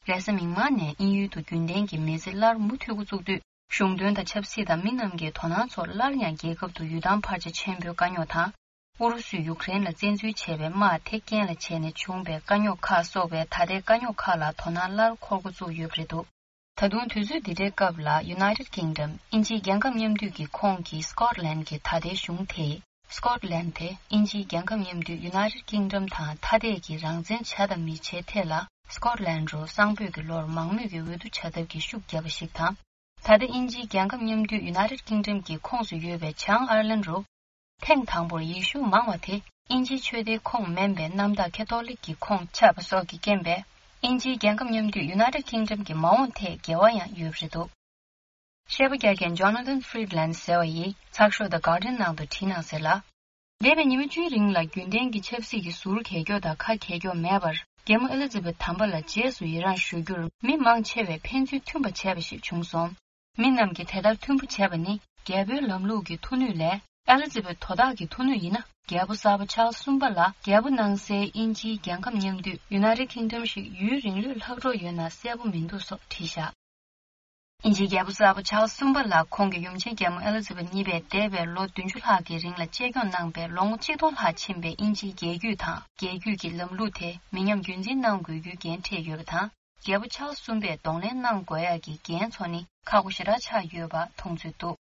རེས་གཟའ་མིག་དམར་ནས་དབྱིན་ཡུལ་དུ་རྒྱུན་ལྡན་གྱི་མི་ཚེ་སླར་མུ་མཐུད་འགོ་བཙུགས་དུས། གཞུང་དོན་དང་ཆབ་སྲིད་དང་མི་རྣམས་ཀྱི་དོ་སྣང་ཚོར་སླར་ཡང་རྒྱལ་ཁབ་ཏུ་ཡུལ་ཐང་ཕལ་ཆེར་ཆེན་པོའི་དཀའ་རྙོག་དང་། ཨུ་རུ་སུས་ཡུཀ་རེན་ལ་བཙན་འཛུལ་བྱས་པའི་དམག་དེ་རྐྱེན་ལ་བྱས་ནས་བྱུང་བའི་དཀའ་རྙོག་ཁག་སོགས་པའི་ད་ལྟའི་དཀའ་རྙོག་ཁག་ལ་དོ་སྣང་སླར་འཁོར་འགོ་བཙུགས་ཡོད་པ་རེད་འདུག་ད་དུང་དུས་ཚོད་འདི་འདྲའི་སྐབས་ལ་United Kingdom དབྱིན་ཇིའི་རྒྱལ་ཁབ་མཉམ་འདུས་ཀྱི་ཁོངས་ཀྱི་Scotland གྱི་ད་ལྟའི་གཞུང་དེས། Scotland དེ་དབྱིན་ཇིའི་རྒྱལ་ཁབ་མཉམ་འདུས་United Kingdom དང་ཐ་དད་ཀྱི་རང་བཙན་བྱ་དང་མི་བྱའི་ཐད་ལ་Scotland རུ་གསང་ཕོད་ཀྱི་ལོར་མང་མོས་ཀྱི་འོས་བསྡུ་བྱ་ཐབས་ཀྱི་ཤུགས་བརྒྱབ་པ་ཞིག་དང་། ད་ལྟ་དབྱིན་ཇིའི་རྒྱལ་ཁབ་མཉམ་འདུས་United Kingdom གྱི་ཁོངས་སུ་ཡོད་པའི་བྱང་ཨར་ལན་རུ། ཐེངས་དང་པོར་ཡེ་ཤུ་མང་བ་དེ་དབྱིན་ཇིའི་ཆོས་སྡེའི་ཁོངས་མིན་པའི་གནམ་བདག་ཁེ་ཐོ་ལིག་གི་ཁོངས་ཆགས་པ་སོགས་ཀྱི་རྐྱེན་པས། དབྱིན་ཇིའི་རྒྱལ་ཁབ་མཉམ་འདུས་United Kingdom གྱི་མ་འོངས་ཐད་འགྱུར་བ་ཡང་ཡོད་པ་རེད་འདུག་བཤད་པ་རྒྱག་མཁན་Jonathan Freedland ཟེར་བ་ཡིས་ཚགས་ཤོག་The Guardian ནང་དུ་བྲིས་གནང་གསལ་ལ། འདས་པའི་ཉི་མ་བཅུའི་རིང་ལ་རྒྱུན་ལྡན་གྱི་ཆབ་སྲིད་ཀྱི་ཟུར་གས་འཁྱོག་དང་ཁ་གས་འཁྱོག་མེད་པར། རྒྱལ་མོ་ཨེ་ལི་ཛི་བེད་དམ་པ་ལ་རྗེས་སུ་ཡི་རངས་ཞུ་རྒྱུར་མི་མང་ཆེ་བས་ཕན་ཚུན་མཐུན་པ་བྱས་པ་ཞིག་བྱུང་སོང་། མི་རྣམས་ཀྱིས་དེ་ལྟར་མཐུན་པོ་བྱས་པ་ནི། རྒྱལ་པོའི་ལམ་ལུགས་ཀྱི་མཐུ་ནུས་ལས། ཨེ་ལི་ཛི་བེད་དོ་བདག་གི་མཐུ་ནུས་ཡིན་ན། རྒྱལ་པོ་གསར་པ་ཆཱལ་གསུམ་པ་ལ་རྒྱལ་པོ་གནང་སའི་དབྱིན་ཇིའི་རྒྱལ་ཁབ་མཉམ་འདུས་United Kingdom ཞིག་ཡུན་རིང་ལོས་ལྷག་འགྲོ་ཡོད་ན་གསལ་པོ་མི་འདུག་སོགས་བྲིས་བཞག་དབྱིན་ཇིའི་རྒྱལ་པོ་གསར་པ་ཆཱལ་གསུམ་པ་ལ་ཁོང་གི་ཡུམ་ཆེན་རྒྱལ་མོ་ཨེ་ལི་ཛི་བེད་གཉིས་པས་འདས་པའི་ལོ་བདུན་ཅུ་ལྷག་གི་རིང་ལ་གཅེས་སྐྱོང་གནང་པའི་ལོ་ངོ་གཅིག་སྟོང་ལྷག་ཕྱིན་པའི་དབྱིན་ཇིའི་རྒྱལ་རྒྱུད་དང་རྒྱལ་རྒྱུད་ཀྱི་ལམ་ལུགས་དེ་མི་ཉམས་རྒྱུན་འཛིན་གནང་དགོས་རྒྱུའི་འགན་འཁྲི་ཡོད་པ་དང་། རྒྱལ་པོ་ཆཱལ་གསུམ་པས་གདོང་ལེན་གནང་དགོས་ཡག་གི་འགན་ཚོགས་ནི་ཁག་པོ་ཞེ་དྲག་ཆགས་ཡོད་པ་མཐོང་ཚུལ་འདུག་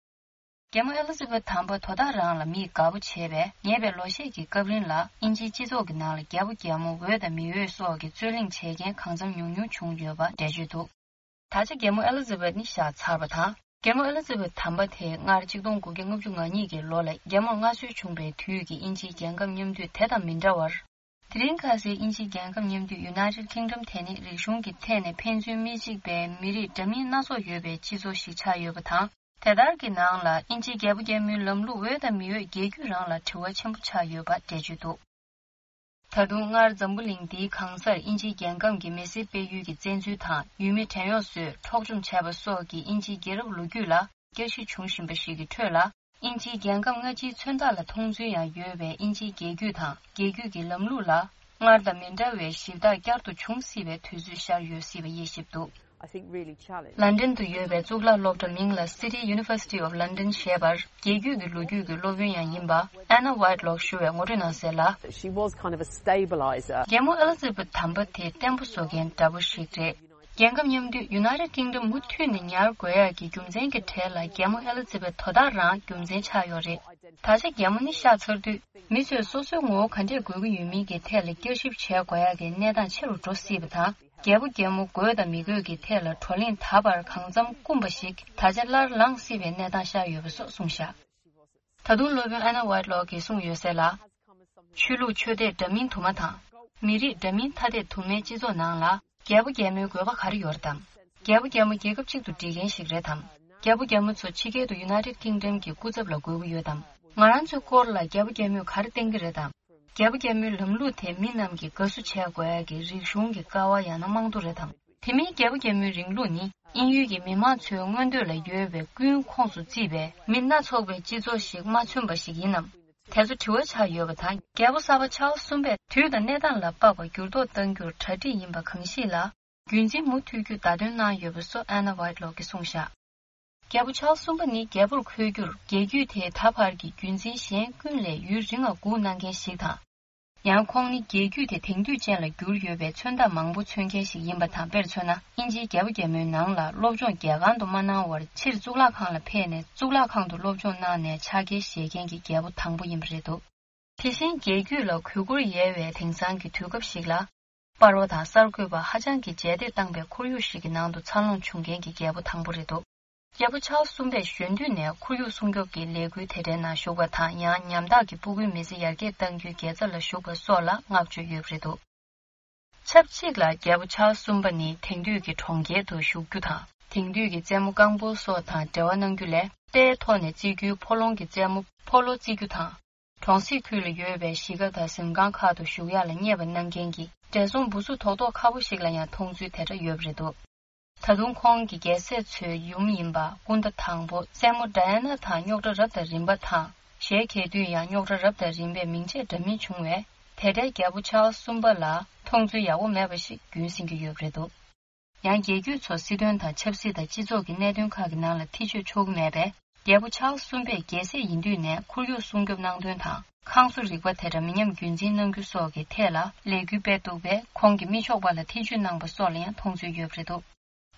རྒྱལ་མོ་ཨེ་ལི་ཛ་བེད་དམ་པ་དོ་བདག་རང་ལ་མིས་དགའ་པོ་བྱས་པས། ཉེ་བའི་ལོ་ཤས་ཀྱི་སྐབས་རིང་ལ་དབྱིན་ཇིའི་སྤྱི་ཚོགས་ཀྱི་ནང་ལ་རྒྱལ་པོ་རྒྱལ་མོ་འོས་དང་མི་འོས་སོགས་ཀྱི་རྩོད་གླེང་བྱེད་མཁན་གང་འཚམ་ཉུང་ཉུང་བྱུང་ཡོད་པ་འགྲེལ་བརྗོད་འདུག་ད་ཆ་རྒྱལ་མོ་ཨེ་ལི་ཛ་བེད་ནི་གཤེགས་ཚར་བ་དང་། རྒྱལ་མོ་ཨེ་ལི་ཛ་བེད་དམ་པ་དེ་སྔར་ཆིག་སྟོང་དགུ་བརྒྱ་ལྔ་བཅུ་ང་གཉིས་ཀྱི་ལོ་ལ་རྒྱལ་མོར་མངའ་གསོལ་བྱུང་བའི་དུས་ཀྱི་དབྱིན་ཇིའི་རྒྱལ་ཁམས་མཉམ་འདུས་དེ་དང་མི་འདྲ་བར། དེ་རིང་ཁ་སའི་དབྱིན་ཇིའི་རྒྱལ་ཁམས་མཉམ་འདུས་United Kingdom དེ་ནི་རིག་གཞུང་གི་ཐད་ནས་ཕན་ཚུན་མི་གཅིག་པའི་མི་རིགས་འདྲ་མིན་སྣ་ཚོགས་ཡོད་པའི་སྤྱི་ཚོགས་ཤིག་ཆགས་ཡོད་པ་དང་། དེ་ལྟར་གྱི་ནང་ལ་དབྱིན་ཇིའི་རྒྱལ་པོ་རྒྱལ་མོའི་ལམ་ལུགས་འོས་དང་མི་འོས་རྒྱལ་རྒྱུད་རང་ལ་དྲི་བ་ཆེན་པོ་ཆགས་ཡོད་པ་འགྲེལ་བརྗོད་འདུག་ད་དུང་སྔར་འཛམ་བུ་གླིང་འདིའི་གང་སར་དབྱིན་ཇིའི་རྒྱལ་ཁམས་ཀྱི་མི་སེར་སྤེལ་ཡུལ་གྱི་བཙན་འཛུལ་དང་ཡུལ་མི་བྲན་གཡོག་བཟོས་འཕྲོག་བཅོམ་བྱས་པ་སོགས་ཀྱི་དབྱིན་ཇིའི་རྒྱལ་རབས་ལོ་རྒྱུས་ལ་བསྐྱར་ཞིབ་བྱུང་བཞིན་པ་ཞིག་གི་ཁྲོད་ལ། དབྱིན་ཇིའི་རྒྱལ་ཁམས་སྔ་ཕྱིའི་མཚོན་རྟགས་ལ་མཐོང་ཚུལ་ཡང་ཡོད་པའི་དབྱིན་ཇིའི་རྒྱལ་རྒྱུད་དང་རྒྱལ་རྒྱུད་ཀྱི་ལམ་ལུགས་ལ་སྔར་དང་མི་འདྲ་བའི་ཞིབ་བརྟག་བསྐྱར་དུ་འབྱུང་སྲིད་པའི་དུས་ཚོད་ཤར་ཡོད་སྲིད་པ་དབྱེ་ཞིབ་འདུག I think really challenged. ལན་ཌན་དུ་ཡོད་པའི་གཙུག་ལག་སློབ་གྲྭ་མིང་ལ་City University of London ཞེས་པར་རྒྱལ་རྒྱུད་ཀྱི་ལོ་རྒྱུས་ཀྱི་སློབ་དཔོན་ཡང་ཡིན་པ་Anna Whitelock ཞུ་བས་ངོ་སྤྲོད་གནང་གསལ་ལ། She was kind of a stabilizer. རྒྱལ་མོ་ཨེ་ལི་ཛ་བེད་དམ་པ་དེ་བརྟན་པོ་བཟོ་མཁན་འདྲ་པོ་ཞིག་རེད། རྒྱལ་ཁབ་མཉམ་འདུས་United Kingdom མུ་མཐུད་ནས་ཉར་དགོས་ཡག་གི་རྒྱུ་མཚན་གྱི་གྲས་ལ་རྒྱལ་མོ་ཨེ་ལི་ཛ་བེད་དོ་བདག་རང་རྒྱུ་མཚན་ཆགས་ཡོད་རེད། ད་ཆ་རྒྱལ་མོ་ནི་གཤེགས་ཚར་དུས། མི་ཚོས་སོ་སོའི་ངོ་བོ་ག་འདྲས་དགོས་ཀྱི་ཡོད་མིན་གྱི་ཐད་ལ་བསྐྱར་ཞིབ་བྱེད་དགོས་ཡག་གི་གནས་སྟངས་ཆེ་རུ་འགྲོ་སྲིད་པ་དང་། རྒྱལ་པོ་རྒྱལ་མོ་དགོས་དང་མི་དགོས་ཀྱི་ཐད་ལ་བགྲོ་གླེང་ད་བར་གང་འཚམ་སྐུམ་པ་ཞིག་ད་ཆ་སླར་ལངས་སྲིད་པའི་གནས་སྟངས་ཤར་ཡོད་པ་སོགས་གསུངས་བཞག་ད་དུང་སློབ་དཔོན་Anna Whitelock གིས་གསུངས་ཡོད་གསལ་ལ། ཆོས་ལུགས་ཆོས་དད་འདྲ་མིན་དུ་མ་དང་། མི་རིགས་འདྲ་མིན་ཐ་དད་དུ་མའི་སྤྱི་ཚོགས་ནང་ལ། རྒྱལ་པོ་རྒྱལ་མོའི་དགོས་པ་ག་རེ་ཡོད་རེད་དམ། རྒྱལ་པོ་རྒྱལ་མོ་རྒྱལ་ཁབ་གཅིག་ཏུ་སྒྲིལ་མཁན་ཞིག་རེད་དམ། རྒྱལ་པོ་རྒྱལ་མོ་ཚོ་ཕྱི་རྒྱལ་དུ་United Kingdom གྱི་སྐུ་ཚབ་ལ་དགོས་ཀྱི་ཡོད་དམ། ང་རང་ཚོའི་སྐོར་ལ་རྒྱལ་པོ་རྒྱལ་མོས་ག་རེ་བསྟན་གྱི་རེད་དམ། རྒྱལ་པོ་རྒྱལ་མོའི་ལམ་ལུགས་དེ་མི་རྣམས་ཀྱིས་དགའ་བསུ་བྱེད་དགོས་ཡག་གི་རིག་གཞུང་གི་ཀ་བ་ཡང་ན་རྨང་རྡོ་རེད་དམ། དེ་མིན་རྒྱལ་པོ་རྒྱལ་མོའི་རིང་ལུགས་ནི་དབྱིན་ཡུལ་གྱི་མི་མང་ཚོའི་མངོན་འདོད་ལ་ཡོད་པའི་ཀུན་ཁོངས་སུ་བརྩིས་པའི་མི་སྣ་ཚོགས་པའི་སྤྱི་ཚོགས་ཤིག་མ་མཚོན་པ་ཞིག་ཡིན་ནམ། དེ་ཚོ་དྲི་བ་ཆགས་ཡོད་པ་དང་། རྒྱལ་པོ་གསར་པ་ཆཱལ་གསུམ་པས་དུས་དང་གནས་སྟངས་ལ་དཔག་པའི་འགྱུར་ལྡོག་གཏང་རྒྱུར་གྲ་སྒྲིག་ཡིན་པ་གང་ཞིག་ལ། རྒྱུན་འཛིན་མུ་མཐུད་རྒྱུ་བརྡ་སྟོན་གནང་ཡོད་པ་སོགས་Anna Whitelock གིས་གསུངས་བཞག་རྒྱལ་པོ་ཆཱལ་གསུམ་པ་ནི་རྒྱལ་པོར་འཁོད་རྒྱུར་རྒྱལ་རྒྱུད་དེའི་ད་བར་གྱི་རྒྱུན་འཛིན་གཞན་ཀུན་ལས་ཡུན་རིང་བ་སྒུག་གནང་མཁན་ཞིག་དང་། ཡང་ཁོང་ནི་རྒྱལ་རྒྱུད་དེ་དེང་དུས་ཅན་ལ་བསྒྱུར་ཡོད་པའི་མཚོན་རྟགས་མང་པོ་མཚོན་མཁན་ཞིག་ཡིན་པ་དང་། དཔེར་མཚོན་ན། དབྱིན་ཇིའི་རྒྱལ་པོ་རྒྱལ་མོའི་ནང་ལ་སློབ་སྦྱོང་རྒྱལ་ཁང་དུ་མ་གནང་བར་ཕྱིར་གཙུག་ལག་ཁང་ལ་ཕེབས་ནས་གཙུག་ལག་ཁང་དུ་སློབ་སྦྱོང་གནང་ནས་ཕྱག་འཁྱེར་བཞེས་མཁན་གྱི་རྒྱལ་པོ་དང་པོ་ཡིན་པ་རེད་འདུག་དེ་བཞིན་རྒྱལ་རྒྱུད་ལ་གུས་བཀུར་ཡལ་བའི་དེང་སང་གི་དུས་སྐབས་ཤིག་ལ། པར་བ་དང་གསར་འགོད་པ་ཧ་ཅང་གིས་རྗེས་འདེད་བཏང་པའི་ཁོར་ཡུག་ཞིག་གི་ནང་དུ་འཚར་ལོངས་བྱུང་མཁན་གྱི་རྒྱལ་པོ་དང་པོ་རེད་འདུག་རྒྱལ་པོ་ཆཱལ་གསུམ་པས་གཞོན་དུས་ནས་ཁོར་ཡུག་སྲུང་སྐྱོབ་ཀྱི་ལས་འགུལ་དེ་འདྲའི་ནང་ཞུགས་པ་དང་། ཡང་ཉམ་ཐག་གི་སྤུ་གུའི་མི་ཚེ་ཡར་རྒྱས་གཏང་རྒྱུའི་དགེ་རྩ་ལ་ཞུགས་པ་སོགས་ལ་བསྔགས་བརྗོད་ཡོད་པ་རེད་འདུག་ཆབས་ཅིག་ལ་རྒྱལ་པོ་ཆཱལ་གསུམ་པ་ནི་དེང་དུས་ཀྱི་གྲོང་ཁྱེར་དུ་བཞུགས་རྒྱུ་དང་། དེང་དུས་ཀྱི་རྩེད་མོ་རྐང་སྤོལ་སོགས་དང་འབྲེལ་བ་གནང་རྒྱུ་ལས། རྟའི་ཐོག་ནས་རྩེ་རྒྱུའི་ཕོ་ལོང་གི་རྩེད་མོ་ཕོ་ལོ་རྩེ་རྒྱུ་དང་། གྲོང་གསེབ་ཁུལ་ལ་ཡོད་པའི་གཞིས་ཀ་དང་གཟིམ་ཁང་ཁག་ཏུ་བཞུགས་ཡག་ལ་བསྙད་པ་གནང་མཁན་གྱི་བགྲེས་སོང་བུ་གཟུགས་རྡོག་རྡོག་ཁ་པོ་ཞིག་ལ་ཡང་མཐོང་ཚུལ་དེ་འདྲ་ཡོད་པ་རེད་འདུག་ད་དུང་ཁོང་གི་རྒྱལ་སྲས་ཚོའི་ཡུམ་ཡིན་པ་སྐུ་ཟླ་དང་པོ་སྲས་མོ་ཌ་ཡ་ན་དང་རྙོག་དྲ་རབ་དང་རིམ་པ་དང་། གཞས་གྱེར་དུས་ཡང་རྙོག་དྲ་རབ་དང་རིམ་པའི་མིང་ཆད་འདྲ་མིན་བྱུང་བས། དེ་འདྲའི་རྒྱལ་པོ་ཆཱལ་གསུམ་པ་ལ་མཐོང་ཚུལ་ཡག་པོ་མེད་པ་ཞིག་རྒྱུན་སྲིང་གི་ཡོད་པ་རེད་འདུག་ཡང་རྒྱལ་རྒྱུད་ཚོ་སྲིད་དོན་དང་ཆབ་སྲིད་དང་སྤྱི་ཚོགས་ཀྱི་གནད་དོན་ཁག་གི་ནང་ལ་ཐེ་བྱུས་ཆོག་གི་མེད་པས། རྒྱལ་པོ་ཆཱལ་གསུམ་པས་རྒྱལ་སྲས་ཡིན་དུས་ནས་ཁོར་ཡུག་སྲུང་སྐྱོབ་གནང་དོན་དང་། ཁང་བཟོ་རིག་པ་དེ་འདྲ་མི་ཉམས་རྒྱུན་འཛིན་གནང་རྒྱུ་སོགས་ཀྱི་ཐད་ལ་ལས་འགུལ་སྤེལ་འདུག་པས། ཁོང་གིས་མི་ཆོག་པ་ལ་ཐེ་བྱུས་གནང་པ་སོགས་ལ་ཡང་མཐོང་ཚུལ་ཡོད་པ་རེད་འདུག་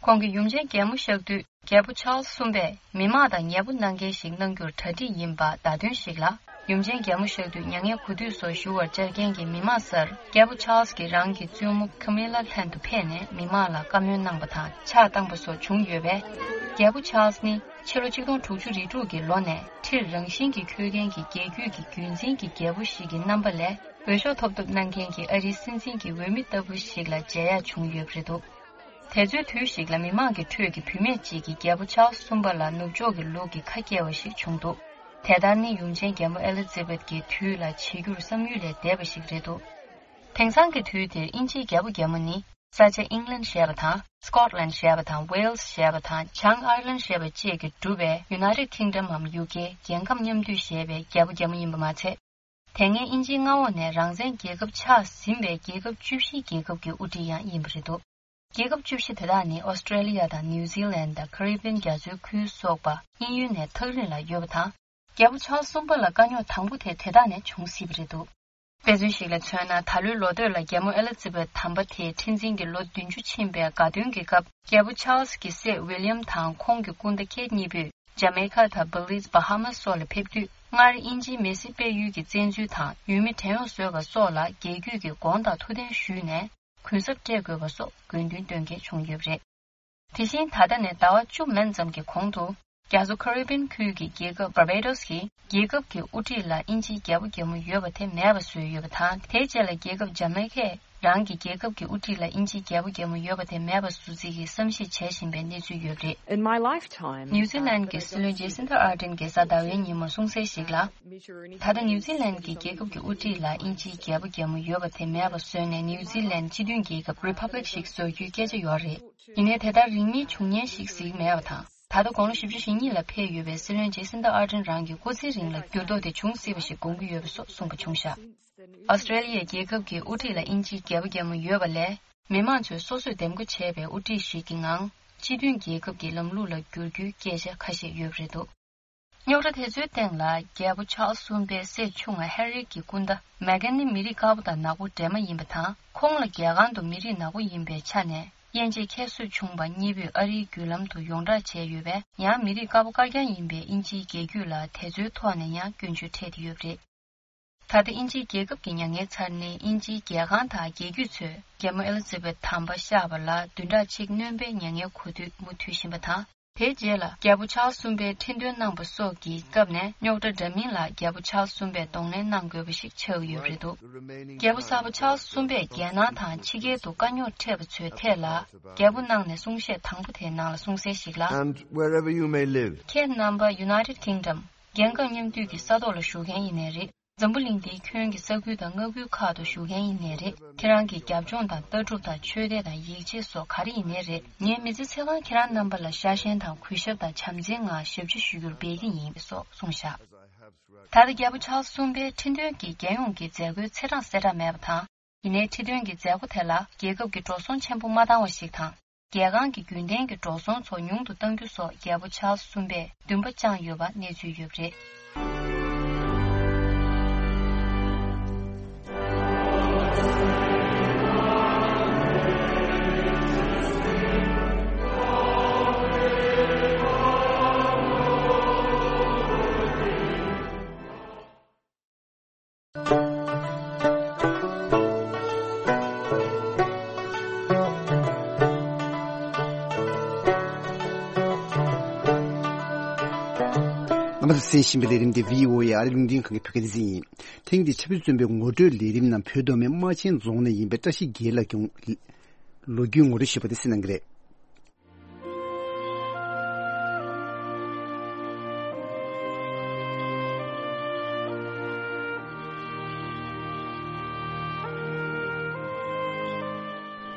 ཁོང་གིས་ཡུམ་ཆེན་རྒྱལ་མོ་གཤེགས་དུས། རྒྱལ་པོ་ཆཱལ་གསུམ་པས་མི་མང་དང་ཉེ་པོ་གནང་མཁན་ཞིག་གནང་རྒྱུར་གྲ་སྒྲིག་ཡིན་པ་བརྡ་སྟོན་ཞིག་ལ། ཡུམ་ཆེན་རྒྱལ་མོ་གཤེགས་དུས་མྱ་ངན་གུས་འདུད་སོགས་ཞུ་བར་བཅར་མཁན་གྱི་མི་མང་སར། རྒྱལ་པོ་ཆཱལ་གྱིས་རང་གི་བཙུན་མོ་ཁ་མི་ལ་ལྷན་དུ་ཕེབས་ནས་མི་མང་ལ་བཀའ་མོལ་གནང་པ་དང་ཕྱག་བཏང་པ་སོགས་བྱུང་ཡོད་པས། རྒྱལ་པོ་ཆཱལ་ནི་ཕྱི་ལོ་ཆིག་སྟོང་དྲུག་ཅུ་རེ་དྲུག་གི་ལོ་ནས་ཁྲིར་རང་བཞིན་གྱིས་འཁོད་མཁན་གྱི་རྒྱལ་རྒྱུད་ཀྱི་རྒྱུན་འཛིན་གྱི་རྒྱལ་པོ་ཞིག་གི་རྣམ་པ་ལས། འོས་ཤོག་ཐོབ་ཐབས་གནང་མཁན་གྱི་ཨ་རིའི་སྲིད་འཛིན་གྱི་འོས་མི་ལྟ་བུ་ཞིག་ལ་མཇལ་ཡག་བྱུང་ཡོད་པ་རེད་འདུག་དེ་ཚོའི་དུས་ཤིག་ལ་མི་མང་གི་ཁྲོད་ཀྱི་བུད་མེད་ཅིག་གིས་རྒྱལ་པོ་ཆཱལ་གསུམ་པ་ལ་ནུབ་ཕྱོགས་ཀྱི་ལུགས་ཀྱི་ཁ་སྐྱེལ་བ་ཞིག་བྱུང་འདུག་དེ་ལྟར་ནི་ཡུམ་ཆེན་རྒྱལ་མོ་ཨེ་ལི་ཛེ་བེད་ཀྱི་དུས་ལ་བྱེད་རྒྱུར་བསམ་ཡུལ་ལས་འདས་པ་ཞིག་རེད་འདུག་དེང་སང་གི་དུས་དེར་དབྱིན་ཇིའི་རྒྱལ་པོ་རྒྱལ་མོ་ནི། ས་ཆ་ཨིང་ལན་ཞེས་པ་དང་། སྐོཊ་ལན་ཞེས་པ་དང་། ཝེལ་སི་ཞེས་པ་དང་། བྱང་ཨར་ལན་ཞེས་པ་བཅས་ཀྱིས་གྲུབ་པའི་United Kingdom འམ་ཡུ་ཀེ་རྒྱལ་ཁམས་མཉམ་འདུས་ཞེས་པའི་རྒྱལ་པོ་རྒྱལ་མོ་ཡིན་པ་མ་ཚད། དེ་སྔའི་དབྱིན་ཇིའི་མངའ་འོག་ནས་རང་བཙན་རྒྱལ་ཁབ་ཆགས་ཟིན་པའི་རྒྱལ་ཁབ་བཅུ་བཞིའི་རྒྱལ་ཁབ་ཀྱི་དབུ་ཁྲིད་ཡང་ཡིན་པ་རེད་འདུག་རྒྱལ་ཁབ་བཅུ་བཞི་དེ་དག་ནི་ཨོ་སི་ཀྲེ་ལི་ཡ་དང་ནིའུ་ཛི་ལན་དང་ཀ་རི་བི་ཡན་རྒྱ་མཚོའི་ཁུལ་སོགས་པ་དབྱིན་ཡུལ་ནས་ཐག་རིང་ལ་ཡོད་པ་དང་། རྒྱལ་པོ་ཆཱལ་གསུམ་པ་ལ་དཀའ་རྙོག་དང་པོ་དེ་དེ་དག་ནས་བྱུང་སྲིད་པ་རེད་འདུག་དཔེ་མཚོན་ཞིག་ལ་མཚོན་ན། ད་ལོའི་ལོ་སྟོད་ལ་རྒྱལ་མོ་ཨེ་ལི་ཛེ་བེད་དམ་པ་དེའི་ཁྲི་འཛིན་གྱི་ལོ་བདུན་ཅུ་ཕྱིན་པའི་དགའ་སྟོན་གྱི་སྐབས། རྒྱལ་པོ་ཆཱལ་གྱི་སྲས་ཝི་ལི་ཡམ་དང་ཁོང་གི་སྐུ་ཟླ་ཁེ་ཊི་གཉིས་པོས། ཇ་མེ་ཁ་དང་བྷི་ལིཛ། བྷ་ཧ་མཱས་སོགས་ལ་ཕེབས་དུས། སྔར་དབྱིན་ཇིའི་མེ་སི་དཔལ་ཡུལ་གྱི་བཙན་འཛུལ་དང་ཡུལ་མི་བྲན་གཡོག་བཟོས་པ་སོགས་ལ་རྒྱལ་རྒྱུད་ཀྱི་དགོངས་དག་ཐུགས་བདེན་ཞུས་ནས། གུན་གསབ་སྤྲད་དགོས་པ་སོགས་དགོས་འདུན་བཏོན་མཁན་བྱུང་ཡོད་པ་རེད། དེ་བཞིན་ད་ལྟ་ནས་ཟླ་བ་བཅུ་མན་ཙམ་གྱི་གོང་དུ། རྒྱ་མཚོ་ཁ་རི་བིན་ཁུལ་གྱི་རྒྱལ་ཁབ་བར་བེ་ཏོས་ཀྱིས་རྒྱལ་ཁབ་ཀྱི་དབུ་ཁྲིད་ལ་དབྱིན་ཇིའི་རྒྱལ་པོ་རྒྱལ་མོ་ཡོད་པ་དེ་མེད་པ་བཟོས་ཡོད་པ་དང་། དེའི་རྗེས་ལ་རྒྱལ་ཁབ་ཇ་མེ་ཁས་རང་གི་རྒྱལ་ཁབ་ཀྱི་དབུ་ཁྲིད་ལ་དབྱིན་ཇིའི་རྒྱལ་པོ་རྒྱལ་མོ་ཡོད་པ་དེ་མེད་པ་བཟོ་རྩིས་ཀྱི་བསམ་གཞིག་བྱེད་བཞིན་པའི་གནས་ཚུལ་ཡོད་པ་རེད། In my lifetime, ནིའུ་ཛི་ལན་གྱི་སྲིད་བློན་ཇེ་སིན་ཐར་ཨར་ཌེན་གྱིས་གཟའ་ཟླ་བའི་ཉིན་མོ་གསུངས་གསལ་ཞིག་ལ། ད་ལྟ་ནིའུ་ཛི་ལན་གྱི་རྒྱལ་ཁབ་ཀྱི་དབུ་ཁྲིད་ལ་དབྱིན་ཇིའི་རྒྱལ་པོ་རྒྱལ་མོ་ཡོད་པ་དེ་མེད་པ་བཟོས་ནས། ནིའུ་ཛི་ལན་སྤྱི་མཐུན་རྒྱལ་ཁབ་རི་ཕབ་ལིག་ཞིག་བཟོ་རྒྱུའི་སྐད་ཆ་ཡོད་རེད། ཡིན་ནའི་དེ་ལྟར་རིང་མིན་བྱུང་ཉེན་ཞིག་གཟིགས་མེད་པ་དང་། ད་ལྟ་དགུང་ལོ་བཞི་བཅུ་ཞེ་གཉིས་ལ་ཕེབས་ཡོད་པའི་སྲིད་བློན་ཇེ་སིན་ཐར་ཨར་ཌེན་རང་གི་སྐུ་ཚེའི་རིང་ལ་འགྱུར་ལྡོག་དེ་འབྱུང་སྲིད་པ་ཞིག་དགོངས་ཀྱི་ཡོད་པ་སོགས་གསུངས་པ་བྱུང་བཞག་ཨོ་སི་ཀྲེ་ལི་ཡའི་རྒྱལ་ཁབ་ཀྱི་དབུ་ཁྲིད་ལ་དབྱིན་ཇིའི་རྒྱལ་པོ་རྒྱལ་མོ་ཡོད་པ་ལས། མི་མང་ཚོས་སོ་སོས་འདེམས་བསྐོ་བྱས་པའི་དབུ་ཁྲིད་ཞིག་གི་ངང་། སྤྱི་མཐུན་རྒྱལ་ཁབ་ཀྱི་ལམ་ལུགས་ལ་བསྒྱུར་རྒྱུའི་སྐད་ཆ་ཁ་ཤས་ཡོད་པ་རེད་འདུག་རྙོག་དྲ་དེ་ཚོའི་སྟེང་ལ། རྒྱལ་པོ་ཆཱལ་གསུམ་པའི་སྲས་ཆུང་ང་ཧེ་རི་གྱི་སྐུ་ཟླ་མེ་གྷན་ནི་མི་རིགས་དཀར་པོ་དང་ནག་པོ་འདྲེས་མ་ཡིན་པ་དང་། ཁོང་ལ་རྒྱལ་ཁང་དུ་མི་རིགས་ནག་པོ་ཡིན་པའི་ཆ་ནས་དབྱེ་འབྱེད་ཁྱད་གསོད་བྱུང་བ་གཉིས་པོས་ཨ་རིའི་བརྒྱུད་ལམ་དུ་ཡོངས་བསྒྲགས་བྱས་ཡོད་པས། ཡང་མི་རིགས་དཀར་པོ་དཀར་རྐྱང་ཡིན་པའི་དབྱིན་ཇིའི་རྒྱལ་རྒྱུད་ལ་དེ་ཚོའི་ཐོག་ནས་ཡང་སྐྱོན་བརྗོད་འཕྲད་དེ་ཡོད་པ་རེད། ད་ལྟ་དབྱིན་ཇིའི་རྒྱལ་ཁབ་ཀྱི་མྱ་ངན་ཚར་ནས། དབྱིན་ཇིའི་རྒྱལ་ཁང་དང་རྒྱལ་རྒྱུད་ཚོས་རྒྱལ་མོ་ཨེ་ལི་ཛ་བེད་དམ་པ་གཤེགས་པ་ལ་བདུན་ཕྲག་གཅིག་སྣོན་པའི་མྱ་ངན་གོ་དུས་མུ་མཐུད་བཞིན་པ་དང་། དེའི་རྗེས་ལ་རྒྱལ་པོ་ཆཱལ་གསུམ་པའི་ཁྲི་འདོན་གནང་པ་སོགས་ཀྱི་སྐབས་ནས། རྙོག་དྲ་འདྲ་མིན་ལ་རྒྱལ་པོ་ཆཱལ་གསུམ་པས་གདོང་ལེན་གནང་དགོས་པ་ཞིག་ཆགས་ཀྱི་ཡོད་པ་རེད་འདུག་རྒྱལ་པོ་གསར་པ་ཆཱལ་གསུམ་པས་རྒྱལ་ནང་དང་ཕྱི་རྒྱལ་དུ་དཀའ་རྙོག་འཕྲད་པ་ཚོའི་ཐད་ལ། རྒྱལ་པོ་གནང་ནས་གསུང་བཤད་དང་པོ་དེའི་ནང་ལ་གསུངས་གསལ་ཞིག་ལ། And wherever you may live. ཁྱེད་རྣམ་པ་United Kingdom རྒྱལ་ཁབ་མཉམ་འདུས་ཀྱི་ས་ཐོག་ལ་བཞུགས་མཁན་ཡིན་ནའི་རེད། འཛམ་བུ་གླིང་འདིའི་ཁྱོན་གྱི་ས་ཁུལ་དང་མངའ་ཁུལ་ཁག་ཏུ་བཞུགས་མཁན་ཡིན་ནའི་རེད། ཁྱེད་རང་གི་རྒྱབ་ལྗོངས་དང་ལྟ་གྲུབ་དང་ཆོས་དད་དང་ཡིད་ཆེས་སོགས་ག་རེ་ཡིན་ནའི་རེད། ངའི་མི་ཚེ་ཚེ་གང་ཁྱེད་རང་རྣམ་པ་ལ་ཤ་ཞེན་དང་གུས་ཞབས་དང་བྱམས་བརྩེའི་ངང་ཞབས་ཕྱི་ཞུ་རྒྱུར་འབད་ཀྱི་ཡིན་སོགས་གསུངས་བཞག་ད་ལྟ་རྒྱལ་པོ་ཆཱལ་གསུམ་པའི་ཁྲི་འདོན་གྱི་རྒྱལ་ཡོངས་ཀྱི་མཛད་སྒོའི་ཚེས་གྲངས་གསལ་བསྒྲགས་མེད་པ་དང་། ཡིན་ནའི་ཁྲི་འདོན་གྱི་མཛད་སྒོ་དེ་ལ་རྒྱལ་ཁབ་ཀྱི་འགྲོ་སོང་ཆེན་པོ་མ་བཏང་བ་ཞིག་དང་། རྒྱལ་ཁང་གི་རྒྱུན་ལྡན་གྱི་འགྲོ་སོང་ཚོ་ཉུང་དུ་གཏང་རྒྱུ་སོགས་རྒྱལ་པོ་ཆཱལ་གསུམ་པས་འདུན་པ་བཅངས་ཡོད་པ་གནས་ཚུལ་ཡོད་པ་རེད། རྣམ་པ་ཚོས་གསན་བཞིན་པའི་ལས་རིམ་དེ་བྷི་ཨོ་ཨེ་ཨ་རིའི་རླུང་འཕྲིན་ཁང་གི་བོད་སྐད་སྡེ་ཚན་ཡིན། ཐེངས་འདིའི་ཆབ་སྲིད་བཙོན་པའི་ངོ་སྤྲོད་ལས་རིམ་ནང་བོད་མདོ་སྨད་རྨ་ཆེན་རྫོང་ནས་ཡིན་པའི་བཀྲ་ཤིས་རྒྱལ་ལགས་ཀྱི་ལོ་རྒྱུས་ངོ་སྤྲོད་ཞུས་པ་དེ་གསན་གནང་གི་རེད།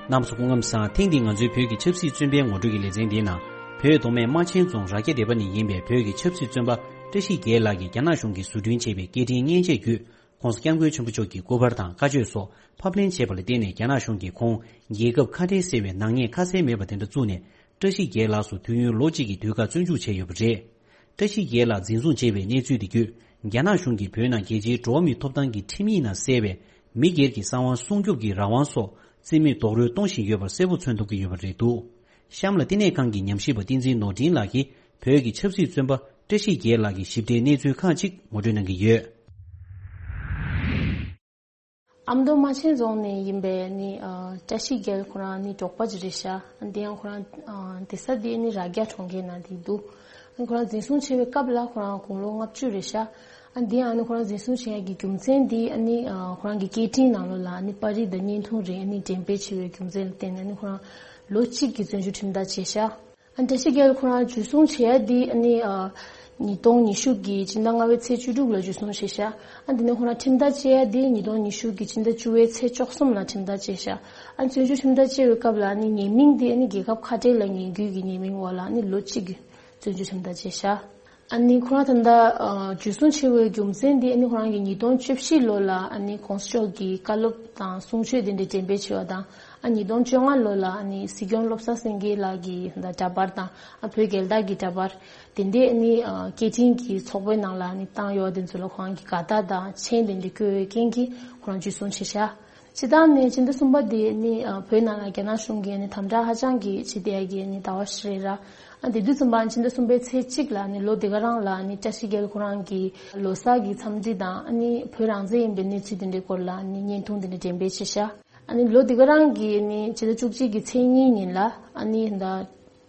རྣམ་པ་ཚོ་སྐུ་ཁམས་བཟང་། ཐེངས་འདིའི་ང་ཚོའི་བོད་ཀྱི་ཆབ་སྲིད་བཙོན་པའི་ངོ་སྤྲོད་ཀྱི་ལེ་ཚན་འདིའི་ནང་། བོད་མདོ་སྨད་རྨ་ཆེན་རྫོང་རྭ་རྒྱ་སྡེ་པ་ནས་ཡིན་པའི་བོད་ཀྱི་ཆབ་སྲིད་བཙོན་པ་བཀྲ་ཤིས་རྒྱལ་ལགས་ཀྱིས་རྒྱ་ནག་གཞུང་གིས་བཟོ་སྐྲུན་བྱས་པའི་སྐད་འཕྲིན་མཉེན་ཆས་བརྒྱུད། ྋགོང་ས་ྋསྐྱབས་མགོན་ཆེན་པོ་མཆོག་གི་སྐུ་པར་དང་བཀའ་ཆོས་སོགས་ཕབ་ལེན་བྱས་པ་ལ་བརྟེན་ནས། རྒྱ་ནག་གཞུང་གིས་ཁོང་རྒྱལ་ཁབ་ཁ་བྲལ་ཟེར་བའི་ནག་ཉེས་ཁ་གསལ་མེད་པ་དེ་འདྲ་བཙུགས་ནས། བཀྲ་ཤིས་རྒྱལ་ལགས་སུ་དུས་ཡུན་ལོ་གཅིག་གི་དུས་བཀག་བཙོན་འཇུག་བྱས་ཡོད་པ་རེད། བཀྲ་ཤིས་རྒྱལ་ལགས་འཛིན་བཟུང་བྱས་པའི་གནས་ཚུལ་དེ་བརྒྱུད། རྒྱ་ནག་གཞུང་གིས་བོད་ནང་རྒྱལ་སྤྱིའི་འགྲོ་བ་མིའི་ཐོབ་ཐང་གི་ཁྲིམས་ཡིག་ནང་གསལ་བའི་མི་སྒེར་གྱི་གསང་བ་སྲུང་སྐྱོབ་ཀྱི་རང་དབང་སོགས་རྩིས་མེད་རྡོག་རོལ་གཏོང་བཞིན་ཡོད་པ་གསལ་པོ་མཚོན་ཐུབ་ཀྱི་ཡོད་པ་རེད་འདུག་གཤམ་ལ་བསྟི་གནས་ཁང་གི་ཉམས་ཞིབ་པ་བསྟན་འཛིན་ནོར་འཕྲིན་ལགས་ཀྱིས་བོད་ཀྱི་ཆབ་སྲིད་བཙོན་པ་བཀྲ་ཤིས་རྒྱལ་ལགས་ཀྱི་ཞིབ་ཕྲའི་གནས་ཚུལ་ཁག་ཅིག་ངོ་སྤྲོད་གནང་གི་ཡོད། ཨ་མདོ་རྨ་ཆེན་རྫོང་ནས་ཡིན་པའི་ནི་ཨ་བཀྲ་ཤིས་རྒྱལ་ཁོ་རང་ནི་འབྲོག་པ་ཅིག་རེད་ཤག་ཨ་དེ་ཡང་ཁོ་རང་ཨ་བསྡད་ས་དེ་ནི་རྭ་རྒྱ་གྲོང་ཁྱེར་ནང་དེ་འདུག་ཨ་ཁོ་རང་འཛིན་བཟུང་བྱས་པའི་སྐབས་ལ་ཁོ་རང་དགུང་ལོ་ལྔ་བཅུ་རེད་ཤག་ཨ་དེ་ཡང་ནི་ཁོ་རང་འཛིན་བཟུང་བྱེད་ཡག་གི་རྒྱུ་མཚན་དེ་ཨ་ནི་ཨ་ཁོ་རང་གི་སྐད་འཕྲིན་ནང་ལོགས་ལ་ཨ་ནི་པར་རིས་དང་བརྙན་ཐུང་རེ་ཨ་ནི་འགྲེམས་སྤེལ་བྱས་པའི་རྒྱུ་མཚན་ལ་བརྟེན་ནས་ཨ་ནི་ཁོ་རང་ལོ་གཅིག་གི་བཙོན་འཇུག་ཁྲིམས་ཐག་བཅད་ཤག་ཨ་བཀྲ་ཤིས་རྒྱལ་ཁོ་རང་འཇུ་བཟུང་བྱེད་ཡ་དེ་ཨ་ནི་ཨ་ཉིས་སྟོང་ཉི་ཤུ་གི་ཕྱི་ཟླ་ལྔ་པའི་ཚེས་བཅུ་དྲུག་ལ་འཇུ་བཟུང་བྱས་ཤག་ཨ་དེ་ནས་ཁོ་རང་ཁྲིམས་ཐག་བཅད་ཡ་དེ་ཉིས་སྟོང་ཉི་ཤུ་གི་ཕྱི་ཟླ་བཅུ་པའི་ཚེས་བཅུ་གསུམ་ལ་ཁྲིམས་ཐག་བཅད་ཤག་ཨ་བཙོན་འཇུག་ཁྲིམས་ཐག་བཅད་པའི་སྐབས་ལ་ཨ་ནི་ཉེས་མིང་དེ་ཨ་ནི་རྒྱལ་ཁབ་ཁ་བྲལ་ལ་ཉེས་འགུལ་གྱི་ཉེས་མིང་འོག་ལ་ཨ་ནི་ལོ་གཅིག་གི་བཙོན་འཇུག་ཁྲིམས་ཐག་བཅད་ཤག་ཨ་ནི་ཁོ་རང་ད་ལྟ་ཨ་འཇུ་བཟུང་བྱས་པའི་རྒྱུ་མཚན་དེ་ཨ་ནི་ཁོ་རང་གིས་ཉིས་སྟོང་བཅུ་བཞི་ལོ་ལ་ཨ་ནི་གོང་ས་མཆོག་གི་བཀའ་སློབ་དང་གསུང་ཆོས་དེ་འདྲ་འགྲེམས་སྤེལ་བྱས་པ་དང་། ཨ་ཉིས་སྟོང་བཅོ་ལྔ་ལོ་ལ་ཨ་ནི་སྲིད་སྐྱོང་བློ་བཟང་སེང་གེ་ལགས་ཀྱི་འདྲ་འདྲ་པར་དང་ཨ་བོད་རྒྱལ་དར་གྱི་འདྲ་པར་དེ་འདྲས་ཨ་ནི་ཨ་སྐད་འཕྲིན་གྱི་ཚོགས་པའི་ནང་ལ་ཨ་ནི་བཏང་ཡོད་པ་དེ་ཚོ་ལ་ཁོ་རང་གིས་དགའ་རྟགས་དང་མཆན་དེ་འདྲ་བཀོད་པའི་རྐྱེན་གྱིས་ཁོ་རང་འཇུ་བཟུང་བྱས་ཤག་སྤྱིར་བཏང་ནི་ཕྱི་ཟླ་གསུམ་པ་དེ་ནི་ཨ་བོད་ནང་ལ་རྒྱ་ནག་གཞུང་གིས་ནི་དམ་དྲག་ཧ་ཅང་གི་བྱེད་བསྡད་ཡ་གི་ནི་ཟླ་བ་ཞིག་རེད་ར། ཨ་དེ་དུས་ཙམ་པ་ཕྱི་ཟླ་གསུམ་པའི་ཚེས་གཅིག་ལ་ནི་ལོ་འདི་ག་རང་ལ་ནི་བཀྲ་ཤིས་རྒྱལ་ཁོ་རང་གི་ལོ་གསར་གྱི་འཚམས་འདྲི་དང་ཨ་ནི་བོད་རང་བཙན་ཡིན་པའི་གནས་ཚུལ་དེ་འདྲའི་སྐོར་ལ་ནི་བརྙན་ཐུང་དེ་འདྲ་འགྲེམས་སྤེལ་བྱས་ཤག་ཨ་ནི་ལོ་འདི་ག་རང་གི་ནི་ཕྱི་ཟླ་བཅུ་གཅིག་གི་ཚེས་གཉིས་ཉིན་ལ་ཨ་ནི་ད་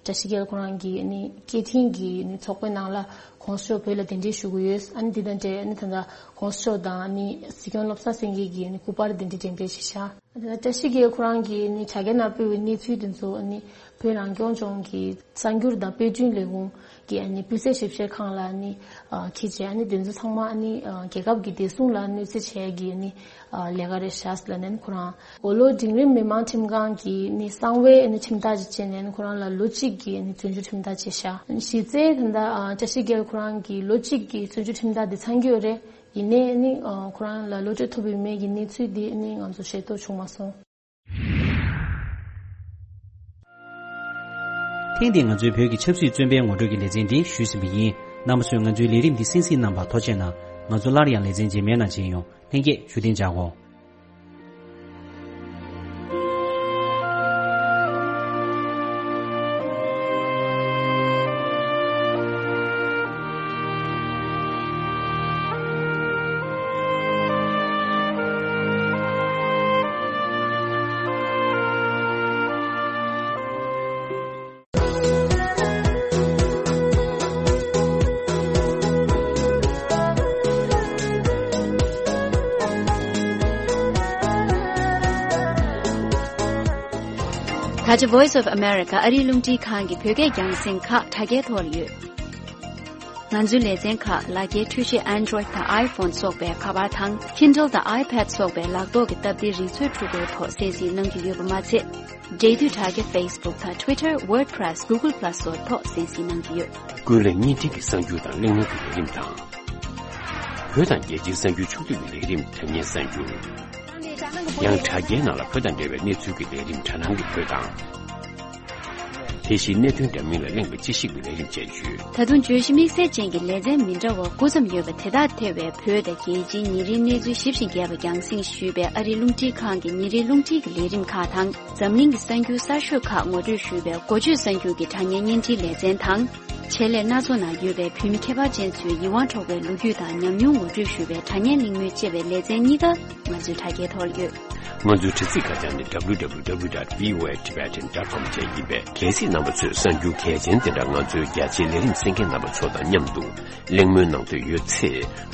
བཀྲ་ཤིས་རྒྱལ་ཁོ་རང་གི་ནི་སྐད་འཕྲིན་གྱི་ནི་ཚོགས་པའི་ནང་ལ་༸གོང་ས་མཆོག་བོད་ལ་གདན་འདྲེན་ཞུ་གི་ཡོད། ཨ་ནི་འདི་དང་འབྲེལ་ནི་ད་ལྟ་༸གོང་ས་མཆོག་དང་ནི་སྲིད་སྐྱོང་བློ་བཟང་སེང་གེ་གི་ནི་སྐུ་པར་གདན་འདྲེན་འགྲེམས་སྤེལ་བྱས་ཤག་ཨ་ནི་ད་བཀྲ་ཤིས་རྒྱལ་ཁོ་རང་གི་ནི་དྲ་རྒྱའི་ནང་སྤེལ་བའི་གནས་ཚུལ་དེ་ཚོ་ནི་བོད་རང་སྐྱོང་ལྗོངས་ཀྱི་གསར་འགྱུར་དང་དཔེ་སྐྲུན་ལས་ཁུངས་ཀྱི་ཨ་ནི་སྤུས་ཚད་ཞིབ་བཤེར་ཁང་ལ་ནི་ཨ་འཁྱེར་བྱས། ཨ་ནི་དེ་ཚོ་ཚང་མ་ཨ་ནི་ཨ་རྒྱལ་ཁབ་ཀྱི་བདེ་སྲུང་ལ་གནོད་འཚེ་བྱེད་ཡ་གི་ནི་ཨ་ལས་ཀ་རེད་ཤག་ཟེར་ལབ་ནས་ཁོ་རང་། མགོ་ལོག་འབྲིང་རིམ་མི་དམངས་ཁྲིམས་ཁང་གི་ནི་གསང་བའི་ནི་ཁྲིམས་ཐག་ཅིག་བཅད་ནས་ཁོ་རང་ལ་ལོ་གཅིག་གི་ནི་བཙོན་འཇུག་ཁྲིམས་ཐག་བཅད་ཤག་གཞི་རྩའི་ད་ལྟ་ཨ་བཀྲ་ཤིས་རྒྱལ་ཁོ་རང་གི་ལོ་གཅིག་གི་བཙོན་འཇུག་ཁྲིམས་ཐག་དེ་ཚང་གི་ཡོད་རེད། ཡིན་ནའི་ནི་ཨ་ཁོ་རང་ལ་གློད་གྲོལ་ཐོབ་ཡོད་མེད་ཀྱི་གནས་ཚུལ་དེ་ནི་ང་ཚོ་ཤེས་རྟོགས་བྱུང་མ་སོང་། ཐེངས་འདིའི་ང་ཚོའི་བོད་ཀྱི་ཆབ་སྲིད་བཙོན་པའི་ངོ་སྤྲོད་ཀྱི་ལེ་ཚན་འདི་ཞུས་ཟིན་པ་ཡིན། རྣམ་པ་ཚོས་ང་ཚོའི་ལས་རིམ་འདི་གསན་གཟིགས་གནང་བར་ཐུགས་རྗེ་ཆེ་གནང་། ང་ཚོ་སླར་ཡང་ལེ་ཚན་རྗེས་མའི་ནང་མཇལ་ཡོང་། ལྷན་རྒྱས་བཞུགས་གདན་འཇགས་དགོས། ད་ཆ་Voice of America ཨ་རིའི་རླུང་འཕྲིན་ཁང་གི་བོད་སྐད་རྒྱང་སྲིང་ཁག་དྲ་རྒྱའི་ཐོག་ལ་ཡོད། ང་ཚོའི་ལེ་ཚན་ཁག་ལག་འཁྱེར་འཕྲུལ་ཆས་Android་དང་iPhone སོགས་པའི་ཁ་པར་དང་Kindle དང་iPad སོགས་པའི་ལག་ཐོག་གི་སྟབས་བདེའི་རིག་མཛོད་འཕྲུལ་འཁོར་ཐོག་གསན་གཟིགས་གནང་རྒྱུ་ཡོད་པ་མ་ཚད། འབྲེལ་མཐུད་དྲ་རྒྱ་Facebook དང་Twitter, WordPress, Google Plus སོགས་ཐོག་གསན་གཟིགས་གནང་རྒྱུ་ཡོད། ཀུན་གླེང་བརྙན་འཕྲིན་གྱི་གསར་འགྱུར་དང་གླེང་མོལ་གྱི་ལས་རིམ་དང་། བོད་དང་རྒྱལ་སྤྱིའི་གསར་འགྱུར་ཕྱོགས་བསྡུས་ཀྱི་ལས་རིམ་དྲ་བརྙན་གསར་འགྱུར། ཡང་དྲ་རྒྱའི་ནང་ལ་བོད་དང་འབྲེལ་བའི་གནས་ཚུལ་གྱི་ལས་རིམ་དྲ་སྣང་གི་བོད་དང་། དེ་བཞིན་གནད་དོན་འདྲ་མིན་ལ་གླེང་བའི་དཔྱད་ཞིབ་ཀྱི་ལས་རིམ་བཅས་ཡོད། ད་དུང་བརྗོད་གཞི་དམིགས་བསལ་ཅན་གྱི་ལེ་ཚན་མི་འདྲ་བ་དགུ་ཙམ་ཡོད་པ་དེ་དག་ཐེ་བའི་བོད་དང་རྒྱལ་སྤྱིའི་ཉིན་རེའི་གནས་ཚུལ་ཞིབ་ཅིང་རྒྱས་པ་རྒྱང་སྲིང་ཞུས་པའི་ཨ་རིའི་རླུང་འཕྲིན་ཁང་གི་ཉིན་རེའི་རླུང་འཕྲིན་གྱི་ལས་རིམ་ཁག་དང་། འཛམ་གླིང་གི་གསར་འགྱུར་གསར་ཤོས་ཁག་ངོ་སྤྲོད་ཞུས་པའི་འགོ་བརྗོད་གསར་འགྱུར་གྱི་དྲ་བརྙན་བརྙན་འཕྲིན་ལེ་ཚན་དང་། ཆེད་ལས་སྣ་ཚོགས་ནང་ཡོད་པའི་བོད་མི་ཁྱད་པར་ཅན་ཚོའི་ཡིད་དབང་འཕྲོག་པའི་ལོ་རྒྱུས་དང་ཉམས་མྱོང་ངོ་སྤྲོད་ཞུ་བའི་དྲ་བརྙན་གླེང་མོལ་བཅས་པའི་ལེ་ཚན་གཉིས་ཀ་ང་ཚོའི་དྲ་རྒྱའི་ཐོག་ཡོད། ང་ཚོའི་དྲ་ཚིགས་ཁ་བྱང་ནི་W W W dot V O A Tibetan dot com བཅས་ཡིན་པས། གལ་སྲིད་རྣམ་པ་ཚོས་གསར་འགྱུར་གལ་ཆེན་དེ་འདྲ་ང་ཚོའི་རྒྱ་ཆེའི་ལས་རིམ་གསན་མཁན་རྣམ་པ་ཚོ་དང་མཉམ་དུ་གླེང་མོལ་གནང་འདོད་ཡོད་ཚེ།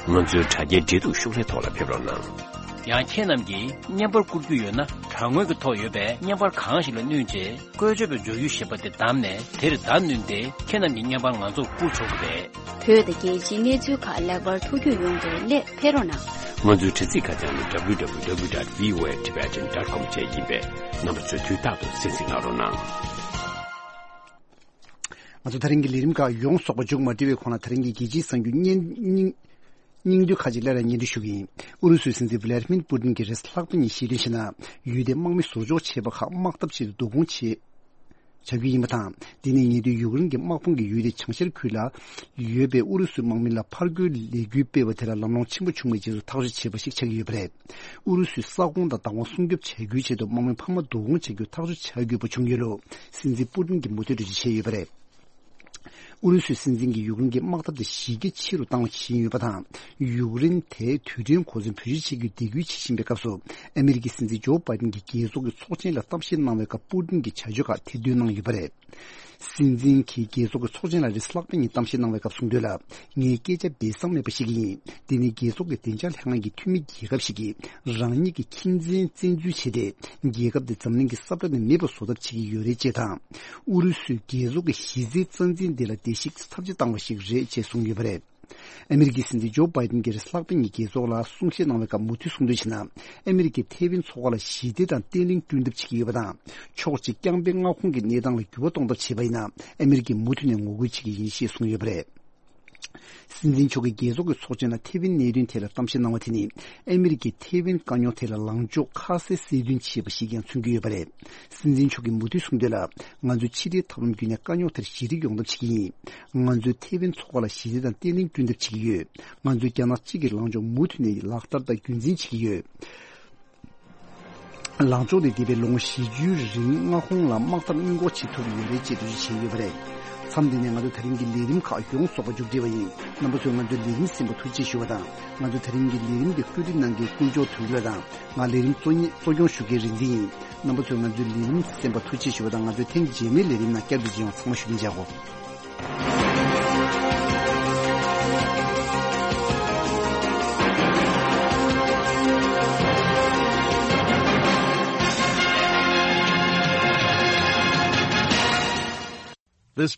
ང་ཚོའི་དྲ་རྒྱའི་འབྲེལ་གཏུག་ཤོག་ལྷེ་ཐོག་ལ་ཕེབས་རོགས་གནང་། ཡང་ཁྱེད་རྣམས་ཀྱིས་བརྙན་པར་བསྐུར་རྒྱུ་ཡོད་ན། དྲ་ངོས་ཀྱི་ཐོག་ཡོད་པའི་བརྙན་པར་གང་ཞིག་ལ་བསྣུན་རྗེས། བཀོལ་སྤྱོད་པའི་འབྱོར་ཡུལ་ཞེས་པ་དེ་བདམས་ནས། དེར་བརྡ་བསྣུན་ཏེ་ཁྱེད་རྣམས་ཀྱི་བརྙན་པར་ང་ཚོར་བསྐུར་ཆོག་གི་རེད། བོད་དང་རྒྱལ་སྤྱིའི་གནས་ཚུལ་ཁག་ལེགས་པར་ཐུགས་རྒྱུས་ཡོང་བའི་སླད་ཕེབས་རོགས་གནང་། ང་ཚོའི་དྲ་ཚིགས་ཁ་བྱང་ནི་W W W dot V O A Tibetan dot com བཅས་ཡིན་པས། རྣམ་པ་ཚོས་དུས་རྟག་ཏུ་གསན་གཟིགས་གནང་རོགས་གནང་། ང་ཚོ་ད་རིང་གི་ལས་རིམ་ཁག་ཡོངས་རྫོགས་པ་མཇུག་མ་སྒྲིལ་བའི་གོང་ལ། ད་རིང་གི་རྒྱལ་སྤྱིའི་གསར་འགྱུར་སྙིང་སྙིང་སྙིང་བསྡུས་ཁག་ཅིག་སླར་ཡང་སྙན་སྒྲོན་ཞུ་གི་ཡིན། ཨུ་རུ་སུའི་སྲིད་འཛིན་ཝི་ལ་ཏི་མིར་པུ་ཏིན་གྱིས་རེས་གཟའ་ལྷག་པ་ཉིན་བཤད་དོན་ཞིག་ནང་། ཡུལ་དེའི་དམག་མི་ཟུར་འཇོག་བྱས་པ་ཁག་དམག་འཐབ་ཆེད་དུ་བསྡུ་སྐོང་བྱས། བྱ་རྒྱུ་ཡིན་པ་དང་། འདི་ནི་ཉེ་དུས་ཡུཀ་རེན་གྱི་དམག་དཔུང་གིས་ཡུལ་དེའི་བྱང་ཤར་ཁུལ་ལ་ཡོད་པའི་ཨུ་རུ་སུའི་དམག་མི་ལ་ཕར་རྒོལ་ལས་འགུལ་སྤེལ་བ་དེ་ལ་ལམ་ལྷོང་ཆེན་པོ་བྱུང་བའི་རྗེས་སུ་ཐག་གཅོད་བྱས་པ་ཞིག་ཆགས་ཀྱི་ཡོད་པ་རེད། ཨུ་རུ་སུའི་ས་ཁོངས་དང་བདག་དབང་སྲུང་སྐྱོབ་བྱ་རྒྱུའི་ཆེད་དུ་དམག་མི་འཕར་མ་བསྡུ་སྐོང་བྱ་རྒྱུའི་ཐག་གཅོད་བྱ་དགོས་པ་བྱུང་ཡོད་ལུགས། སྲིད་འཛིན་པུ་ཏིན་གྱིས་མུ་མཐུད་འགྲེལ་བརྗོད་བྱས་ཡོད་པ་རེད། ཨུ་རུ་སུའི་སྲིད་འཛིན་གྱིས་ཡུཀ་རེན་གྱི་དམག་འཐབ་དེ་གཞི་རྒྱ་ཆེ་རུ་བཏང་བ་ཞིག་ཡིན་ཡོད་པ་དང་། ཡུཀ་རེན་དེ་དུས་དྲན་གོ་མཚོན་བེད་སྤྱོད་བྱེད་རྒྱུའི་སྡིགས་སྐུལ་བྱེད་བཞིན་པའི་སྐབས་སུ། ཨ་མི་རི་ཀའི་སྲིད་འཛིན་ཇོ་བྷའི་ཏིན་གྱིས་རྒྱལ་ཚོགས་ཀྱི་ཚོགས་ཆེན་ལ་གཏམ་བཤད་གནང་བའི་སྐབས་པུ་ཏིན་གྱི་བྱ་སྤྱོད་ཁག་ཐེར་འདོན་གནང་ཡོད་པ་རེད། སྲིད་འཛིན་གྱིས་རྒྱལ་ཚོགས་ཀྱི་ཚོགས་ཆེན་ལ་རེས་གཟའ་ལྷག་པའི་ཉིན་གཏམ་བཤད་གནང་བའི་སྐབས་གསུངས་དོན་ལ། ངའི་སྐད་ཆ་སྦས་གསང་མེད་པ་ཞིག་ཡིན། འདི་ནི་རྒྱལ་ཚོགས་ཀྱི་བདེ་འཇགས་ལྷན་ཁང་གི་འཐུས་མི་རྒྱལ་ཁབ་ཞིག་གིས་རང་ཉིད་ཀྱི་ཁྱིམ་མཚེས་བཙན་འཛུལ་བྱས་ཏེ། རྒྱལ་ཁབ་དེ་འཛམ་གླིང་གི་ས་བཀྲ་ནས་མེད་པར་བཟོ་ཐབས་བྱེད་ཀྱི་ཡོད་རེད་ཅེས་དང་། ཨུ་རུ་སུས་རྒྱལ་ཚོགས་ཀྱི་གཞི་རྩའི་རྩ་འཛིན་དེ་ལ་བརྡལ་བཤིག་ཚབས་ཆེ་བཏང་བ་ཞིག་རེད་ཅེས་གསུངས་ཡོད་པ་རེད། ཨ་མི་རི་ཀའི་སྲིད་འཛིན་ཇོ་བྷའི་ཏིན་གྱིས་རེས་གཟའ་ལྷག་པའི་ཉིན་རྒྱལ་ཚོགས་ལ་གསུང་བཤད་གནང་བའི་སྐབས་མུ་མཐུད་གསུངས་དོན་བྱས་ན། ཨ་མི་རི་ཀས་ཐེ་ཝན་མཚོ་ཁ་ལ་ཞི་བདེ་དང་བརྟན་ལྷིང་བསྐྲུན་ཐབས་བྱེད་ཀྱི་ཡོད་པ་དང་། ཕྱོགས་གཅིག་རྐྱང་པའི་མངའ་ཁོངས་ཀྱི་གནས་སྟངས་ལ་འགྱུར་བ་གཏོང་ཐབས་བྱས་པ་ཡིན་ན། ཨ་མི་རི་ཀས་མུ་མཐུད་ནས་ངོ་རྒོལ་བྱེད་ཀྱི་ཡིན་ཞེས་གསུངས་ཡོད་པ་རེད། སྲིད་འཛིན་མཆོག་གིས་རྒྱལ་ཚོགས་ཀྱི་ཚོགས་ཆེན་ལ་ཐེ་ཝན་གནད་དོན་ཐད་ལ་གཏམ་བཤད་གནང་བ་དེ་ནི། ཨ་མི་རི་ཀས་ཐེ་ཝན་དཀའ་རྙོག་ཐད་ལ་ལངས་ཕྱོགས་ཁ་གསལ་གསལ་སྟོན་བྱས་པ་ཞིག་ཀྱང་མཚོན་གྱི་ཡོད་པ་རེད། སྲིད་འཛིན་མཆོག་གིས་མུ་མཐུད་གསུངས་དོན་ལ། ང་ཚོས་ཕྱི་འབྲེལ་ཐབས་ལམ་བརྒྱུད་ནས་དཀའ་རྙོག་དེར་ཞི་འགྲིག་ཡོང་ཐབས་བྱེད་ཀྱི་ཡིན། ང་ཚོས་ཐེ་ཝན་མཚོ་ཁ་ལ་ཞི་བདེ་དང་བརྟན་ལྷིང་བསྐྲུན་ཐབས་བྱེད་ཀྱི་ཡོད། ང་ཚོས་རྒྱ་ནག་གཅིག་གི་ལངས་ཕྱོགས་མུ་མཐུད་ནས་ལག་བསྟར་དང་རྒྱུན་འཛིན་བྱེད་ཀྱི་ཡོད། ལངས་ཕྱོགས་དེ་འདས་པའི་ལོ་ངོ་བཞི་བཅུའི་རིང་མངའ་ཁོངས་ལ་དམག་འཐབ་སྔོན་འགོག་བྱེད་ཐུབ་ཡོད་རེད་ཅེས་འགྲེལ་བརྗོད་བྱས་ཡོད་པ་རེད། མཚམས་འདི་ནས་ང་ཚོའི་ད་རིང་གི་ལས་རིམ་ཁག་ཡོངས་རྫོགས་པ་མཇུག་སྒྲིལ་བ་ཡིན། རྣམ་པ་ཚོས་ང་ཚོའི་ལས་རིམ་གསན་པར་ཐུགས་རྗེ་ཆེ་ཞུ་བ་དང་། ང་ཚོའི་ད་རིང་གི་ལས་རིམ་འདི་བཀོད་སྒྲིག་གནང་མཁན་ཀུན་མཆོག་དོན་གྲུབ་དང་། ང་ལས་རིམ་གཙོ་གཉེར་གཙོ་སྐྱོང་ཞུ་མཁན་རིག་འཛིན་ཡིན། རྣམ་པ་ཚོས་ང་ཚོའི་ལས་རིམ་གསན་པར་ཐུགས་རྗེ་ཆེ་ཞུ་བ་དང་། ང་ཚོའི་ཐེངས་རྗེས་མའི་ལས་རིམ་ནང་བསྐྱར་དུ་མཇལ་ཡོང་། ཚང་མ་བཞུགས་གདན་འཇགས་གོ། This